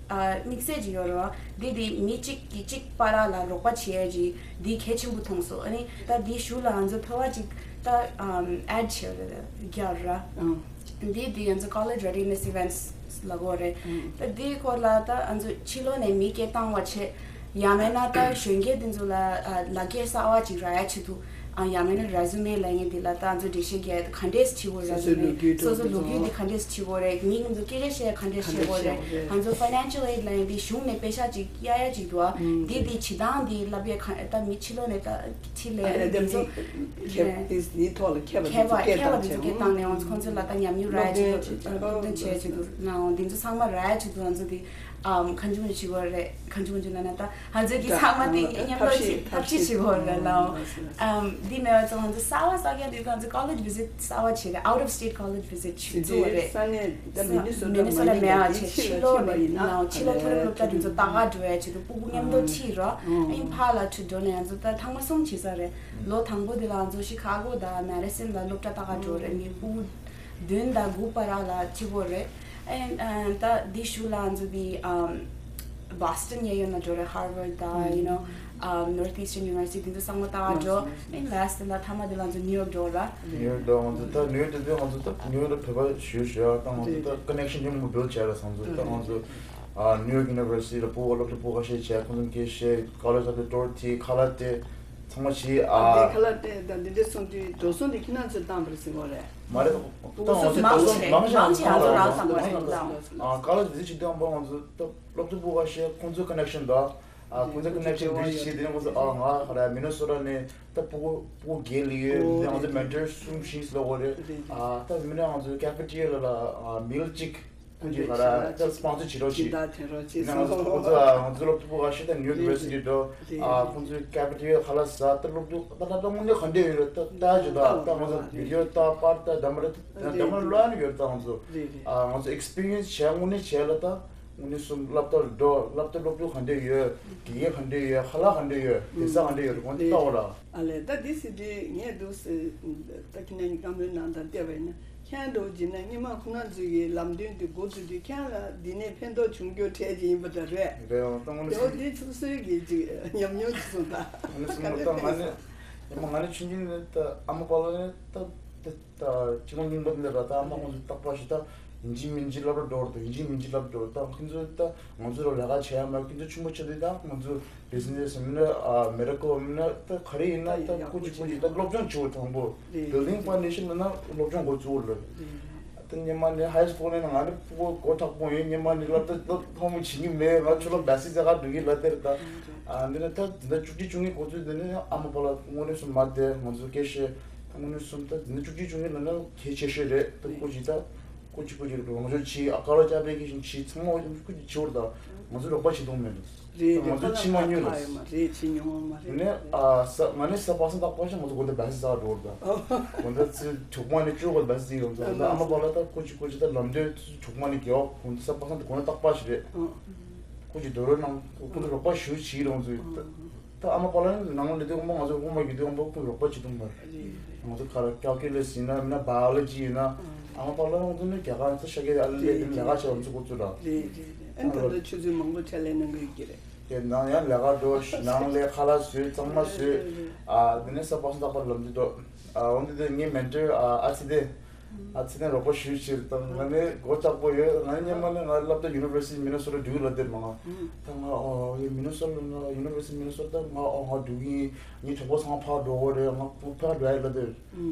ཨ་དམིགས་བསལ་ཅིག་ཡོད་རེད་བ། འདི་དེ་མི་གཅིག་གིས་གཅིག་བར་ལ་རོགས་པ་བྱེད་ཡས་ཅིག་འདི་གལ་ཆེན་པོ་མཐོང་སོང་། ཨ་ནི་ད་འདི་གཞུག་ལ་ང་ཚོ་ཕལ་བ་ཅིག་ད་ཨམ་add བྱས་རེད། རྒྱག་ར། འདི་དེ་ང་ཚོ་college readiness events ལབ་དགོས་རེད། ད་འདིའི་སྐོར་ལ་ད་ང་ཚོ་ཕྱི་ལོགས་ནས་མི་སྐད་བཏང་བ་བྱས། ཡང་མིན་ན་ད་གཞོན་སྐྱེས་འདི་ཚོ་ལ་ཨ་ལག་འཁྱེར་གསར་བ་ཅིག་རག་ཡ་ཆེད་དུ། ཨ་ཡང་མིན་ན་resume ལབ་མཁན་འདི་ལ་ད་ང་ཚོ་འགྲེལ་བཤད་རྒྱག་ཡ་ག་འདྲས་བྱེད་དགོས་རེད། སོ་སོའི་ལོ་རྒྱུས་སོ་སོའི་ལོ་རྒྱུས་འདི་ག་འདྲས་བྱེད་དགོས་རེད། མི་ང་ཚོ་སྐད་ཆ་བཤད་ཡ་ག་འདྲས་བཤད་དགོས་རེད། ང་ཚོ་financial aid ལབ་མཁན་འདི་གཞུང་ནས་པེ་ཤ་ཅིག་གཡར་ཡ་ཅིག་འདུག་ཨ། འདི་འདི་བྱེད་སྟངས་འདི་ལབ་ཡ་ག་ད་མི་ཕྱི་ལོགས་ནས་ད་ཕྱི་ལས་ཨ་འདི་ཚོ་མཁས་པ་འདི་འདི་ཐོག་ལ་མཁས་པ་འདི་ཚོ་སྐད་བཏང་བྱས། ཁྱད་པར་འདི་ཚོ་སྐད་བཏང་ནས་ང་ཚོ་ཁོང་ཚོ་ལ་ད་ཉམས་མྱོང་རག་ཡ་ཅིག་འདུག་སློབ་སྟོན་བྱས་ཅིག་འདུག་ནའང་འདི་ཚོ་ཚང་མ་རག་ཡ་ཅིག་འདུག་ང་ཚོ་འདི་ཨམ་གང་བྱུང་བྱེད་དགོས་རེད། གང་བྱུང་བྱུང་ན་ན་ད་ང་ཚོ་གི་ཚང་མ་དེ་མཉམ་དུ་ཐབས་ཤེས་ཐབས་ཤེས་བྱེད་དགོས་རེད་ལ། ཨམ་འདི་མེད་པ་ཚོ་ང་ཚོ་གསར་བ་གསར་རྒྱག་དུས་ང་ཚོ་college visit གསར་བ་བྱེད་རེད། out of state college visit བྱེད་འདུག་རེད། ས་གནས་ད་མི་ནི་སོ་ཊ་མི་ནི་སོ་ཊ་མ་ཡིན་པ་ཅིག་ཕྱི་ལོགས་ནས་ཕྱི་ལོགས་མཐོ་རིམ་སློབ་གྲྭ་དེ་ཚོ་ལྟ་ག་འགྲོ་ཡ་ཆེད་དུ་ཕྲུ་གུ་མཉམ་དུ་ཁྲིད་རོགས། ཨིན་ཕ་ལ་ཁྲིད་འགྲོ་ནས་ང་ཚོ་ད་ཐེངས་མ་གསུམ་བྱེད་ས་རེད། ལོ་དང་པོ་དེ་ལ་ང་ཚོ་ཤི་ཁ་གོ་དང་མེ་རི་སན་ལ་སློབ་གྲྭ་ལྟ་ག་འགྲོ་རེད། མི་ཕྲུ་གུ་བདུན་དང་དགུ་བར་ལ་ཁྲིད་དགོས་རེད། ཨེན་ཨ་ད་འདི་ཞུ་ལ་ང་ཚོ་དེ་ཨམ་Boston གཡས་གཡོན་ལ་འགྲོ་རེད། Harvard དང་you know ཨམ་Northeastern University དེ་ཚོ་ཚང་མ་ལྟ་ག་འགྲོ། ཨེན་last ལ་མཐའ་མ་དེ་ལ་ང་ཚོ་New York འགྲོ་ར། New York འགྲོ། ང་ཚོ་ད་New York དེ་དུས་ང་ཚོ་ད་New York ལ་བོད་པ་ཞུ་ཞུ་ཡ་ད་ང་ཚོ་ད་connection མཉམ་པོ་build བྱས་ར། ང་ཚོ་ད་ང་ཚོ་ཨ་New York University ལ་སྤུ་གུ་སློབ་གྲྭ་སྤུ་གུ་ཁ་ཤས་བྱས། ཁོང་ཚོ་སྐད་བཤད། college ལ་དེ་tour དེ་ཁ་ལག་དེ་ཚང་མ་བྱས། ཨ་དེ་ཨ་ཁ་ལག་དེ་ད་འདི་འདྲ་སོང་དུས་འགྲོ་སོང་དེ་ཁྱེད་རང་ཚོས་བཏང་བ་རེད་ཟེར་གོ་རེད། མ་རེད། ད་ང་ཚོ་མང་ཆེ་མང་ཆེ་ང་ཚོ་རང་ཚང་མ་རེད། ཨ་college visit བྱེད་དུས་ཙམ་པ་ང་ཚོ་ད་སློབ་ཕྲུག་སྤུ་གུ་ཁ་ཤས་ཁོང་ཚོའི་connection དང་ཨ་ཁོང་ཚོའི་connection འདི་བྱས། དེ་ནས་ཁོང་ཚོ་ཨ་ང་ག་རེ་Minnesota ནས་ད་སྤུ་གུ་སྤུ་གུ་བརྒྱད་སླེབས་ཡོད། དེ་ནས་ང་ཚོ་mentor གསུམ་བཞི་སླེབས་ཡོད་རེད། ཨ་ད་མི་ནས་ང་ཚོ་cafeteria ལ་ལ་ཨ་meal གཅིག་ཁོང་ཚོས་ག་རེ་ད་sponsor བྱེད་རོགས་བྱེད། ཡིན་ན་ང་ཚོ་ཁོང་ཚོ་ང་ཚོ་སློབ་ཕྲུག་སྤུ་གུ་ཁ་ཤས་ད་New York University འགྲོ། ཨ་ཁོང་ཚོའི་cafeteria ཁ་ལག་ཟ། ད་སློབ་ཕྲུག་ད་ད་ད་དངོས་གནས་ག་འདྲས་ཡོད་རེད། ད་ལྟ་ཅི་ད་ད་ང་ཚོ་video ལྟ་པར་ལྟ་འདྲ་མ་རེད། འདྲ་མ་ལོན་ཡོད། ད་ང་ཚོ་ཨ་ང་ཚོ་experience བྱས་དངོས་གནས་བྱས་ལ་ད་དངོས་གནས་སུ་སློབ་གྲྭར་འགྲོ། སློབ་གྲྭ་སློབ་ཕྲུག་ག་འདྲས་ཡོད། དགེ་རྒན་ག་འདྲས་ཡོད། ཁ་ལག་ག་འདྲས་ཡོད། བསྡད་ས་ག་འདྲས་ཡོད་རེད། ཁོང་ཚོ་ལྟ་འོ་ར། ཨ་ལས་ད་འདི་སྲིད་དུས་ངས་འདུག་ཟེར། ད་ཁྱེད་རང་གཉིས་བཀའ་མོལ་གནང་སྟངས་བལྟས་པ་ཡིན་ན་ཁྱེད་རང་འདྲ་བོ་བྱས་ན་སྔོན་མ་ཁོང་རྣམ་ཚོའི་གི་ལམ་སྟོན་དེ་འགོ་བཙུགས་དུས་ཁྱེད་རང་ལ་འདི་ནས་ཕན་ཐོགས་བྱུང་རྒྱུ་གྲས་ཅིག་ཡིན་པ་འདྲ་རེད། རེད་འོང་ད་དངོས་གནས་དེ་འོ་འདི་ཚོ་སོའི་གི་ཅིག་ཉམས་མྱོང་ཅིག་གསུངས་ད། དངོས་གནས་གསུངས་ད་ང་ནི་ཡང་མ་ང་ནི་ཆུང་ཆུང་ནས་ད་ཨ་མ་པ་ལགས་ནས་ད་ད་ད་ཕྱི་ལོགས་རྙིང་པ་འདི་ལ་ད་ཨ་མ་ཁོང་ཚོ་རྟག་པར་ཞིག་ད་ཡིན་གཅིག་མིན་གཅིག་སློབ་གྲྭ་འགྲོ་ར། ད་ཡིན་གཅིག་མིན་གཅིག་སློབ་གྲྭ་འགྲོ་ར། ད་ཁོང་ཚོ་ད་ང་ཚོ་ར་ལས་ཀ་བྱེད་ཡ་མ། ཁོང་ཚོ་ཆུང་པ་ཆེ་དུས་ད་ང་ཚོ་business མིན་ན་ཨ་medical མིན་ན་ད་ག་རེ་ཡིན་ན་ད་སྐུ་མཁྱེན་སྐུ་མཁྱེན་ད་སློབ་སྦྱོང་བྱེད་དགོས། དང་པོ་building foundation ལ་ན་སློབ་སྦྱོང་འགོ་བཙུགས་ལ། ད་སྔོན་མ་ནས་high school ནས་ང་ནི་སྤུ་གུ་མགོ་མཁྲེགས་པོ་ཡིན། སྔོན་མ་ནས་སློབ་གྲྭ་སློབ་ཐོན་མི་བྱེད་ཀྱི་མེད། ང་ཆུ་ལོག་བེ་སི་ཟ་ག་འགྲོ་གི་ལ་དེར་ད། ཨ་འདི་ནས་ད་འདི་བཅུ་གཅིག་བཅུ་གཉིས་འགོ་ཚུགས། འདི་ནས་ཨ་མ་པ་ལགས་དངོས་གནས་སུ་མ་བསྡད། ང་ཚོ་སྐད་བཤད། ད་དངོས་གནས་སུ་ད་འདི་ནས་བཅུ་གཅིག་བཅུ་གཉིས་ལ་ན་གལ་ཆེ་ཤོས་རེད། ད་སྐུ་མཁྱེན་ད་སྐུ་མཁྱེན་སྐུ་མཁྱེན་རང་སྦྱོང་བྱེད། ཨ་ཀ་ལོ་ཅ་པེ་ཀེ་ཤན་བྱེད། ཚང་མ་སྐུ་མཁྱེན་བྱེད་འོར་ད་ང་ཚོ་རོགས་པ་བྱེད་དོན་མེད་འདུག་རེད་རེད། ང་ཚོ་ཕྱི་མ་ཉོས་ལ། ཡོད་མ་རེད། ཕྱི་ཉོ་མ་རེད། ནས་ཨ་ས་ང་ནས་ས་པ་སངས་ཏག་པ་ཤ་ང་ཚོ་དགོན་སྡེ་བེ་སི་ཟ་འགྲོ་ར། དགོན་སྡེ་ཚོས་གྲོགས་མ་ནས་བཅུ་དགོན་སྡེ་བེ་སི་ཟིག་ཡོང་ཚོ། ཨ་ཨ་མ་པ་ལགས་ད་ཁོ་ཅི་ཁོ་ཅི་ད་ལམ་སྟོན་གྲོགས་མ་ནས་རྒྱལ་བ་དགོན་སྡེ་ས་པ་སངས་ཏག་དགོན་སྡེ་སྟག་པ་ཞིག་རེད། ཁོ་ཅི་དོ་རོ་ནང་ཁོ་ཚོ་རོགས་པ་ཞུ་བྱེད་རོང་ཚོ། ད་ཨ་མ་པ་ལགས་ནང་ལ་དེ་དགོན་པ་ང་ཚོ་དགོན་པ་ཡོད་དུས་དགོན་པ་ཁོ་རོགས་པ་བྱེད་དུས་མ་རེད། ང་ཚོ་ག་རེ་calculus ཡིན་ན་མིན་ན་biology ཡིན་ན་ཨ་མ་པ་ལགས་ང་ཚོ་ནས་རྒྱ་གར་ཚོ་ཤ་ཀེ་ཨ་ལེ་ལེ་ལས་ཀ་བྱེད་ང་ཚོ་ཁོ་ཚོ་ར། རེད་རེད་རེད། ཨ་ནི་ད་ལྟ་ཆུ་ཚོད་མང་པོ་ཕྱག་ལས་གནང་གི་ཡོད་ཀྱི་རེད། དེ་ནང་ཡང་ལས་ཀ་འགྲོ། ནང་ལས་ཁ་ལག་བཟོས། གཙང་མ་བཟོས། ཨ་དེ་ནས་ས་པ་སངས་ཏག་པ་ལམ་དུ་འགྲོ། ཨ་འོན་ཏེ་དེ་ངའི་མེན་ཊར་ཨ་ཨ་ཚི་དེ་ ཨ་ཚེ་བརྟན་རོགས་པ་ཞུ་ཕྱིར་དང་། ང་ནི་མགོ་ལྕགས་པོ་ཡོད། ང་ནི་སྔོན་མ་ནས་ང་སློབ་གྲྭ་University Minnesota Duluth ལ་བསྡད་མ་ང་། ད་ང་ཨོ་ཡ་Minnesota ལ་ང་University Minnesota ད་ང་ཨོ་ང་འགྲོ་གི་ཡིན། ངའི་གྲོགས་པོ་ཚང་མ་ཕར་འགྲོ་གི་རེད། ང་ཕར་འགྲོ་ཡ་ལ་བསྡད།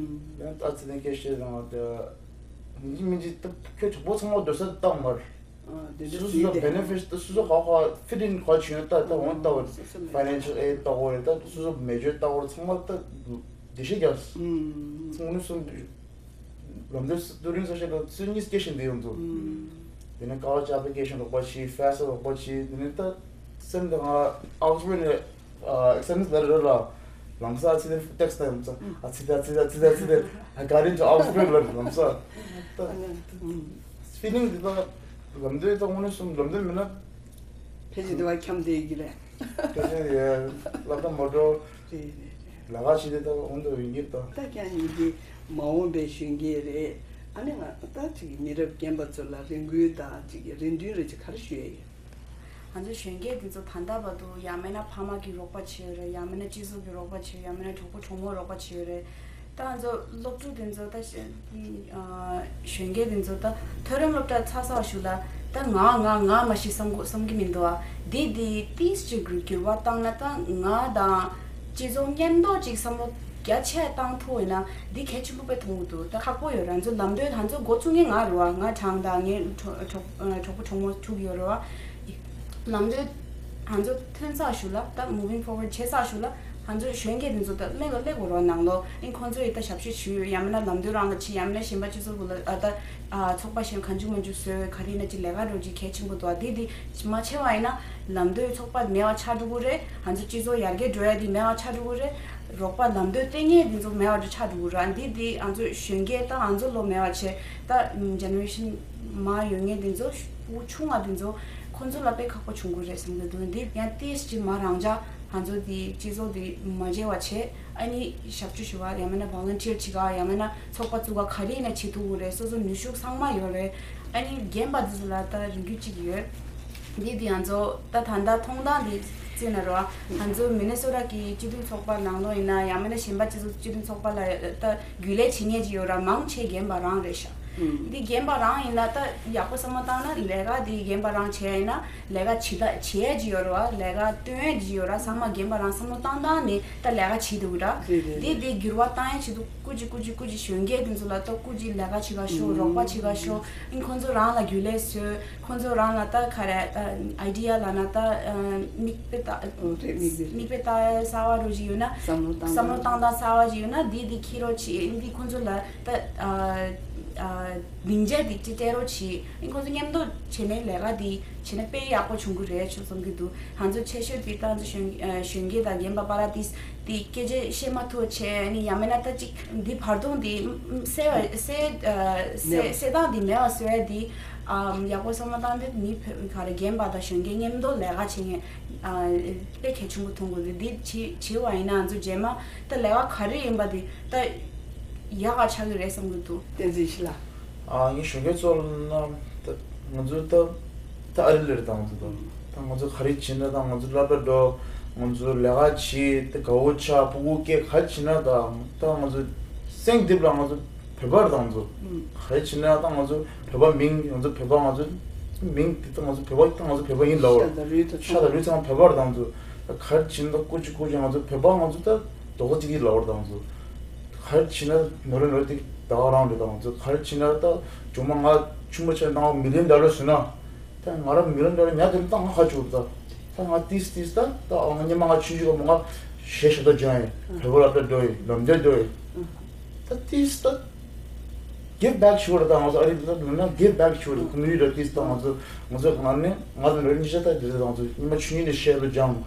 ཡང་ཨ་ཚེ་བརྟན་སྐད་བཤད་དང་། ད་མི་འཇིགས་མི་འཇིགས་ད་ཁྱོད་གྲོགས་པོ་ཚང་མ་སྡོད་ས་བཏང་མར། ཨ་དེ་འདྲ་སོ་སོ་ཟེར་སོ་དེ་benefits ད་སོ་སོ་ག་ག་fit in ག་བྱུང་ད་ད་འོང་ད་སོ་སོ་མེད། Financial aid ལྟ་བུ་རེད། ད་སོ་སོ་major ལྟ་བུ་ཚང་མ་ད་བདེ་ཤེས་རྒྱག་ཚང་མ་སོ་ལམ་སྟོན་སི་ཊུ་ཌེན་ཊི་ཨེ་སོ་ཤི་ཡེ་ཤན་ལ་སུ་གཉིས་སྐད་བཤད་འདི་ཡོང་འདུག་དེ་ནས་ཀ་ལེཇ་ཨེབ་ལི་ཀེ་ཤན་རོགས་པ་བྱས། ཕེ་ས་ཊ་རོགས་པ་བྱས། དེ་ནས་ད་སེམས་ད་ང་ཨོག་སི་ཕོར་ཌི་ནས་ཨེག་ཛམ་ལ་རེ་ར་ལམ་སང་ཨ་ཚེ་དེ་ཊེག་སི་ཊ་ཡོང་ཙང་ཨ་ཚེ་དེ་ཨ་ཚེ་དེ་ཨ་ཚེ་དེ་ཨ་ཚེ་དེ་I got into Oxford ལ་ལམ་སང་ད་ཕི་ལིང་འདི་ད་ལམ་སྟོན་ད་དངོས་གནས་སོང་ལམ་སྟོན་མིན་ན་ཕལ་ཆེར་དེ་བ་འཁྱམས་བསྡད་ཀྱི་རེད། དེ་ནས་ཡ་ལབ་ད་མ་འགྲོ། རེད་རེད་རེད། ལས་ཀ་བྱེད་དེ་ད་འོང་དུ་ཡོང་གི་རེད་ད། ད་ཀྱང་ཡིན་གྱི་མ་འོངས་པའི་གཞོན་སྐྱེས་རེད། ཨ་ནི་ང་ད་ཅིག་མི་རབས་རྒན་པ་ཚོ་ལ་རེ་སྐུལ་དང་ཅིག་རེ་འདུན་རེ་ཅིག་ག་རེ་ཞུ་ཡ་ཡོད། ང་ཚོ་གཞོན་སྐྱེས་འདི་ཚོ་ད་ལྟ་བར་དུ་ཡང་མིན་ན་ཕ་མ་གི་རོགས་པ་བྱས་ཡོད་རེད། ཡང་མིན་ན་སྤྱི་ཚོགས་ཀྱི་རོགས་པ་བྱས་ཡོད། ཡང་མིན་ན་གྲོགས་པོ་གྲོགས་མོ་རོགས་པ་བྱས་ཡོད་རེད། ད་ང་ཚོ་སློབ་ཕྲུག་དེ་ཚོ་ད་གཞོན་སྐྱེས་དེ་ཚོ་ད་མཐོ་རིམ་སློབ་གྲྭ་ཚར་ཚར་ཞུ་ལ་ད་ང་ང་ང་མ་ཤི་བསམ་གོ་བསམ་གི་མི་འདུག་ཨ། འདི་འདི་ཏིས་ཅིག་འགྱུར་བ་བཏང་ན་ད་ང་དང་སྤྱི་ཚོགས་མཉམ་དུ་ཅིག་བསམ་བློ་རྒྱ་ཆེ་བཏང་ཐུབ་ཡོད་ན་འདི་གལ་ཆེན་པོ་དཔེ་མཐོང་གི་འདུག་ད་ཁག་པོ་ཡོད་ར། ང་ཚོ་ལམ་སྟོན་ང་ཚོ་འགོ་ཚུགས་མཁན་ང་རེད་བ། ང་གྲངས་དང་ངའི་གྲོགས་གྲོགས་གྲོགས་པོ་གྲོགས་མོ་ཐུག་ཡོད་རེད་བ། ལམ་སྟོན་ང་ཚོ་ཐོན་ཚར་ཞུ་ལ་ད་moving forward བྱས་ཚར་ཞུ་ལ། ང་ཚོ་གཞོན་སྐྱེས་དེ་ཚོ་ད་སླེབས་སླེབས་དགོས་རོགས་གནང་ལོ། ཨིན་ཁོང་ཚོ་ཡི་ད་ཞབས་ཞུ་ཞུ་ཡ་མིན་ན་ལམ་སྟོན་རང་ལ་བྱེད། ཡ་མིན་ན་གཞན་པ་སྤྱི་ཚོགས་ཀུན་ལ་ཨ་ད་ཨ་ཚོགས་པ་གཞན་གང་བྱུང་མང་བྱུང་བཟོས་ག་རེ་ཡིན་ན་ཅིག་ལས་ཀ་རོགས་ཅིག་གལ་ཆེན་པོ་འདུག་ཨ་དེ་དེ་མ་བྱས་པ་ཡིན་ན་ལམ་སྟོན་ཚོགས་པ་མེད་པ་ཆགས་འགྲོ་གི་རེད། ང་ཚོ་སྤྱི་ཚོགས་ཡར་རྒྱས་འགྲོ་ཡ་དེ་མེད་པ་ཆགས་འགྲོ་གི་རེད། རོགས་པ་ལམ་སྟོན་སྟེར་མཁན་དེ་ཚོ་མེད་པ་འདྲ་ཆགས་འགྲོ་གི་རེད། ཨ་འདི་དེ་ང་ཚོ་གཞོན་སྐྱེས་ད་ང་ཚོ་ལོ་མེད་པ་བྱས་ད་ཇེ་ནེ་རེ་ཤན་མར་ཡོད་མཁན་དེ་ཚོ་ཕྲུ་གུ་ཆུང་བ་དེ་ཚོ་ཁོང་ཚོ་ལ་དཔེ་ཁག་པོ་བྱུང་གི་རེད་བསམ་གི་འདུག་འདི་ཡང་ཏིས་ཅིག་མ་རང་ཅག་ང་ཚོ་འདི་སྤྱི་ཚོགས་འདི་མ་བརྗེད་པ་བྱས། ཨ་ནི་ཞབས་ཞུ་ཞུ་བ་ཡང་མིན་ན་ཝོ་ལན་ཊི་ཡར་བྱེད་ག་ཡང་མིན་ན་ཚོགས་པ་བཙུགས་ག་ག་རེ་ཡིན་ན་བྱེད་ཐུབ་ཀྱི་རེད། སོ་སོ་ནུས་ཤུགས་ཚང་མ་ཡོད་རེད། ཨ་ནི་རྒན་པ་འདི་ཚོ་ལ་ད་རེ་སྐུལ་གཅིག་ཡོད། འདི་འདི་ང་ཚོ་ད་ད་ལྟ་མཐོང་སྟངས་འདི་བརྩིས་ན་རོ། ང་ཚོ་མི་ནི་སོ་ཊ་གི་སྤྱི་མཐུན་ཚོགས་པ་ནང་ལོགས་ཡིན་ན་ཡང་མིན་ན་གཞན་པ་སྤྱི་ཚོགས་སྤྱི་མཐུན་ཚོགས་པ་ལ་ད་རྒྱུན་ལས་བྱེད་མཁན་ཅིག་ཡོད་ར། མང་ཆེ་རྒན་པ་རང་རེད་ཤག་འདི་རྒན་པ་རང་ཡིན་ན་ད་ཡག་པོ་བསམ་བློ་བཏང་ན་ལས་ཀ་འདི་རྒན་པ་རང་བྱས་ཡིན་ན་ལས་ཀ་བྱེད་ད་བྱེད་ཡས་ཅིག་ཡོད་རེད་བ། ལས་ཀ་སྟོན་ཡས་ཅིག་ཡོད་ར། ཚང་མ་རྒན་པ་རང་བསམ་བློ་བཏང་སྟངས་ནི་ད་ལས་ཀ་བྱེད་འདུག་ར། རེད་རེད་འདི་རེད། འདི་འགྱུར་བ་བཏང་ཡས་ཆེད་དུ་སྐུ་མཁྱེན་སྐུ་མཁྱེན་སྐུ་མཁྱེན་གཞོན་སྐྱེས་དེ་ཚོ་ལ་ད་སྐུ་མཁྱེན་ལས་ཀ་བྱེད་ག་ཤོག་རོགས་པ་བྱེད་ག་ཤོག་ཨིན་ཁོང་ཚོ་རང་ལ་རྒྱུན་ལས་བཟོས། ཁོང་ཚོ་རང་ལ་ད་ག་རེ་ཨའི་ཌི་ཡ་ལབ་ན་ད་མིག་དཔེ་ལྟ་ཨོ་རེད། མིག་དཔེ་རེད། མིག་དཔེ་ལྟ་གསར་བ་རུ་ཞིག་ཡོད་ན་བསམ་བློ་བཏང་བསམ་བློ་བཏང་སྟངས་གསར་བ་ཞིག་ཡོད་ན་འདི་འདི་འཁྱེར་རོགས་བྱེད། འདི་ཁོང་ཚོ་ལ་ད་སྡིངས་ཆ་འདི་ཅིག་སྤྲད་རོགས་བྱེད། ཨིན་ཁོང་ཚོ་མཉམ་དུ་བྱས་ནས་ལས་ཀ་འདི་བྱས་ན་དཔེ་ཡག་པོ་བྱུང་གི་རེད་ཆོག་བསམ་གྱི་འདུག་ང་ཚོ་ཆེ་ཤོས་འདི་ད་ང་ཚོ་གཞོན་གཞོན་སྐྱེས་དང་རྒན་པ་པ་ར་ཏིས་དེ་སྐད་ཆ་བཤད་མ་ཐུབ་བྱས་ནི་ཡང་མིན་ན་ད་ཅིག་འདི་བར་སྟོང་འདི་སེལ་བ་སེལ་སེལ་སེལ་སྟངས་འདི་མེད་པ་བཟོ་ཡ་འདི་ཡག་པོ་བསམ་བློ་བཏང་སྟེ་མི་བོད་ག་རེ་རྒན་པ་དང་གཞོན་སྐྱེས་མཉམ་དུ་ལས་ཀ་བྱེད་མཁན་དཔེ་གལ་ཆེན་པོ་མཐོང་དགོས་འདུག་འདི་བྱེད་བྱེད་པ་ཡིན་ན་ང་ཚོ་རྗེས་མ་ད་ལས་ཀ་ག་རེ་ཡིན་པ་འདི་ད་ཡག་ག་ཆགས་ཀྱི་རེད་བསམ་གྱི་འདུག་བསྟན་འཛིན་ཤི་ལ། ཨ་ངའི་གཞོན་སྐྱེས་ཚོ་ལ་ན་ད་ང་ཚོ་ད་ད་ཨ་རི་ལེར་དང་ཚོ་ད་ད་ང་ཚོ་ག་རེ་བྱེད་ན་ད་ང་ཚོ་སློབ་གྲྭ་འགྲོ། ང་ཚོ་ལས་ཀ་བྱེད། ད་དགའ་བོ་ཆགས་ཕྲུ་གུ་སྐྱེ་ག་རེ་བྱེད་ན་ད་ད་ང་ཚོ་སེང་རྡིབ་ལ་ང་ཚོ་བོད་པ་རེད་དང་ཚོ་ག་རེ་བྱེད་ན་ད་ང་ཚོ་བོད་པ་མིང་ང་ཚོ་བོད་པ་ང་ཚོ་མིང་དེ་ད་ང་ཚོ་བོད་པ་ད་ང་ཚོ་བོད་པ་ཡིན་ལབ་པར་ཤ་དང་ལུས་ཚང་བོད་པ་རེད་དང་ཚོ་ད་ག་རེ་བྱེད་ན་ད་ཀུ་ཅི་ཀུ་ཅི་ང་ཚོ་བོད་པ་ང་ཚོ་ད་རྡོག་རྩ་གཅིག་གིས་ལབ་པར་དང་ཚོ། ག་རེ་བྱེད་ན་ནོར་རེ་ནོར་དེ་ད་ག་རང་རེད་དང་ཚོ་ག་རེ་བྱེད་ན་ད་ཇོ་མོ་ང་ཆུང་མ་ཆེ་ན་ང་མི་ལིན་ཌོ་ལར་བཟོས་ན་ད་ང་རང་མི་ལིན་ཌོ་ལར་ཉག་དེ་ད་ང་ཁ་བཅུག་ད་ད་ང་ཏིས་ཏིས་ད་ད་ང་ཉི་མ་ང་ཆུང་ཆུང་ག་མོ་ང་གཞས་ཞབས་ཏོག་སྦྱང་ཡིན། བོད་པ་སློབ་གྲྭ་འགྲོ་ཡིན། ལམ་སྟོན་འགྲོ་ཡིན། ད་ཏིས་ད་give back ཞུ་བར་ད་ང་ཚོ་ཨ་རི་ད་ལུང་ན་give back ཞུ་བར་ཀོ་མུ་ནི་ཊི་ཏིས་ད་ང་ཚོ་ང་ཚོ་ང་ནི་ང་དང་རེ་གཉིས་ཆ་ད་དེ་ད་ང་ཚོ་ཉི་མ་ཆུང་ཆུང་ནས་གཞས་ཞབས་ཏོག་སྦྱང་།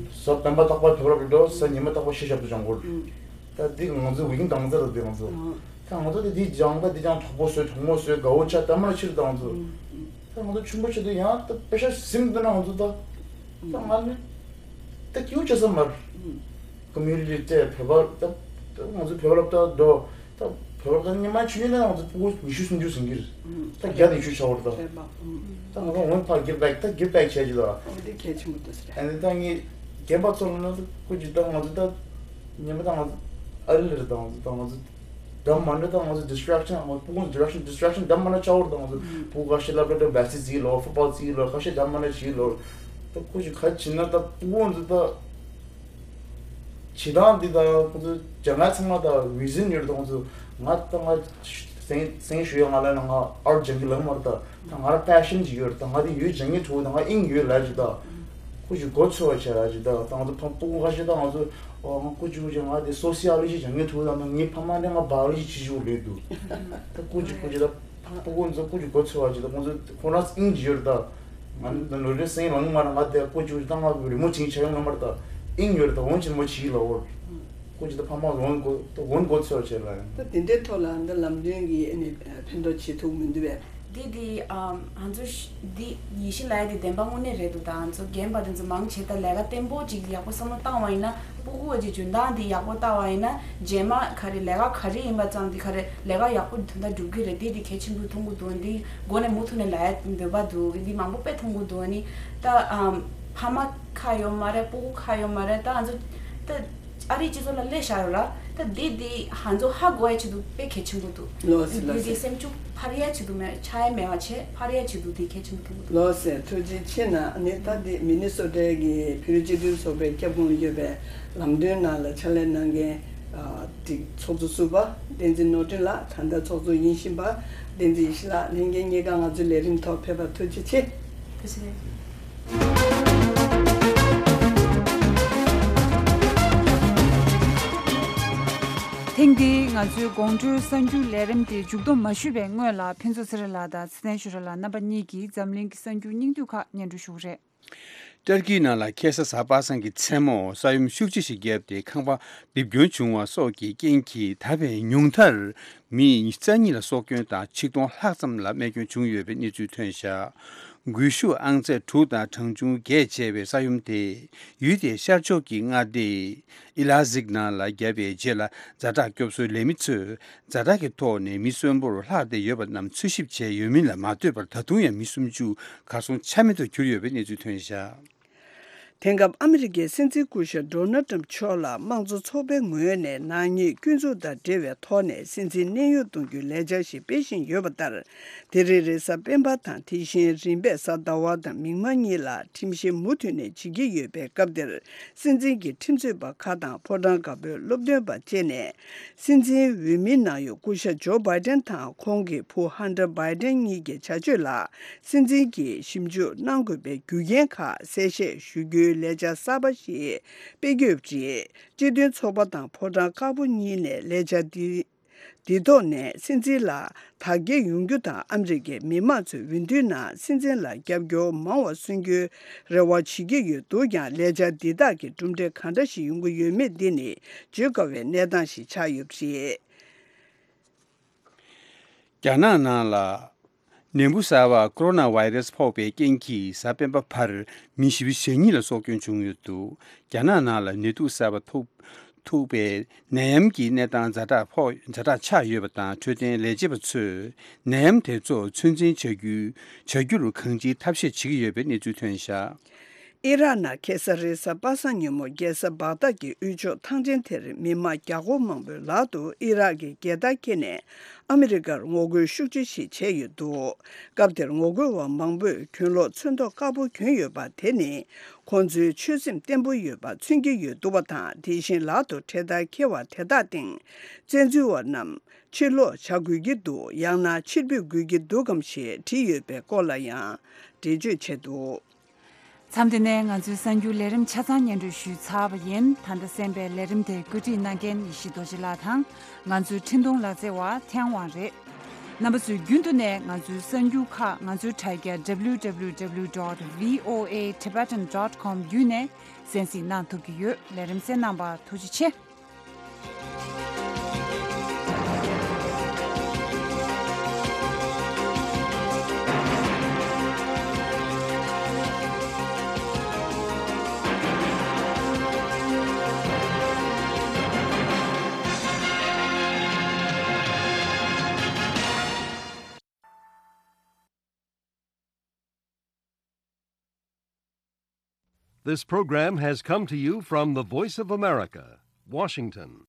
གཟའ་སྤེན་པ་རྟག་པར་བོད་པ་སློབ་གྲྭ་འགྲོ། གཟའ་ཉི་མ་རྟག་པར་གཞས་ཞབས་ཏོག་སྦྱང་དགོས། ད་འདི་ང་ཚོའི་ཝིག་ཨེན་ཌི་དང་ཚར་ལ་འདི་ང་ཚོ། ད་ང་ཚོ་དེ་འདི་སྦྱང་ད་འདི་སྦྱང་གྲོགས་པོ་བཟོས་གྲོགས་མོ་བཟོས་དགའ་བོ་ཆགས་ད་མར་ཕྱིར་ད་ང་ཚོ། ད་ང་ཚོ་ཆུང་པོ་ཆེ་དུས་ཡང་ད་པེ་ཤ་ཟིན་འདི་ན་ང་ཚོ་ད། ད་ང་ནི་ད་སྐྱིད་པོ་བྱེད་ས་མ་རེད། ཀོ་མུ་ནི་ཊི་སྤྲད་བོད་པ་ད་ད་ང་ཚོ་བོད་པ་སློབ་གྲྭ་འགྲོ། ད་བོད་པ་ཉི་མ་ཆུང་ཆུང་ན་ང་ཚོ་ཕྲུ་གུ་ཉི་ཤུ་སུམ་ཅུ་ཟིན་གྱི་རེད། ད་བརྒྱ་ནས་ཉི་ཤུ་ཆགས་པ་རེད་ད། ད་ང་ཚོ་འོང་ཕར་give back ད་give back བྱས་ཀྱི་ད། འོ་དེ་གལ་ཆེན་པོ་འདུག་ཟེར། ཨ་ནི་ད་ངས་རྒན་པ་ཚོ་ལ་ན་ཚོ་སྐུ་མཁྱེན་ད་ང་ཚོ་ད་ཉི་མ་ད་ང་ཚོ་ཨ་རི་ལ་རེད་ད་ང་ཚོ་ད་ང་ཚོ་ འདྲ་མ་འདྲ་དང་ང་ཚོ་distraction ང་ཚོ་ཕྲུ་གུ་distraction distraction འདྲ་མ་འདྲ་ཆགས་ཡོད་རེད། ད་ང་ཚོ་ཕྲུ་གུ་ཁ་ཤས་སློབ་གྲྭ་འགྲོ་བས་སི་བརྩི་ལོ་ཧྥུ་ཊི་བོལ་བརྩི་ལོ་ཁ་ཤས་འདྲ་མ་འདྲ་བྱེད་ལོ། ད་ཁོ་ཅིག་ག་བྱེད་ན་ད་ཕྲུ་གུ་ཚོ་ད་བྱེད་སྟངས་འདི་ད་ཁོ་ཚོ་སྦྱང་ཡ་ཚང་མ་ད་vision ཡོད་རེད། ད་ཁོ་ཚོ་ང་ད་ང་སེང་སེང་ཞུ་ཡ་ང་ལ་ན་ང་ཨར་སྦྱང་གི་ལབ་མ་རེད། ད་ད་ང་ལ་passion ཅིག་ཡོད་རེད། ད་ང་དེ་ཡོད་སྦྱང་གི་ཐུབ། ད་ང་དབྱིངས་ཡོད་ལབ་ཅིག་ད། ཁོ་ཅིག་མགོ་ཚོས་པ་བྱས་ལ་ཅིག་ད་ད་ང་ཚོ་ཕ་ཕྲུ་གུ་ཁ་ཤས་ད་ང་ཚོ་ཨོ་ང་ཁོ་ཅིག་ཁོ་ཅིག་ང་དེ་sociology སྦྱང་གི་ཐུབ། ད་ང་ངའི་ཕ་མ་ནས་ང་biology བྱེད་ཅིག་ལས་འདུག་ད་ཁོ་ཅིག་ཁོ་ཅིག་ད་ཕྲུ་གུ་ཚོ་ཁོ་ཅིག་མགོ་ཚོས་པ་ཅིག་ད་ཁོ་ཚོ་ཁོ་རང་དབྱིངས་ཅིག་ཡོད་རེད། ད་ང་ཚོ་ད་ནོར་འཁྲུལ་སེང་ལངས་མ་རེད། ང་དེ་ཁོ་ཅིག་ཁོ་ཅིག་ད་ང་རི་མོ་བྱེད་ཆ་ཡོང་ལ་མ་རེད། ད་དབྱིངས་ཡོད་རེད། ད་འོན་ཅིག་མོ་བྱེད་ལ་འོར་ཁོ་ཅིག་ད་ཕ་མ་འོན་མགོ་ད་འོན་མགོ་ཚོས་བྱས་ལ་ཡང་། ད་དེ་འདྲའི་ཐོག་ལ་འདི་ལམ་སྟོན་གྱི་ཨ་ནི་ཕན་ཐོགས་བྱེད་ཐུབ་མི་འདུག་པས། འདི་འདི་ཨམ་ང་ཚོ་ཤ་འདི་ཡིད་བཞིན་ལ་ཡ་འདི་བདེན་པ་དངོས་གནས་རེད་འདུག་ད་ང་ཚོ་རྒན་པ་དེ་ཚོ་མང་ཆེ་ད་ལས་ཀ་བརྟན་པོ་ཅིག་ཡག་པོ་བསམ་བློ་བཏང་བ་ཡིན་ན་ཕྲུ་གུ་འོ་ཅིག་འཇོན་ཐང་འདི་ཡག་པོ་བལྟ་བ་ཡིན་ན་རྗེས་མ་ག་རེ་ལས་ཀ་ག་རེ་ཡིན་པ་ཙམ་འདི་ག་རེ་ལས་ཀ་ཡག་པོ་དོན་དག་སྒྲུབ་ཀྱི་རེད། འདི་འདི་གལ་ཆེན་པོ་མཐོང་གི་འདུག་འདི་མགོ་ནས་མུ་མཐུད་ནས་ལ་ཡ་འདོད་པ་འདུག་འདི་མང་པོ་དཔེ་མཐོང་གི་འདུག་ཨ་ནི་ད་ཨམ་ཕ་མ་ཁག་ཡོད་མ་རེད། ཕྲུ་གུ་ཁག་ཡོད་མ་རེད། ད་ང་ཚོ་ད། ཨ་རིའི་སྤྱི་ཚོགས་ལ་སླེབས་བཞག་ཡོད་ར། ད་འདི་འདི་ང་ཚོ་ཧ་གོ་ཡ་ཆེད་དུ་དཔེ་གལ་ཆེན་པོ་འདུག་ལོ་སི་ལོ་འདི་འདི་སི་སེམས་ཤུགས་འཕར་ཡ་ཆེད་དུ་མེད་ཆག་ཡ་མེད་པ་བྱས་འཕར་ཡ་ཆེད་དུ་འདི་གལ་ཆེན་པོ་འདུག་ལོ་སི་ཐུགས་རྗེ་ཆེ་གནང་། ཨ་ནི་ད་འདི་མི་ནི་སོ་ཊའི་གི་བོད་རིགས་སྤྱི་མཐུན་ཚོགས་པའི་ཁྱབ་ཁོངས་ཡོད་པའི་ལམ་སྟོན་ནང་ལ་ཕྱག་ལས་གནང་མཁན་ཨ་འདི་ཚོགས་གཙོ་ཟུར་པ་བསྟན་འཛིན་ནོར་སྒྲོན་ལགས། ད་ལྟ་ཚོགས་གཙོ་ཡིན་བཞིན་པ་བསྟན་འཛིན་ཡེ་ཤེས་ལགས། ལྷན་རྒྱས་གཉིས་ཀ་ང་ཚོའི་ལས་རིམ་ཐོག་ཕེབས་པར་ཐུགས་རྗེ་ཆེ། ཐུགས་རྗེ་ཆེ། ཐེངས་འདིའི་ང་ཚོའི་དགོང་དྲོའི་གསར་འགྱུར་ལས་རིམ་དེ་མཇུག་བསྡོམས་མ་ཞུས་པའི་སྔོན་ལ་ཕུན་ཚོགས་ཚེ་རིང་ལགས་དང་ཚེ་བརྟན་ཞོལ་ར་ལགས་རྣམ་པ་གཉིས་ཀྱིས་འཛམ་གླིང་གི་གསར་འགྱུར་སྙིང་བསྡུས་ཁག་སྙན་སྒྲོན་ཞུ་གི་རེད། ཏུར་ཀིའི་ནང་ལ་ཁ་སང་གཟའ་པ་སངས་ཀྱི་མཚན་མོ་ས་ཡོམ་ཤུགས་ཆེ་ཞིག་བརྒྱབ་སྟེ་ཁང་པ་རྡིབ་སྐྱོན་བྱུང་བ་སོགས་ཀྱི་རྐྱེན་གྱིས་ད་བར་ཉུང་མཐར་མི་རྩ་གཉིས་ལ་སྲོག་སྐྱོན་དང་ཆིག་སྟོང་ལྷག་ཙམ་ལ་རྨས་སྐྱོན་བྱུང་ཡོད་པའི་གནས་ཚུལ་ཐོན་བཞག་འགུལ་ཤུགས་ཨང་ཚད་དྲུག་དང་གྲངས་ཆུང་བརྒྱད་བྱས་པའི་ས་ཡོམ་དེས་ཡུལ་དེའི་ཤར་ཕྱོགས་ཀྱི་མངའ་སྡེ་ཨི་ལ་ཟིག་ནང་ལ་བརྒྱབ་པའི་རྗེས་ལ་ཛ་དྲག་སྐྱོབ་གསོའི་ལས་མི་ཚོས་ཛ་དྲག་གི་ཐོག་ནས་མི་གསོན་པོར་ལྷག་བསྡད་ཡོད་པ་རྣམས་འཚོལ་ཞིབ་བྱས་ཡོད་མིན་ལ་མ་ལྟོས་པར་ད་དུང་ཡང་མི་སུམ་ཅུ་གར་སོང་ཆ་མེད་དུ་གྱུར་ཡོད་པའི་གནས་ཚུལ་ཐོན་བཞག་དེང་སྐབས་ཨ་མི་རི་ཀའི་སྲིད་འཛིན་སྐུ་ཞབས་ཌོ་ནལ་ཊམ་མཆོག་ལ་དམངས་གཙོ་ཚོགས་པའི་ངོས་ནས་ནག་ཉེས་སྐྱོན་འཛུགས་དང་འབྲེལ་བའི་ཐོག་ནས་སྲིད་འཛིན་གནས་དབྱུང་གཏོང་རྒྱུའི་ལས་འཆར་ཞིག་སྤེལ་བཞིན་ཡོད་པ་ལྟར། དེ་རིང་རེས་གཟའ་སྤེན་པ་དང་དེ་བཞིན་རིམ་པས་གཟའ་ཟླ་བ་དང་མིག་དམར་གཉིས་ལ་ཁྲིམས་བཤེར་མུ་མཐུད་ནས་བྱེད་ཀྱི་ཡོད་པའི་སྐབས་འདིར། སྲིད་འཛིན་གྱི་ཁྲིམས་རྩོད་པ་ཁག་དང་ཕོ་བྲང་དཀར་པོའི་སློབ་སྟོན་པ་བཅས་ནས། སྲིད་འཛིན་འོས་མིའི་ནང་ཡོད་སྐུ་ཞབས་ཇོ་བྷའི་ཏན་དང་ཁོང་གི་བུ་ཧན་ཏར་བྷའི་ཏན་གཉིས་ཀྱི་བྱ་སྤྱོད་ལ་སྲིད་འཛིན་གྱིས་ཞིབ་འཇུག་གནང་དགོས་པའི་རྒྱུ་རྐྱེན་ཁག་གསལ་བཤད་ཞུ་རྒྱུའི་ལས་འཆར་གསར་པ་ཞིག་སྤེལ་གྱི་ཡོད་པ་རེད། སྤྱི་མཐུན་ཚོགས་པ་དང་ཕོ་བྲང་དཀར་པོ་གཉིས་ནས་ལས་འཆར་འདི་འདི་ཐོག་ནས་སྲིད་འཛིན་ལ་དར་རྒྱས་ཡོང་རྒྱུ་དང་ཨ་མི་རི་ཀའི་མི་མང་ཚོས་འོས་བསྡུའི་ནང་སྲིད་འཛིན་ལ་རྒྱབ་སྐྱོར་མང་བ་སོན་རྒྱུའི་རེ་བ་བྱེད་ཀྱི་ཡོད་འདུག་ཀྱང་ལས་འཆར་འདི་དག་གི་གྲུབ་འབྲས་གང་འདྲ་ཞིག་ཡོང་གི་ཡོད་མེད་འདི་ནི་བརྗོད་དཀའ་བའི་གནས་སྟངས་ཤིག་ཆགས་ཡོད་པ་རེད། རྒྱ་ནག་ནང་ལ་ནད་འབུ་གསར་པ་ཀོ་རོ་ན་བྷའི་རེས་ཕོག་པའི་རྐྱེན་གྱིས་གཟའ་སྤེན་པ་བར་མི་བཞི་བཅུ་ཞེ་གཉིས་ལ་སྲོག་སྐྱོན་བྱུང་ཡོད་འདུག་རྒྱ་ནག་ནང་ལ་ནད་དུག་གསར་པ་ཐུག་ཐུག་པའི་ནད་ཡམས་ཀྱི་གནས་སྟངས་ཛ་དྲག་ཕོག་ཛ་དྲག་ཆགས་ཡོད་པ་དང་། འཕྲོད་བསྟེན་ལས་བྱེད་པ་ཚོས་ནད་ཡམས་དེ་ཚོ་ཚོད་འཛིན་བྱ་རྒྱུ་བྱ་རྒྱུར་གང་ཅིའི་ཐབས་ཤེས་བྱེད་ཀྱི་ཡོད་པའི་གནས་ཚུལ་ཐོན་བཞག་ཨི་རག་ནང་ཁ་སང་རེས་གཟའ་པ་སངས་ཉིན་མོ་རྒྱལ་ས་བག་དྷ་གི་དབུས་ཕྱོགས་ཐང་ཆེན་དེར་མི་མང་བརྒྱ་སྐོར་མང་པོས་ལག་ཏུ་ཨི་རག་གི་རྒྱལ་དར་འཁྱེར་ནས་ཨ་མི་རི་ཀར་ངོ་རྒོལ་ཤུགས་ཆེ་ཞིག་བྱས་ཡོད་འདུག་སྐབས་དེར་ངོ་རྒོལ་བ་མང་པོས་གྱོན་ལོག་ཚོན་མདོག་དཀར་པོ་གྱོན་ཡོད་པ་དེ་ནི་ཁོང་ཚོའི་ཆོད་སེམས་བརྟན་པོ་ཡོད་པ་མཚོན་གྱི་ཡོད་འདུག་པ་དང་། དེ་བཞིན་ལག་ཏུ་འཕྲེད་དར་འཁྱེར་བ་དེ་དག་སྟེང་བཙན་འཛུལ་བ་རྣམས་ཕྱིར་ལོག་བྱ་དགོས་ཀྱི་འདུག་ཡང་ན་ཕྱིར་འབུད་དགོས་ཀྱི་འདུག་གམ་ཞེས་བྲིས་ཡོད་པའི་སྐོར་ལ་ཡང་འགྲེལ་བརྗོད་བྱས་འདུག་མཚམས་འདི་ནས་ང་ཚོའི་གསར་འགྱུར་ལས་རིམ་ཆ་ཚང་སྙན་སྒྲོན་ཞུས་ཚར་བ་ཡིན། ད་ལྟ་གསན་པའི་ལས་རིམ་དེ་བཀོད་སྒྲིག་གནང་མཁན་ཡེ་ཤེས་རྡོ་རྗེ་ལགས་དང་། ང་ཚོའི་འཕྲིན་གཏོང་ལག་རྩལ་བ་ཐེའུ་ཝང་རེད། རྣམ་པ་ཚོས་རྒྱུན་དུ་ནས་ང་ཚོའི་གསར་འགྱུར་ཁག་ང་ཚོའི་དྲ་རྒྱ་W W W dot V O A Tibetan dot com བརྒྱུད་ནས་གསན་གཟིགས་གནང་ཐུབ་ཀྱི་ཡོད། ལས་རིམ་གསན་གནང་པར་ཐུགས་རྗེ་ཆེ། This program has come to you from the Voice of America, Washington.